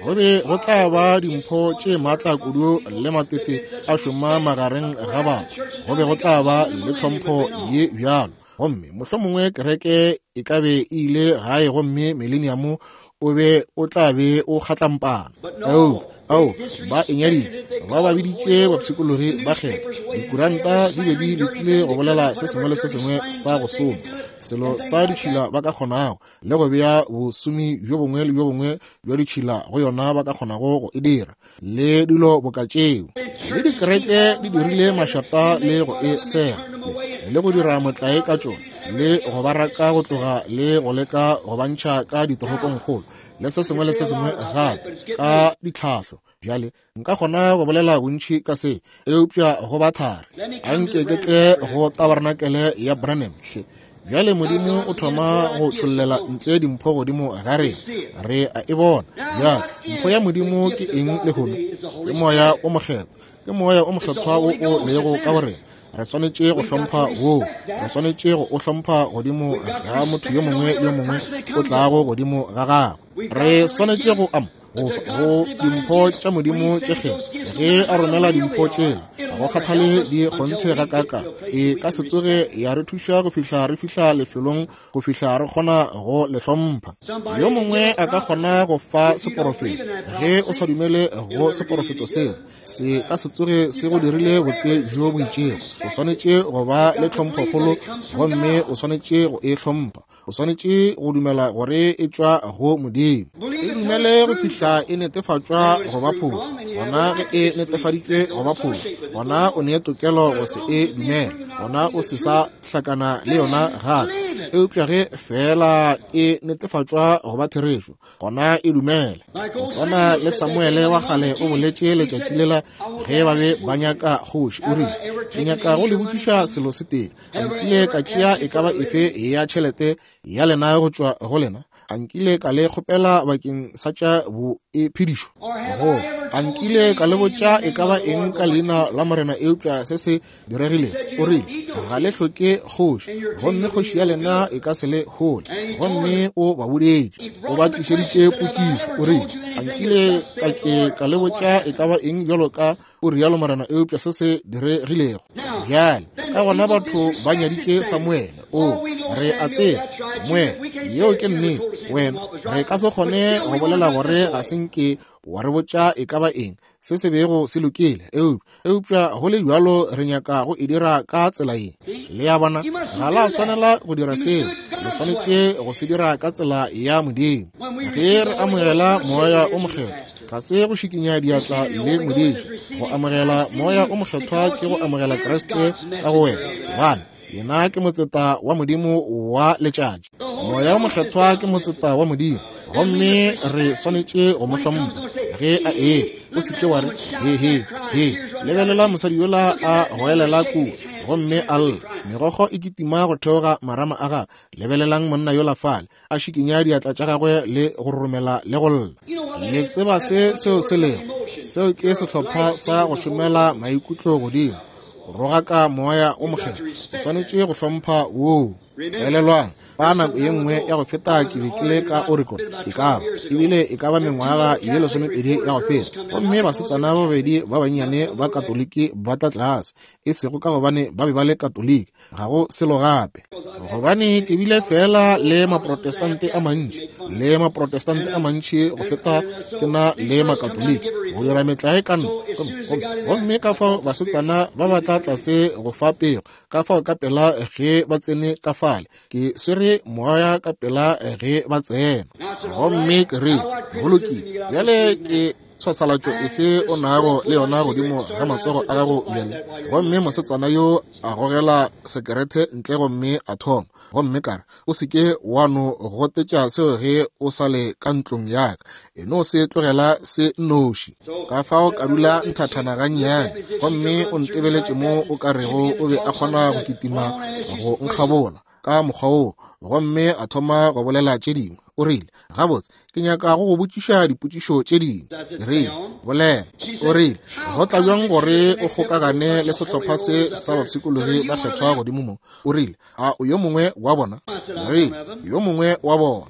[SPEAKER 1] go be go tla ba dimpho tše maatla kudu le matete a šoma magareng ga batho. Go be go tla ba le tlhompho ye bjalo. Gomme mohlomongwe kereke e ka be e ile gae gomme mileniamo o be o tla be o kgatlampana. Ao, ao, ba e nyaditše, ba ba biditše bapshikologi ba kgetho. Dikuranta di be di letile go bolela se sengwe le se sengwe sa go soma, selo sa ditšhila ba ka kgonago, le go bea bosomi bjo bongwe le bjo bongwe bja ditšhila go yona ba ka kgonago go e dira, le dilo boka tšeo. Le dikereke di dirile mašata le go e sega, le go dira motlae ka tšona, le go ba raka go tloga le go leka go ba ntšha ka ditoropongkgolo, le se sengwe le se sengwe gape, ka ditlhahlo. Bjale nka kgona go bolela bontši ka se, eupša go ba thari. A nke ke tle go tabarnakele ya Branham hle. Bjale Modimo o thoma go tšhollela ntle dimpho godimo ga rena. Re a e bona. Bjale, mpho ya Modimo ke eng lehono? Ke Moya o Mokgethwa. Ke Moya o Mokgethwa wo o lego ka go rena. Re swanetše go hlompha woo. Re swanetše go o hlompha godimo ga motho yo mongwe le yo mongwe o tlago godimo ga gagwe. Re swanetše go go dimpho tša Modimo tše kgethwa. Ge a romela dimpho tšela Ga go kgathale di kgonthe gakaakang, e ka se tsoge ya re thuša go fihla re fihla lefelong go fihla re kgona go le hlompha. Yo mongwe a ka kgona go fa seporofeto, ge o sa dumele go seporofeto seo, se ka se tsoge se go dirile botse bjo bo itšego. O swanetše go ba le tlhomphokgolo gomme o swanetše go e hlompha. O swanetše go dumela gore e tšwa go Modimo. E dumele go fihla e netefatšwa go ba phošo. Gona ge e netefaditšwe go ba phošo, gona o ne tokelo go se e dumele, gona o se sa hlakana le yona gape. Eupša ge feela e netefatšwa go ba therešo, gona e dumele. Go swana le Samuele wa kgale o boletše letšatši lela ge ba be ba nyaka kgoši, o rile, Ke nyaka go le botšiša selo se tee. A nkile ka tšea e ka ba efe ya tšhelete ya lena go tšwa go lena? A nkile ka le kgopela bakeng sa tša boiphedišo? Go, a nkile ka le botša e ka ba eng ka leina la Morena eupša se se diregilego? O rile, Ga le hloke kgoši, gomme kgoši ya lena e ka se le hole. Gomme o ba boditše, o ba tlišeditše potšišo. O rile, A nkile ka ke ka le botša e ka ba eng bjalo ka o rialo Morena eupša se se diregilego bjale? Ka gona batho ba nyaditše Samuele. O re a tseba Samuele, yeo ke nnete. Wena, re ka se kgone go bolela gore ga se nke wa re botša e ka ba eng se se bego se lokile, eupša go le bjalo re nyaka go e dira ka tsela ye. Le a bona, ga la swanela go dira seo, le swanetše go se dira ka tsela ya Modimo. Ge re amogela Moya o Mokgethwa, ga se go šikinya diatla le modiši. Go amogela Moya o Mokgethwa ke go amogela Kriste ka go wena, gobane yena ke motseta wa Modimo wa letšatši. Moya o Mokgethwa ke motseta wa Modimo, gomme re swanetše go mo hlompha ge a etla. O se ke wa re, He, he, he, lebelela mosadi yola a goelela kua gomme a lla, megokgo e kitima go theoga marama a gagwe. Lebelelang monna yola fale a šikinya diatla tša gagwe le go roromela le go lla. Le tseba se seo se lego? Seo ke sehlopha sa go šomela maikutlo godimo, go rogaka Moya o Mokgethwa. O swanetše go hlompha woo. Elelwang, ka nako ye nngwe ya go feta ke be ke le ka Oregon, e ka ba ebile e ka ba mengwaga ye 20 ya go feta, gomme basetsana ba babedi ba bannyane ba Katoliki ba tla tlase, e sego ka gobane ba be ba le Katoliki, ga go selo gape, gobane ke bile fela le Maprotestante a mantši, le Maprotestante a mantši go feta ke na le Makatoliki, go dira metlae ka nna. Gomme ka fao basetsana ba ba tla tlase go fa pego, ka fao ka pela ge ba tsene ka fale, ke swere moya ka pela ge ba tsena. Gomme ke rile, Go lokile, bjale ke tshwasalatšo efe o nago le yona godimo ga matsogo a gago bjale? Gomme mosetsana yo a gogela sekerethe ntle gomme a thoma. Gomme ka re, O se ke wa no gotetša seo ge o sa le ka ntlong ya ka. E no se tlogela se nnoši. Ka fao ka dula nthathana gannyane, gomme o ntebeletše mo o ka rego o be a kgona go kitima go nkgabola ka mokgwa woo, gomme a thoma go bolela tše dingwe. O rile, Gabotse, ke nyaka go go botšiša dipotšišo tše dingwe. Ke rile, Bolela. O rile, Go tla bjang gore o kgokagane le sehlopha se sa bapshikologi ba kgethwa godimo mo? O rile, A o yo mongwe wa bona? Ke rile, Yo mongwe wa bona.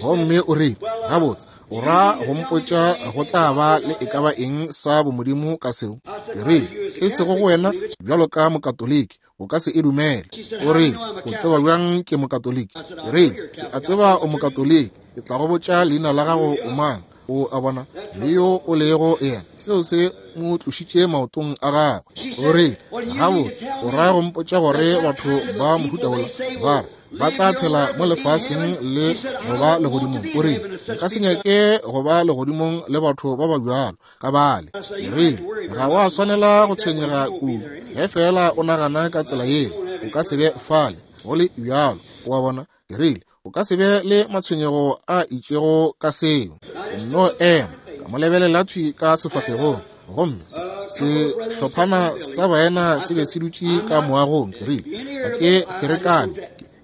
[SPEAKER 1] Gomme o rile, Gabotse, o ra go mpotša go tla ba le e ka ba eng sa bomodimo ka seo? Ke rile, E sego go wena bjalo ka Mokatoliki, o ka se e dumele. O rile, O tseba bjang ke Mokatoliki? Ke rile, Ke a tseba o Mokatoliki. Ke tla go botša leina la gago o mang. O a bona, le yo o lego yena. Seo se mo tlošitše maotong a gagwe. O rile, Gabotse, o ra go mpotša gore batho ba mohuta wola ba re ba tla phela mo lefaseng le go ba legodimong? O rile, Nka se nyake go ba legodimong le batho ba ba bjalo ka bale. Ke rile, Ga wa swanela go tshwenyega kudu. Ge feela o nagana ka tsela yeo, o ka se be fale go le bjalo. O a bona? Ke rile, O ka se be le matshwenyego a itšego ka seo. Nno ema, ka mo lebelela thwi ka sefahlegong. Gomme sehlophana sa baena se be se dutše ka moagong. Ke rile, Ga ke ferekane.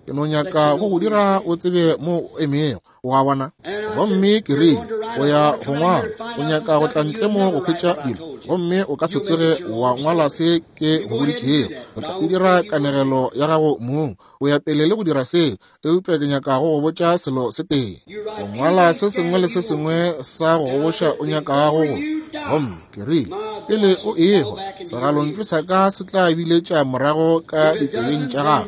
[SPEAKER 1] Ke no nyaka go go dira o tsebe mo o emego. O a bona? Gomme ke rile, O ya go ngwala, o nyaka go tla ntle mo go hwetša dilo, gomme o ka se tsoge wa ngwala se ke go boditšego. O tla e dira kanegelo ya gago mong. O ya pele le go dira seo, eupša ke nyaka go go botša selo se tee. O ngwala se sengwe le se sengwe sa go goboša o nyakago go. Gomme ke rile, Pele o ehwa, segalontšu sa ka se tla biletša morago ka ditsebeng tša gago.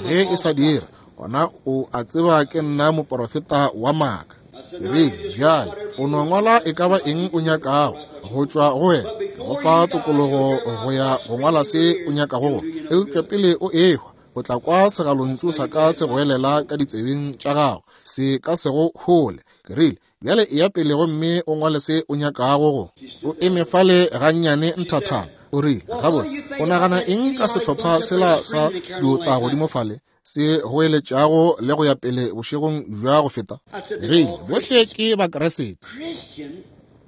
[SPEAKER 1] Ge e sa dira, gona o a tseba ke nna moporofeta wa maaka. Ke rile, Bjale, o no ngwala e ka ba eng o nyakago go tšwa go wena. Ke go fa tokologo go ya go ngwala se o nyakago go. Eupša pele o ehwa, o tla kwa segalontšu sa ka se goelela ka ditsebeng tša gago, se ka se go hole. Ke rile, Bjale eya pele gomme o ngwale se o nyakago go. O eme fale gannyane nthathana. O rile, Gabotse, o nagana eng ka sehlopha sela sa diota godimo fale, se goeletšago le go ya pele bošegong bja go feta? Ke rile, Bohle ke Bakriste.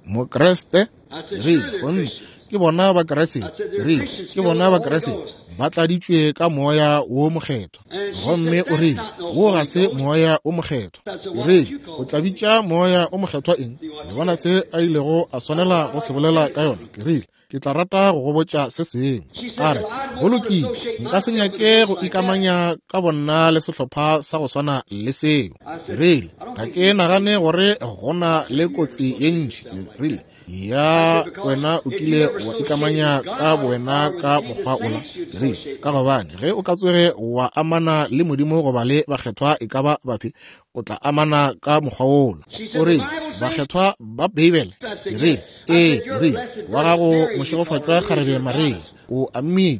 [SPEAKER 1] Mokriste? Ke rile, Kgonthe, ke bona Bakriste. Ke rile, Ke bona Bakriste, ba tladitšwe ka Moya wo Mokgethwa. Gomme o rile, Wo ga se Moya wo Mokgethwa. Ke rile, O tla bitša Moya wo Mokgethwa eng? Le bona se a ilego a swanela go se bolela ka yona? Ke rile, Ke tla rata go go botša se sengwe. A re, Go lokile, nka se nyake go ikamanya ka bonna le sehlopha sa go swana le seo. Ke rile, Ga ke nagane gore go na le kotsi ye ntši. Ke rile, Ya wena o kile wa ikamanya ka bowena ka mokgwa ola. Ke rile, Ka gobane ge o ka tsoge wa amana le Modimo goba le bakgethwa e ka ba bafe, o tla amana ka mokgwa wola. O rile, Bakgethwa ba Beibele? Ke rile, Ee. Ke rile, Wa gago mošegofatšwa kgarebe Maria o ammile,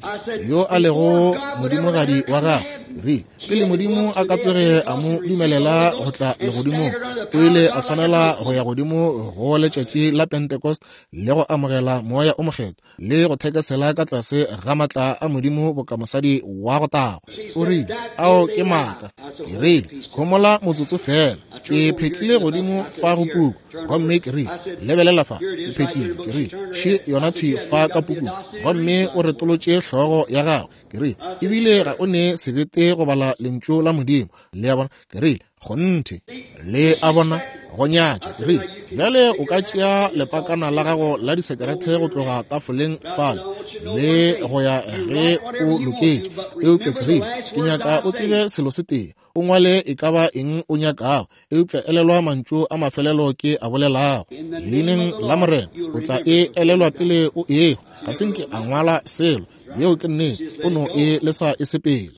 [SPEAKER 1] yo a lego modimogadi wa gago. Ke rile, Pele Modimo a ka tsoge a mo dumelela go tla legodimong, o ile a swanela go ya godimo go letšatši la Pentecost le go amogela Moya o Mokgethwa, le go thekesela ka tlase ga matla a Modimo boka mosadi wa go tagwa. O rile, Ao ke maaka. Ke rile, Homola motsotso feela. Ke phetlile godimo fa go puku, gomme ke rile, Lebelela fa. Ke phetlile, ke rile, Še yona thwi fa ka pukung. Gomme o retolotše hlogo ya gagwe. Ke rile, Ebile ga o ne sebete go bala Lentšu la Modimo. Le a bona? Ke rile, Kgonthe. Le a bona, go nyatša. Ke rile, Bjale o ka tšea lepakana la gago la disekerete go tloga tafoleng fale le go ya ge o loketše. Eupša ke rile, Ke nyaka o tsebe selo se tee. O ngwale e ka ba eng o nyakago, eupša elelwa mantšu a mafelelo ke a bolelago. Leineng la Morena, o tla e elelwa pele o ehwa. Ga se nke a ngwala selo. Yeo ke nnete. O no e lesa e sepele.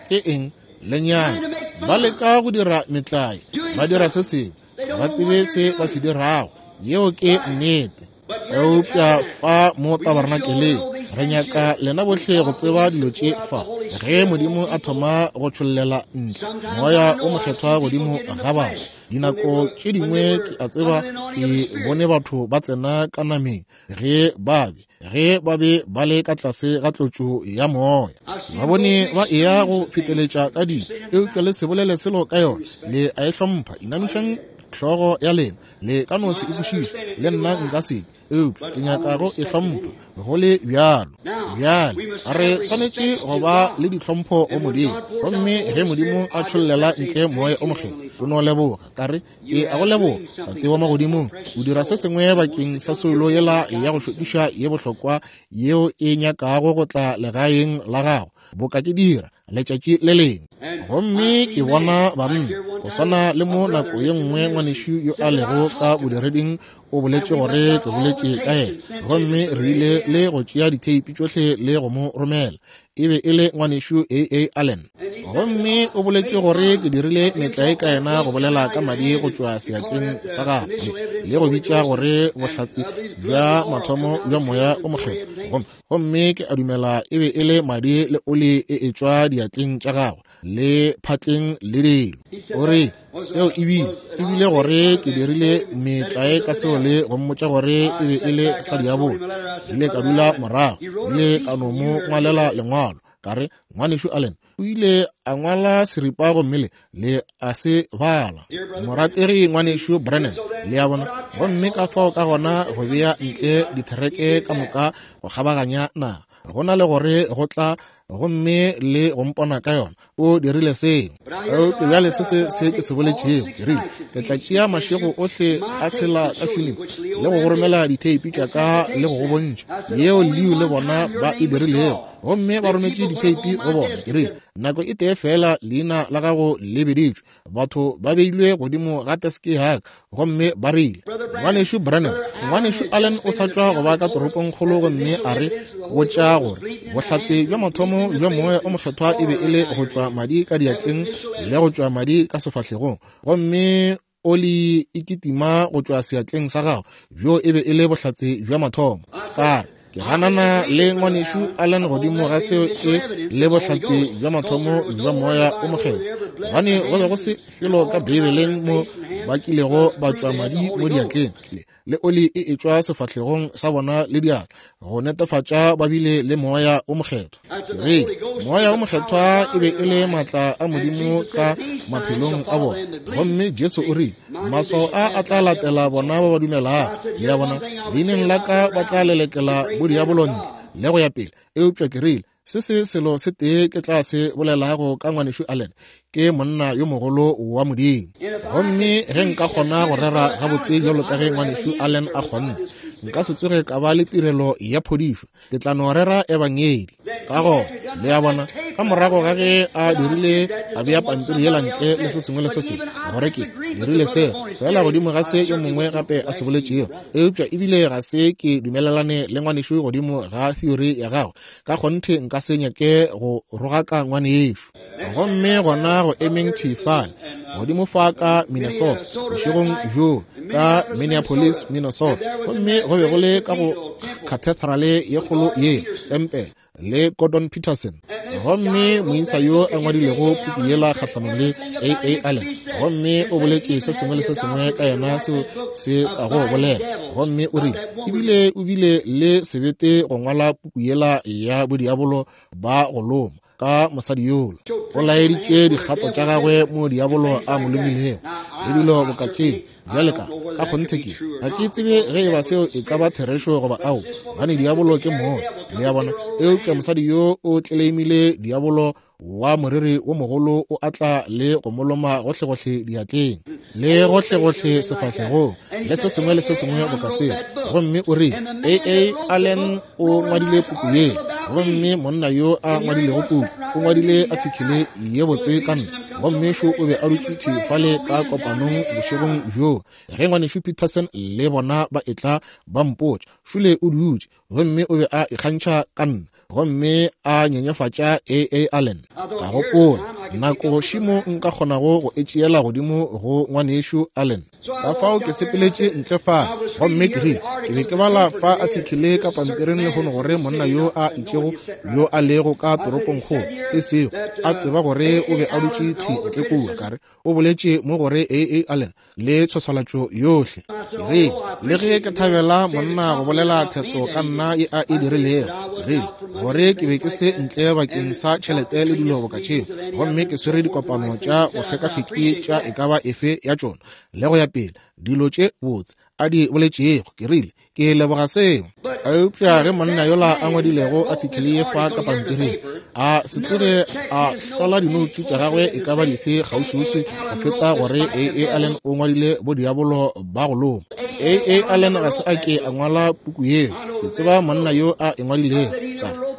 [SPEAKER 1] Ke eng? Lenyatšo. Ba leka go dira metlae, ba dira se sengwe, ga ba tsebe se ba se dirago. Yeo ke nnete. Eupša fa mo tabernakeleng, re nyaka lena bohle go tseba dilo tše fa. Ge Modimo a thoma go tšhollela ntle Moya o Mokgethwa godimo ga batho, dinako tše dingwe ke a tseba ke bone batho ba tsena ka nameng ge ba be ge ba be ba le ka tlase ga tlotšo ya moya. Ba bone ba eya go feteletša ka dilo, eupša le se bolele selo ka yona. Le a e hlompha. Inamišang hlogo ya lena. Le ka no se e kwešiše, le nna nka se ke, eupša ke nyaka go e hlompha go le bjalo. Bjale re swanetše go ba le ditlhompho go Modimo. Gomme ge Modimo a tšhollela ntle Moya o Mokgethwa, o no leboga. Ka re, Ke a go leboga, Tate wa Magodimong, o dira se sengwe bakeng sa soulo yela ya go šokiša ye bohlokwa yeo e nyakago go tla legaeng la gago, boka ke dira letšatši le lengwe. Gomme ke bona banna, go swana le mo nako ye nngwe ngwanešu yo a lego ka bodireding o boletše gore ke boletše ka yena, gomme re ile le go tšea ditheipi tšohle le go mo romela. E be e le ngwanešu A. A. Allen. Gomme o boletše gore ke dirile metlae ka yena go bolela ka madi go tšwa seatleng sa gagwe le go bitša gore bohlatse bja mathomo bja Moya o Mokgethwa. Gomme ke a dumela e be e le madi le oli e etšwa diatleng tša gagwe le phatleng le dilo. O re seo ebile ebile gore ke dirile metlae ka seo le go mmotša gore e be e le sa diabolo. Ile ka dula morago, ile ka no mo ngwalela lengwalo ka re, Ngwanešu Allen o ile a ngwala seripa gomme le le a se bala. Morategi Ngwanešu Branham, le a bona. Gomme ka fao ka gona go bea ntle dithereke ka moka go kgabaganya naga, go na le gore go tla gomme le go mpona ka yona. O dirile seo. Eupša bjale se se se ke se boletšego, ke rile, ke tla tšea mašego ohle a tshela ka Phoenix le go go romela ditheipi tša ka le go go bontšha yeo Leo le bona ba e dirilego, gomme ba rometše ditheipi go bona. Ke rile, nako e tee feela leina la gago le biditšwe, batho ba beilwe godimo ga teske ya ka gomme ba rile, Ngwanešu Branham, Ngwanešu Allen o sa tšwa go ba ka toropongkgolo gomme a re botša gore bohlatse bja mathomo bja Moya o Mokgethwa e be e le go tšwa madi ka diatleng le go tšwa madi ka sefahlegong, gomme oli e kitima go tšwa seatleng sa gago, bjo e be e le bohlatse bja mathomo. Ka re, ke ganana le Ngwanešu Allen godimo ga seo e le bohlatse bja mathomo bja Moya o Mokgethwa, gobane go be go se felo ka Beibeleng mo ba kilego ba tšwa madi mo diatleng le oli e etšwa sefahlegong sa bona le diatla go netefatša ba bile le Moya o Mokgethwa. Re Moya o Mokgethwa e be e le maatla a Modimo ka maphelong a bona, gomme Jesu o rile, maswao a a tla latela bona ba ba dumelago, le a bona, leineng la ka ba tla lelekela bodiabolo ntle le go ya pele. Eupša ke rile, se se selo se tee ke tla se bolelago ka Ngwanešu Allen, ke monna yo mogolo wa Modimo. Gomme ge nka kgona go rera gabotse bjalo ka ge Ngwanešu Allen a kgonne, nka se tsoge ka ba le tirelo ya phodišo, ke tla no rera ebangedi. Ka gona, le a bona, ka morago ga ge a dirile, a bea pampiri yela ntle le se sengwe le se sengwe, gore ke dirile seo fela godimo ga se yo mongwe gape a se boletšego, eupša ebile ga se ke dumelelane le ngwanešu godimo ga theory ya gagwe, ka kgonthe nka se nyake go rogaka ngwanešu. Gomme gona go emeng thwi fale godimo fa ka Minnesota bošegong bjoo, ka Minneapolis, Minnesota, gomme go be go le ka go cathedrale ye kgolo ye, tempele, le Gordon Peterson, gomme moisa yo a ngwadilego puku yela kgahlanong le A. A. Allen, gomme o boletše se sengwe le se sengwe ka yena seo se kago bolela, gomme o rile ebile o bile le sebete go ngwala puku yela ya bodiabolo ba go loma ka mosadi yola. O laeditše dikgato tša gagwe mo diabolo a mo lomilego le dilo boka tše. Bjale ka ka kgonthe ke ga ke tsebe ge e ba seo e ka ba therešo goba ao, gobane diabolo ke moya, le a bona. Eupša mosadi yo o tleleimile diabolo wa moriri wo mogolo o atla le go mo loma gohlegohle diatleng le gohlegohle sefahlegong le se sengwe le se sengwe boka seo. Gomme o rile, A. A. Allen o ngwadile puku ye, gomme monna yo a ngwadilego puku o ngwadile athikele ye botse ka nna, gomme šo o be a dutše thwi fale ka kopanong bošegong bjoo ge Ngwanešu Peterson le bona ba etla ba mpotša. Šole o dutše, gomme o be a ikgantšha ka nna gomme a nyenyefatša A. A. Allen. Ka gopola, nako šimo nka kgonago go e tšeela godimo go Ngwanešu Allen. Ka fao ke sepeletše ntle fa, gomme ke rile, ke be ke bala fa athikele ka pampiring lehono gore monna yo a itšego yo a lego ka toropongkgolo, e sego a tseba gore o be a dutše thwi ntle kua, ka re, o boletše mo gore A. A. Allen le tshwaswalatšo yohle. Ke rile, le ge ke thabela monna go bolela theto ka nna ye a e dirilego, ke rile, gore ke be ke se ntle bakeng sa tšhelete le dilo boka tšeo, gomme ke swere dikopano tša go hlekahleki tša e ka ba efe ya tšona, le go ya pele, dilo tše botse a di boletšego. Ke rile, ke leboga seo. Eupša ge monna yola a ngwadilego athikele ye fa ka pampiring a se tloge a hlola dinoutsu tša gagwe e ka ba dife kgauswiuswi go feta gore A. A. Allen o ngwadile bodiabolo ba go loma. A. A. Allen ga se a ke a ngwala puku yeo. Ke tseba monna yo a e ngwadilego.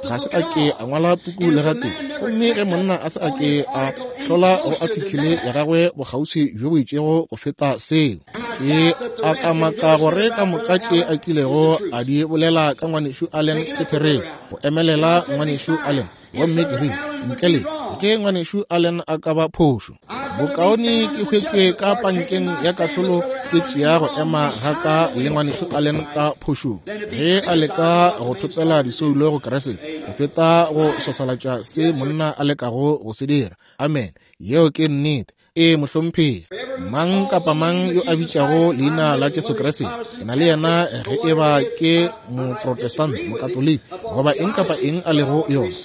[SPEAKER 1] Ga se a ke a ngwala puku le gatee. Gomme ge monna a se a ke a hlola go athikele ya gagwe bokgauswi bjo bo itšego go feta seo, Ke a kamaka gore ka moka tše a kilego a di bolela ka Ngwanešu Allen ke therešo, go emelela Ngwanešu Allen. Gomme ke rile, ntle le ke Ngwanešu Allen a ka ba phošo, bokaone ke hwetšwe ka pankeng ya kahlolo ke tšea go ema ga ka le Ngwanešu Allen ka phošong ge a leka go thopela disoulo go Kriste, go feta go swaswalatša se monna a lekago go se dira. Amen. Yeo ke nnete. Ee, mohlomphegi. Mang kapa mang yo a bitšago leina la Jesu Kriste, ke na le yena, ge e ba ke Moprotestant, Mokatoliki, goba eng kapa eng a lego yona.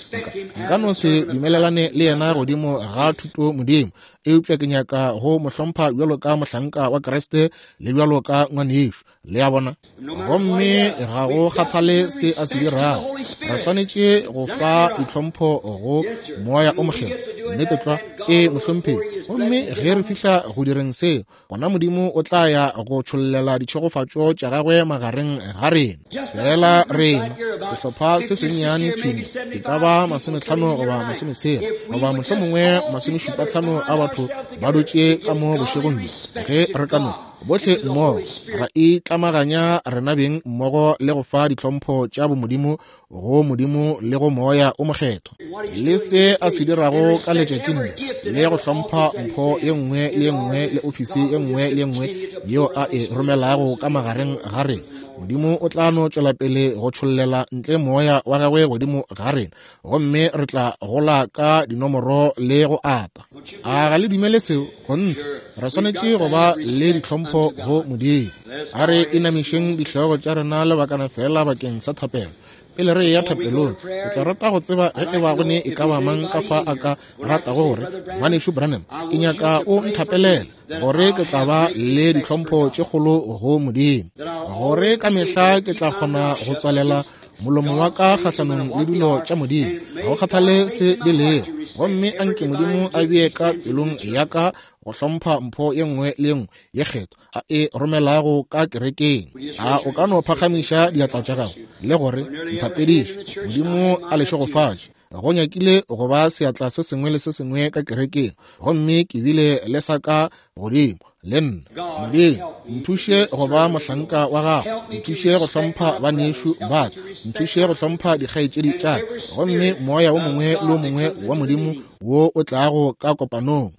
[SPEAKER 1] Nka no se dumelelane le yena godimo ga thuto Modimo, eupša ke nyaka go mo hlompha bjalo ka mohlanka wa Kriste le bjalo ka ngwanešu. Le a bona? Gomme ga go kgathale se a se dirago, re swanetše go fa ditlhompho go Moya o Mokgethwa. Nnete tlwa. Ee, mohlomphegi. Gomme ge re fihla go direng seo, gona Modimo o tla ya go tšhollela ditšhegofatšo tša gagwe magareng ga rena. Fela rena, sehlopha se sennyane thwi, e ka ba 50 goba 60 goba mohlomongwe 75 a batho ba dutše ka mo bošegong bjo, ge re ka no bohle mmogo ra itlamaganya rena beng mmogo le go fa ditlhompho tša bomodimo go Modimo le go Moya o Mokgethwa, le se a se dirago ka letšatšing le, le go hlompha mpho ye nngwe le ye nngwe le ofisi ye nngwe le ye nngwe yeo a e romelago ka magareng ga rena, Modimo o tla no tšwela pele go tšhollela ntle Moya wa gagwe godimo ga rena, gomme re tla gola ka dinomoro le go ata. A ga le dumele seo? Kgonthe, re swanetše go ba le ditlhompho go Modimo. A re inamišeng dihlogo tša rena lebakana fela bakeng sa thapelo. Pele re eya thapelong, ke tla rata go tseba ge e ba go ne e ka ba mang ka fa a ka ratago gore, Ngwanešu Branham, ke nyaka o nthapelela, gore ke tla ba le ditlhompho tše kgolo go Modimo, gore ka mehla ke tla kgona go tswalela molomo wa ka kgahlanong le dilo tša Modimo, ga go kgathale se di lego. Gomme a nke Modimo a bee ka pelong ya ka go hlompha mpho ye nngwe le ye nngwe ye kgethwa a e romelago ka kerekeng. A o ka no phagamiša diatla tša gago le gore, Nthapediše, Modimo a le šegofatše. Go nyakile go ba seatla se sengwe le se sengwe ka kerekeng, gomme ke bile le sa ka godimo le nna. Modimo, nthuše go ba mohlanka wa gago, nthuše go hlompha banešu ba ka, nthuše go hlompha dikgaetšedi tša ka, gomme moya wo mongwe le wo mongwe wa Modimo wo o tlago ka kopanong,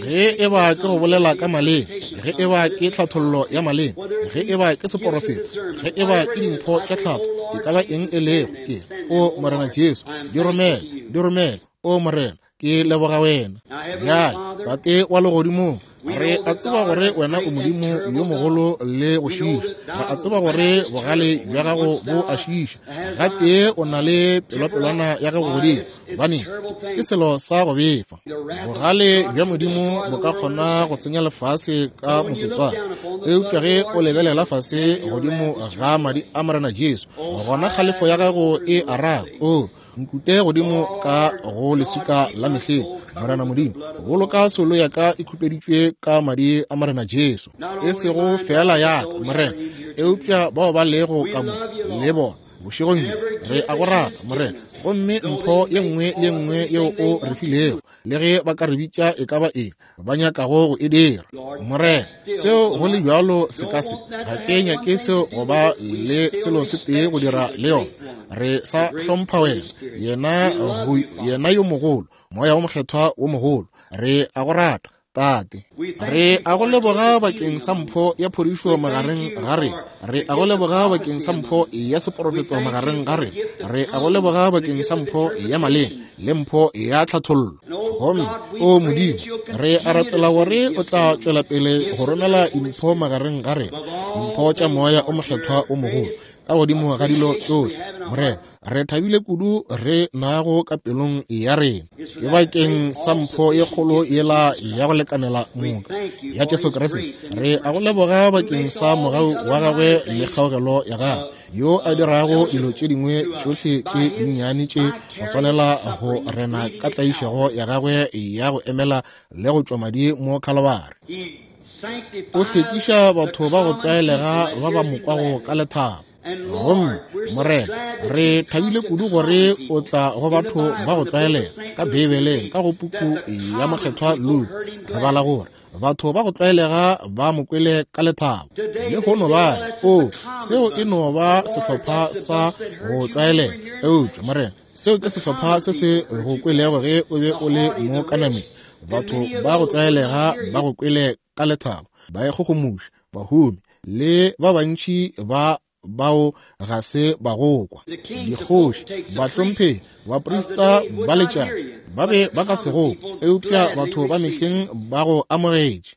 [SPEAKER 1] ge e ba ke go bolela ka maleme, ge e ba ke tlhathollo ya maleme, ge e ba ke seporofeto, ge e ba ke dimpho tša tlhatho, e ka ba eng e lego, ke o Morena Jesu, di romele, di romele, o Morena, ke leboga wena. Bjale, Tate wa Legodimong, re a tseba gore wena o Modimo yo mogolo le go šiiša. Re a tseba gore bogale bja gago bo a šiiša. Gatee o na le pelopelwana ya gago godimo, gobane ke selo sa go befa. Bogale bja Modimo bo ka kgona go senya lefase ka motsotswana, eupša ge o lebelela fase godimo ga madi a Morena Jesu, gona kgalefo ya gago e araba. O nkute godimo ka go leswika la mehleng, Morena Modimo, boloka soulo ya ka e khupeditšwe ka madi a Morena Jesu, e sego feela ya ka, Morena, eupša bao ba lego ka mo le bona bošegong bjo. Re a go rata, Morena, gomme mpho ye nngwe le ye nngwe yeo o re filego, le ge ba ka re bitša e ka ba eng ba nyakago go e dira, Morena, seo go le bjalo se ka se, ga ke nyake seo go ba le selo se tee go dira le yona. Re sa hlompha wena, yena, yena yo mogolo, Moya wo Mokgethwa wo mogolo. Re a go rata, Tate. Re a go leboga bakeng sa mpho ya phodišo magareng ga rena. Re a go leboga bakeng sa mpho ya seporofeto magareng ga rena. Re a go leboga bakeng sa mpho ya maleme le mpho ya tlhathollo. Gomme, o Modimo, re a rapela gore o tla tšwela pele go romela dimpho magareng ga rena, dimpho tša Moya o Mokgethwa o mogolo, ka godimo ga dilo tšohle. Morena, re thabile kudu re nago ka pelong ya rena. Ke bakeng sa mpho ye kgolo yela ya go lekanela moka ya Jesu Kriste. Re a go leboga bakeng sa mogau wa gagwe le kgaogelo ya gagwe, yo a dirago dilo tše dingwe tšohle tše dinnyane tše go swanela go rena ka tlaišego ya gagwe ya go emela le go tšwa madi mo Khalabari. O hlwekiša batho ba go tlwaelega ba ba mo kwago ka lethabo. Gomme, Morena, re thabile kudu gore o tla go batho ba go tlwaelega. Ka Beibeleng, ka go puku ya Mokgethwa Luke, re bala gore batho ba go tlwaelega ba mo kwele ka lethabo. Lehono ba re, O, seo e no ba sehlopha sa go tlwaelega. Eupša, Morena, seo ke sehlopha se se go kwelego ge o be o le mo ka nameng. Batho ba go tlwaelega ba go kwele ka lethabo, baikgogomoši, bahumi, le ba bantši ba bao ga se ba go kwa. Dikgoši, bahlomphegi, baprista ba letšatši ba be ba ka se go kwe, eupša batho ba mehleng ba go amogetše.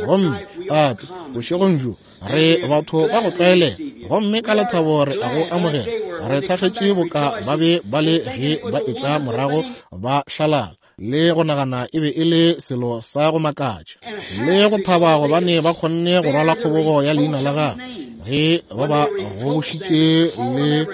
[SPEAKER 1] Gomme, Tate, bošegong bjo re batho ba go tlwaelega, gomme ka lethabo re a go amogela. Re thakgetše boka ba be ba le ge ba etla morago ba hlalala, le go nagana e be e le selo sa go makatša, le go thaba gobane ba kgonne go rwala kgobogo ya leina la gagwe ge ba ba gobošitše le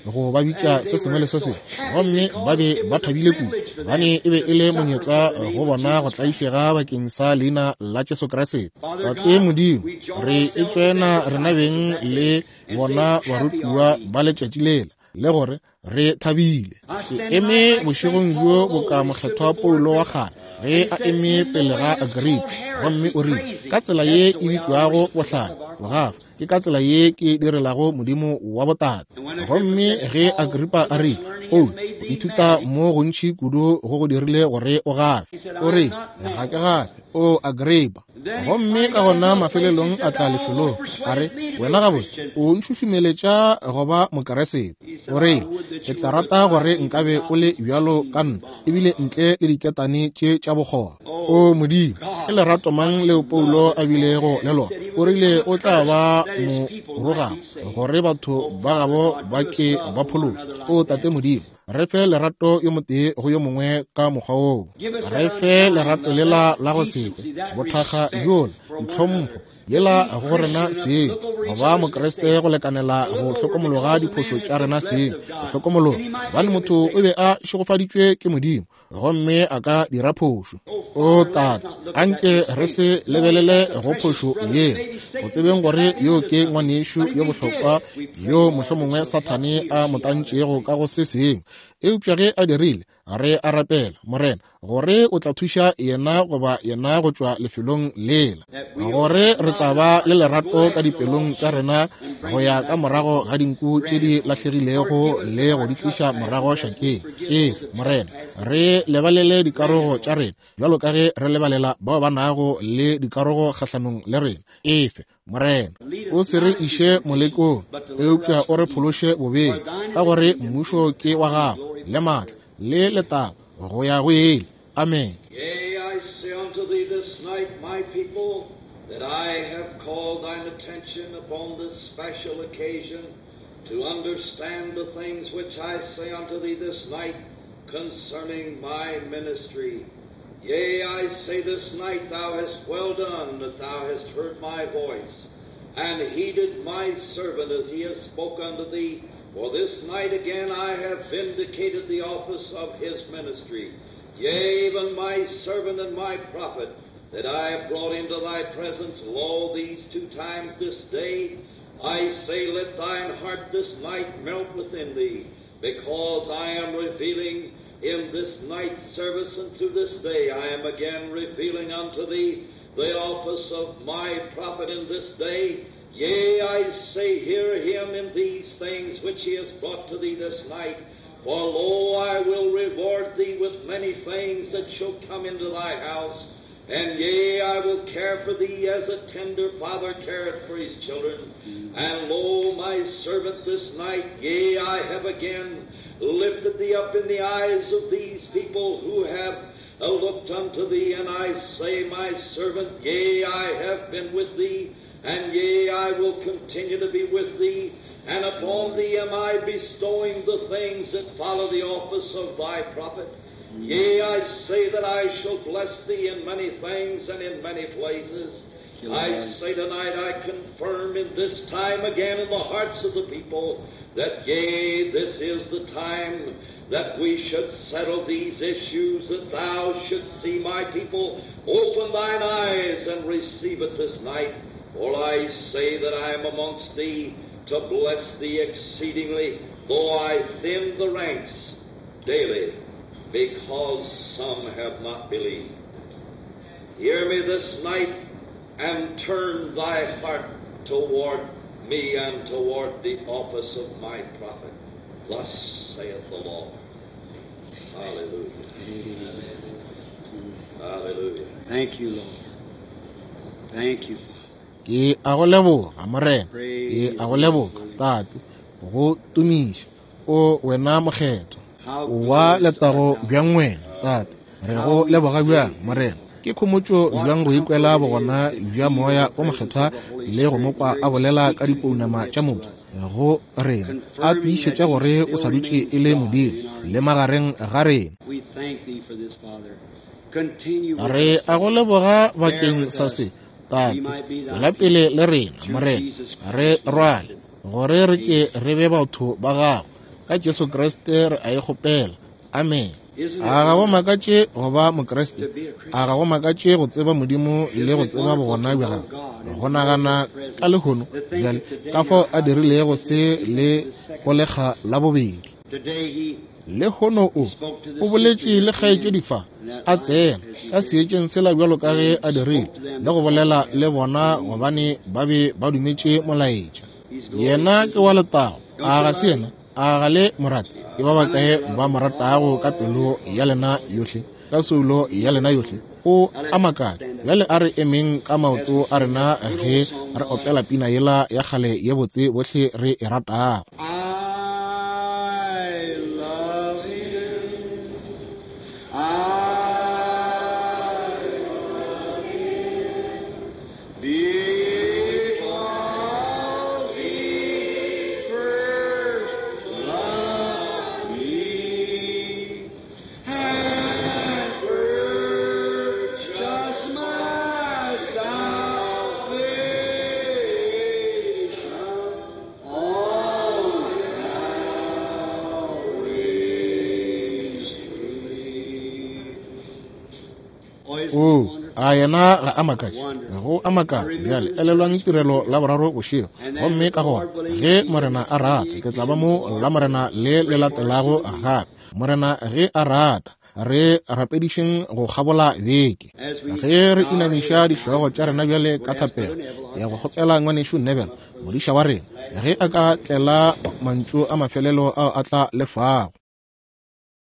[SPEAKER 1] go ba bitša se sengwe le se sengwe, gomme ba be ba thabile kudu gobane e be e le monyetla go bona go tlaišega bakeng sa leina la Jesu Kriste. Tate Modimo, re e tšwena rena beng le bona barutiwa ba letšatši lela, le gore re thabile. Ke eme bošegong bjo boka mokgethwa Paulo wa kgale ge a eme pele ga Agripa, gomme o rile, ka tsela ye e bitšwago bohlale, bogafa, ke ka tsela ye ke direlago Modimo wa botate. Gomme ge Agripa a rile, Paulo, go ithuta mo gontši kudu go go dirile gore o gafe, o rile, ga ke gafe, o Agripa. Gomme ka gona mafelelong a tla lefelong, a re, wena gabotse o ntšhušumeletša go ba Mokeresete. O rile, ke tla rata gore nkabe o le bjalo ka nna, ebile ntle le diketane tše tša bokgoba. O Modimo, ke lerato mang leo Paulo a bilego le lona. O rile o tla ba morogago gore batho ba gabo ba ke ba phološwe. O Tate Modimo, re fe lerato yo motee go yo mongwe ka mokgwa woo. Re fe lerato lela la go se kwe, bothakga bjola, ditlhompho yela go rena seng, go ba Mokriste go lekanela go hlokomologa diphošo tša rena seng, go hlokomologa gobane motho o be a šegofaditšwe ke Modimo gomme a ka dira phošo. O Tate, anke re se lebelele go phošo yeo, go tsebeng gore yo ke ngwanešu yo bohlokwa yo mohlomongwe Sathane a mo tantšego ka go se sengwe, eupša ge a dirile, re a rapela, Morena, gore o tla thuša yena goba yena go tšwa lefelong lela, gore re tla ba le lerato ka dipelong tša rena go ya ka morago ga dinku tše di lahlegilego le go di tliša morago šakeng. Ee, Morena, re lebalele dikarogo tša rena bjalo ka ge re lebalela bao ba nago le dikarogo kgahlanong le rena. Efe, Morena, o se re iše molekong, eupša o re phološe bobeng, ka gore mmušo ke wa gago, le maatla, le letago, go ya go ile. Amen.
[SPEAKER 2] Yea, I say unto thee this night, my people, that I have called thine attention upon this special occasion to understand the things which I say unto thee this night concerning my ministry. Yea, I say this night, thou hast well done that thou hast heard my voice, and heeded my servant as he hath spoke unto thee. For this night again I have vindicated the office of his ministry. Yea, even my servant and my prophet, that I have brought into thy presence, lo, these 2 times this day, I say, let thine heart this night melt within thee, because I am revealing in this night's service and through this day, I am again revealing unto thee the office of my prophet in this day. Yea, I say, hear him in these things which he has brought to thee this night. For lo, I will reward thee with many things that shall come into thy house. And yea, I will care for thee as a tender father careth for his children. And lo, my servant this night, yea, I have again lifted thee up in the eyes of these people who have looked unto thee. And I say, my servant, yea, I have been with thee, and yea, I will continue to be with thee. And upon thee am I bestowing the things that follow the office of thy prophet. Yea, I say that I shall bless thee in many things and in many places. I say tonight, I confirm in this time again in the hearts of the people that, yea, this is the time that we should settle these issues, that thou shouldst see my people open thine eyes and receive it this night. For I say that I am amongst thee to bless thee exceedingly, though I thin the ranks daily, because some have not believed. Hear me this night and turn thy heart toward me and toward the office of my prophet. Thus saith the Lord. Hallelujah. Hallelujah.
[SPEAKER 3] Thank you, Lord. Thank you.
[SPEAKER 1] Ke a go leboga, Morena. Ke a go leboga. Tate, go tumiša, O wena Mokgethwa. Wa letago bjang wena, Tate. Re go leboga bjang, Morena. Ke khomotšo bjang go ikwela bogona bja Moya wo Mokgethwa le go mo kwa a bolela ka dipounama tša motho go rena, a tiišetša gore o sa dutše e le Modimo le magareng ga rena. Re a go leboga bakeng sa se, Tate. Tšwela pele le rena, Morena. Re rwale, gore re ke re be batho ba Gago. Ka Jesu Kriste re a e kgopela. Amene. A ga go makatše go ba Mokriste? A ga go makatše go tseba Modimo le go tseba bogona bja Gagwe? Go nagana ka lehono bjale ka fao a dirilego se le go lekga la bobedi. Lehono o, o boletše le kgaetšedi fa, a tsena ka seetšeng sela bjalo ka ge a dirile, le go bolela le bona gobane ba be ba dumetše molaetša. Yena ke wa letago, a ga se yena? A ga le mo rate? Ke ba bakae ba mo ratago ka pelo ya lena yohle, ka soulo ya lena yohle? O a makatša. Bjale a re emeng ka maoto a rena ge re opela pina yela ya kgale ye botse bohle re e ratago.
[SPEAKER 2] I love him. I love him. Because he first loved me and purchased my salvation on Calvary's tree.
[SPEAKER 1] Oo, a yena ga a makatše? Go a makatša. Bjale elelwang tirelo la boraro bošego. Gomme ka gona, ge Morena a rata, ke tla ba mo Lamorena le le latelago gape. Morena ge a rata, re rapedišeng go kgabola beke. Ge re inamiša dihlogo tša rena bjale ka thapelo, ya go kgopela Ngwanešu Neville, modiša wa rena, ge a ka tlela mantšu a mafelelo ao a tla lefago.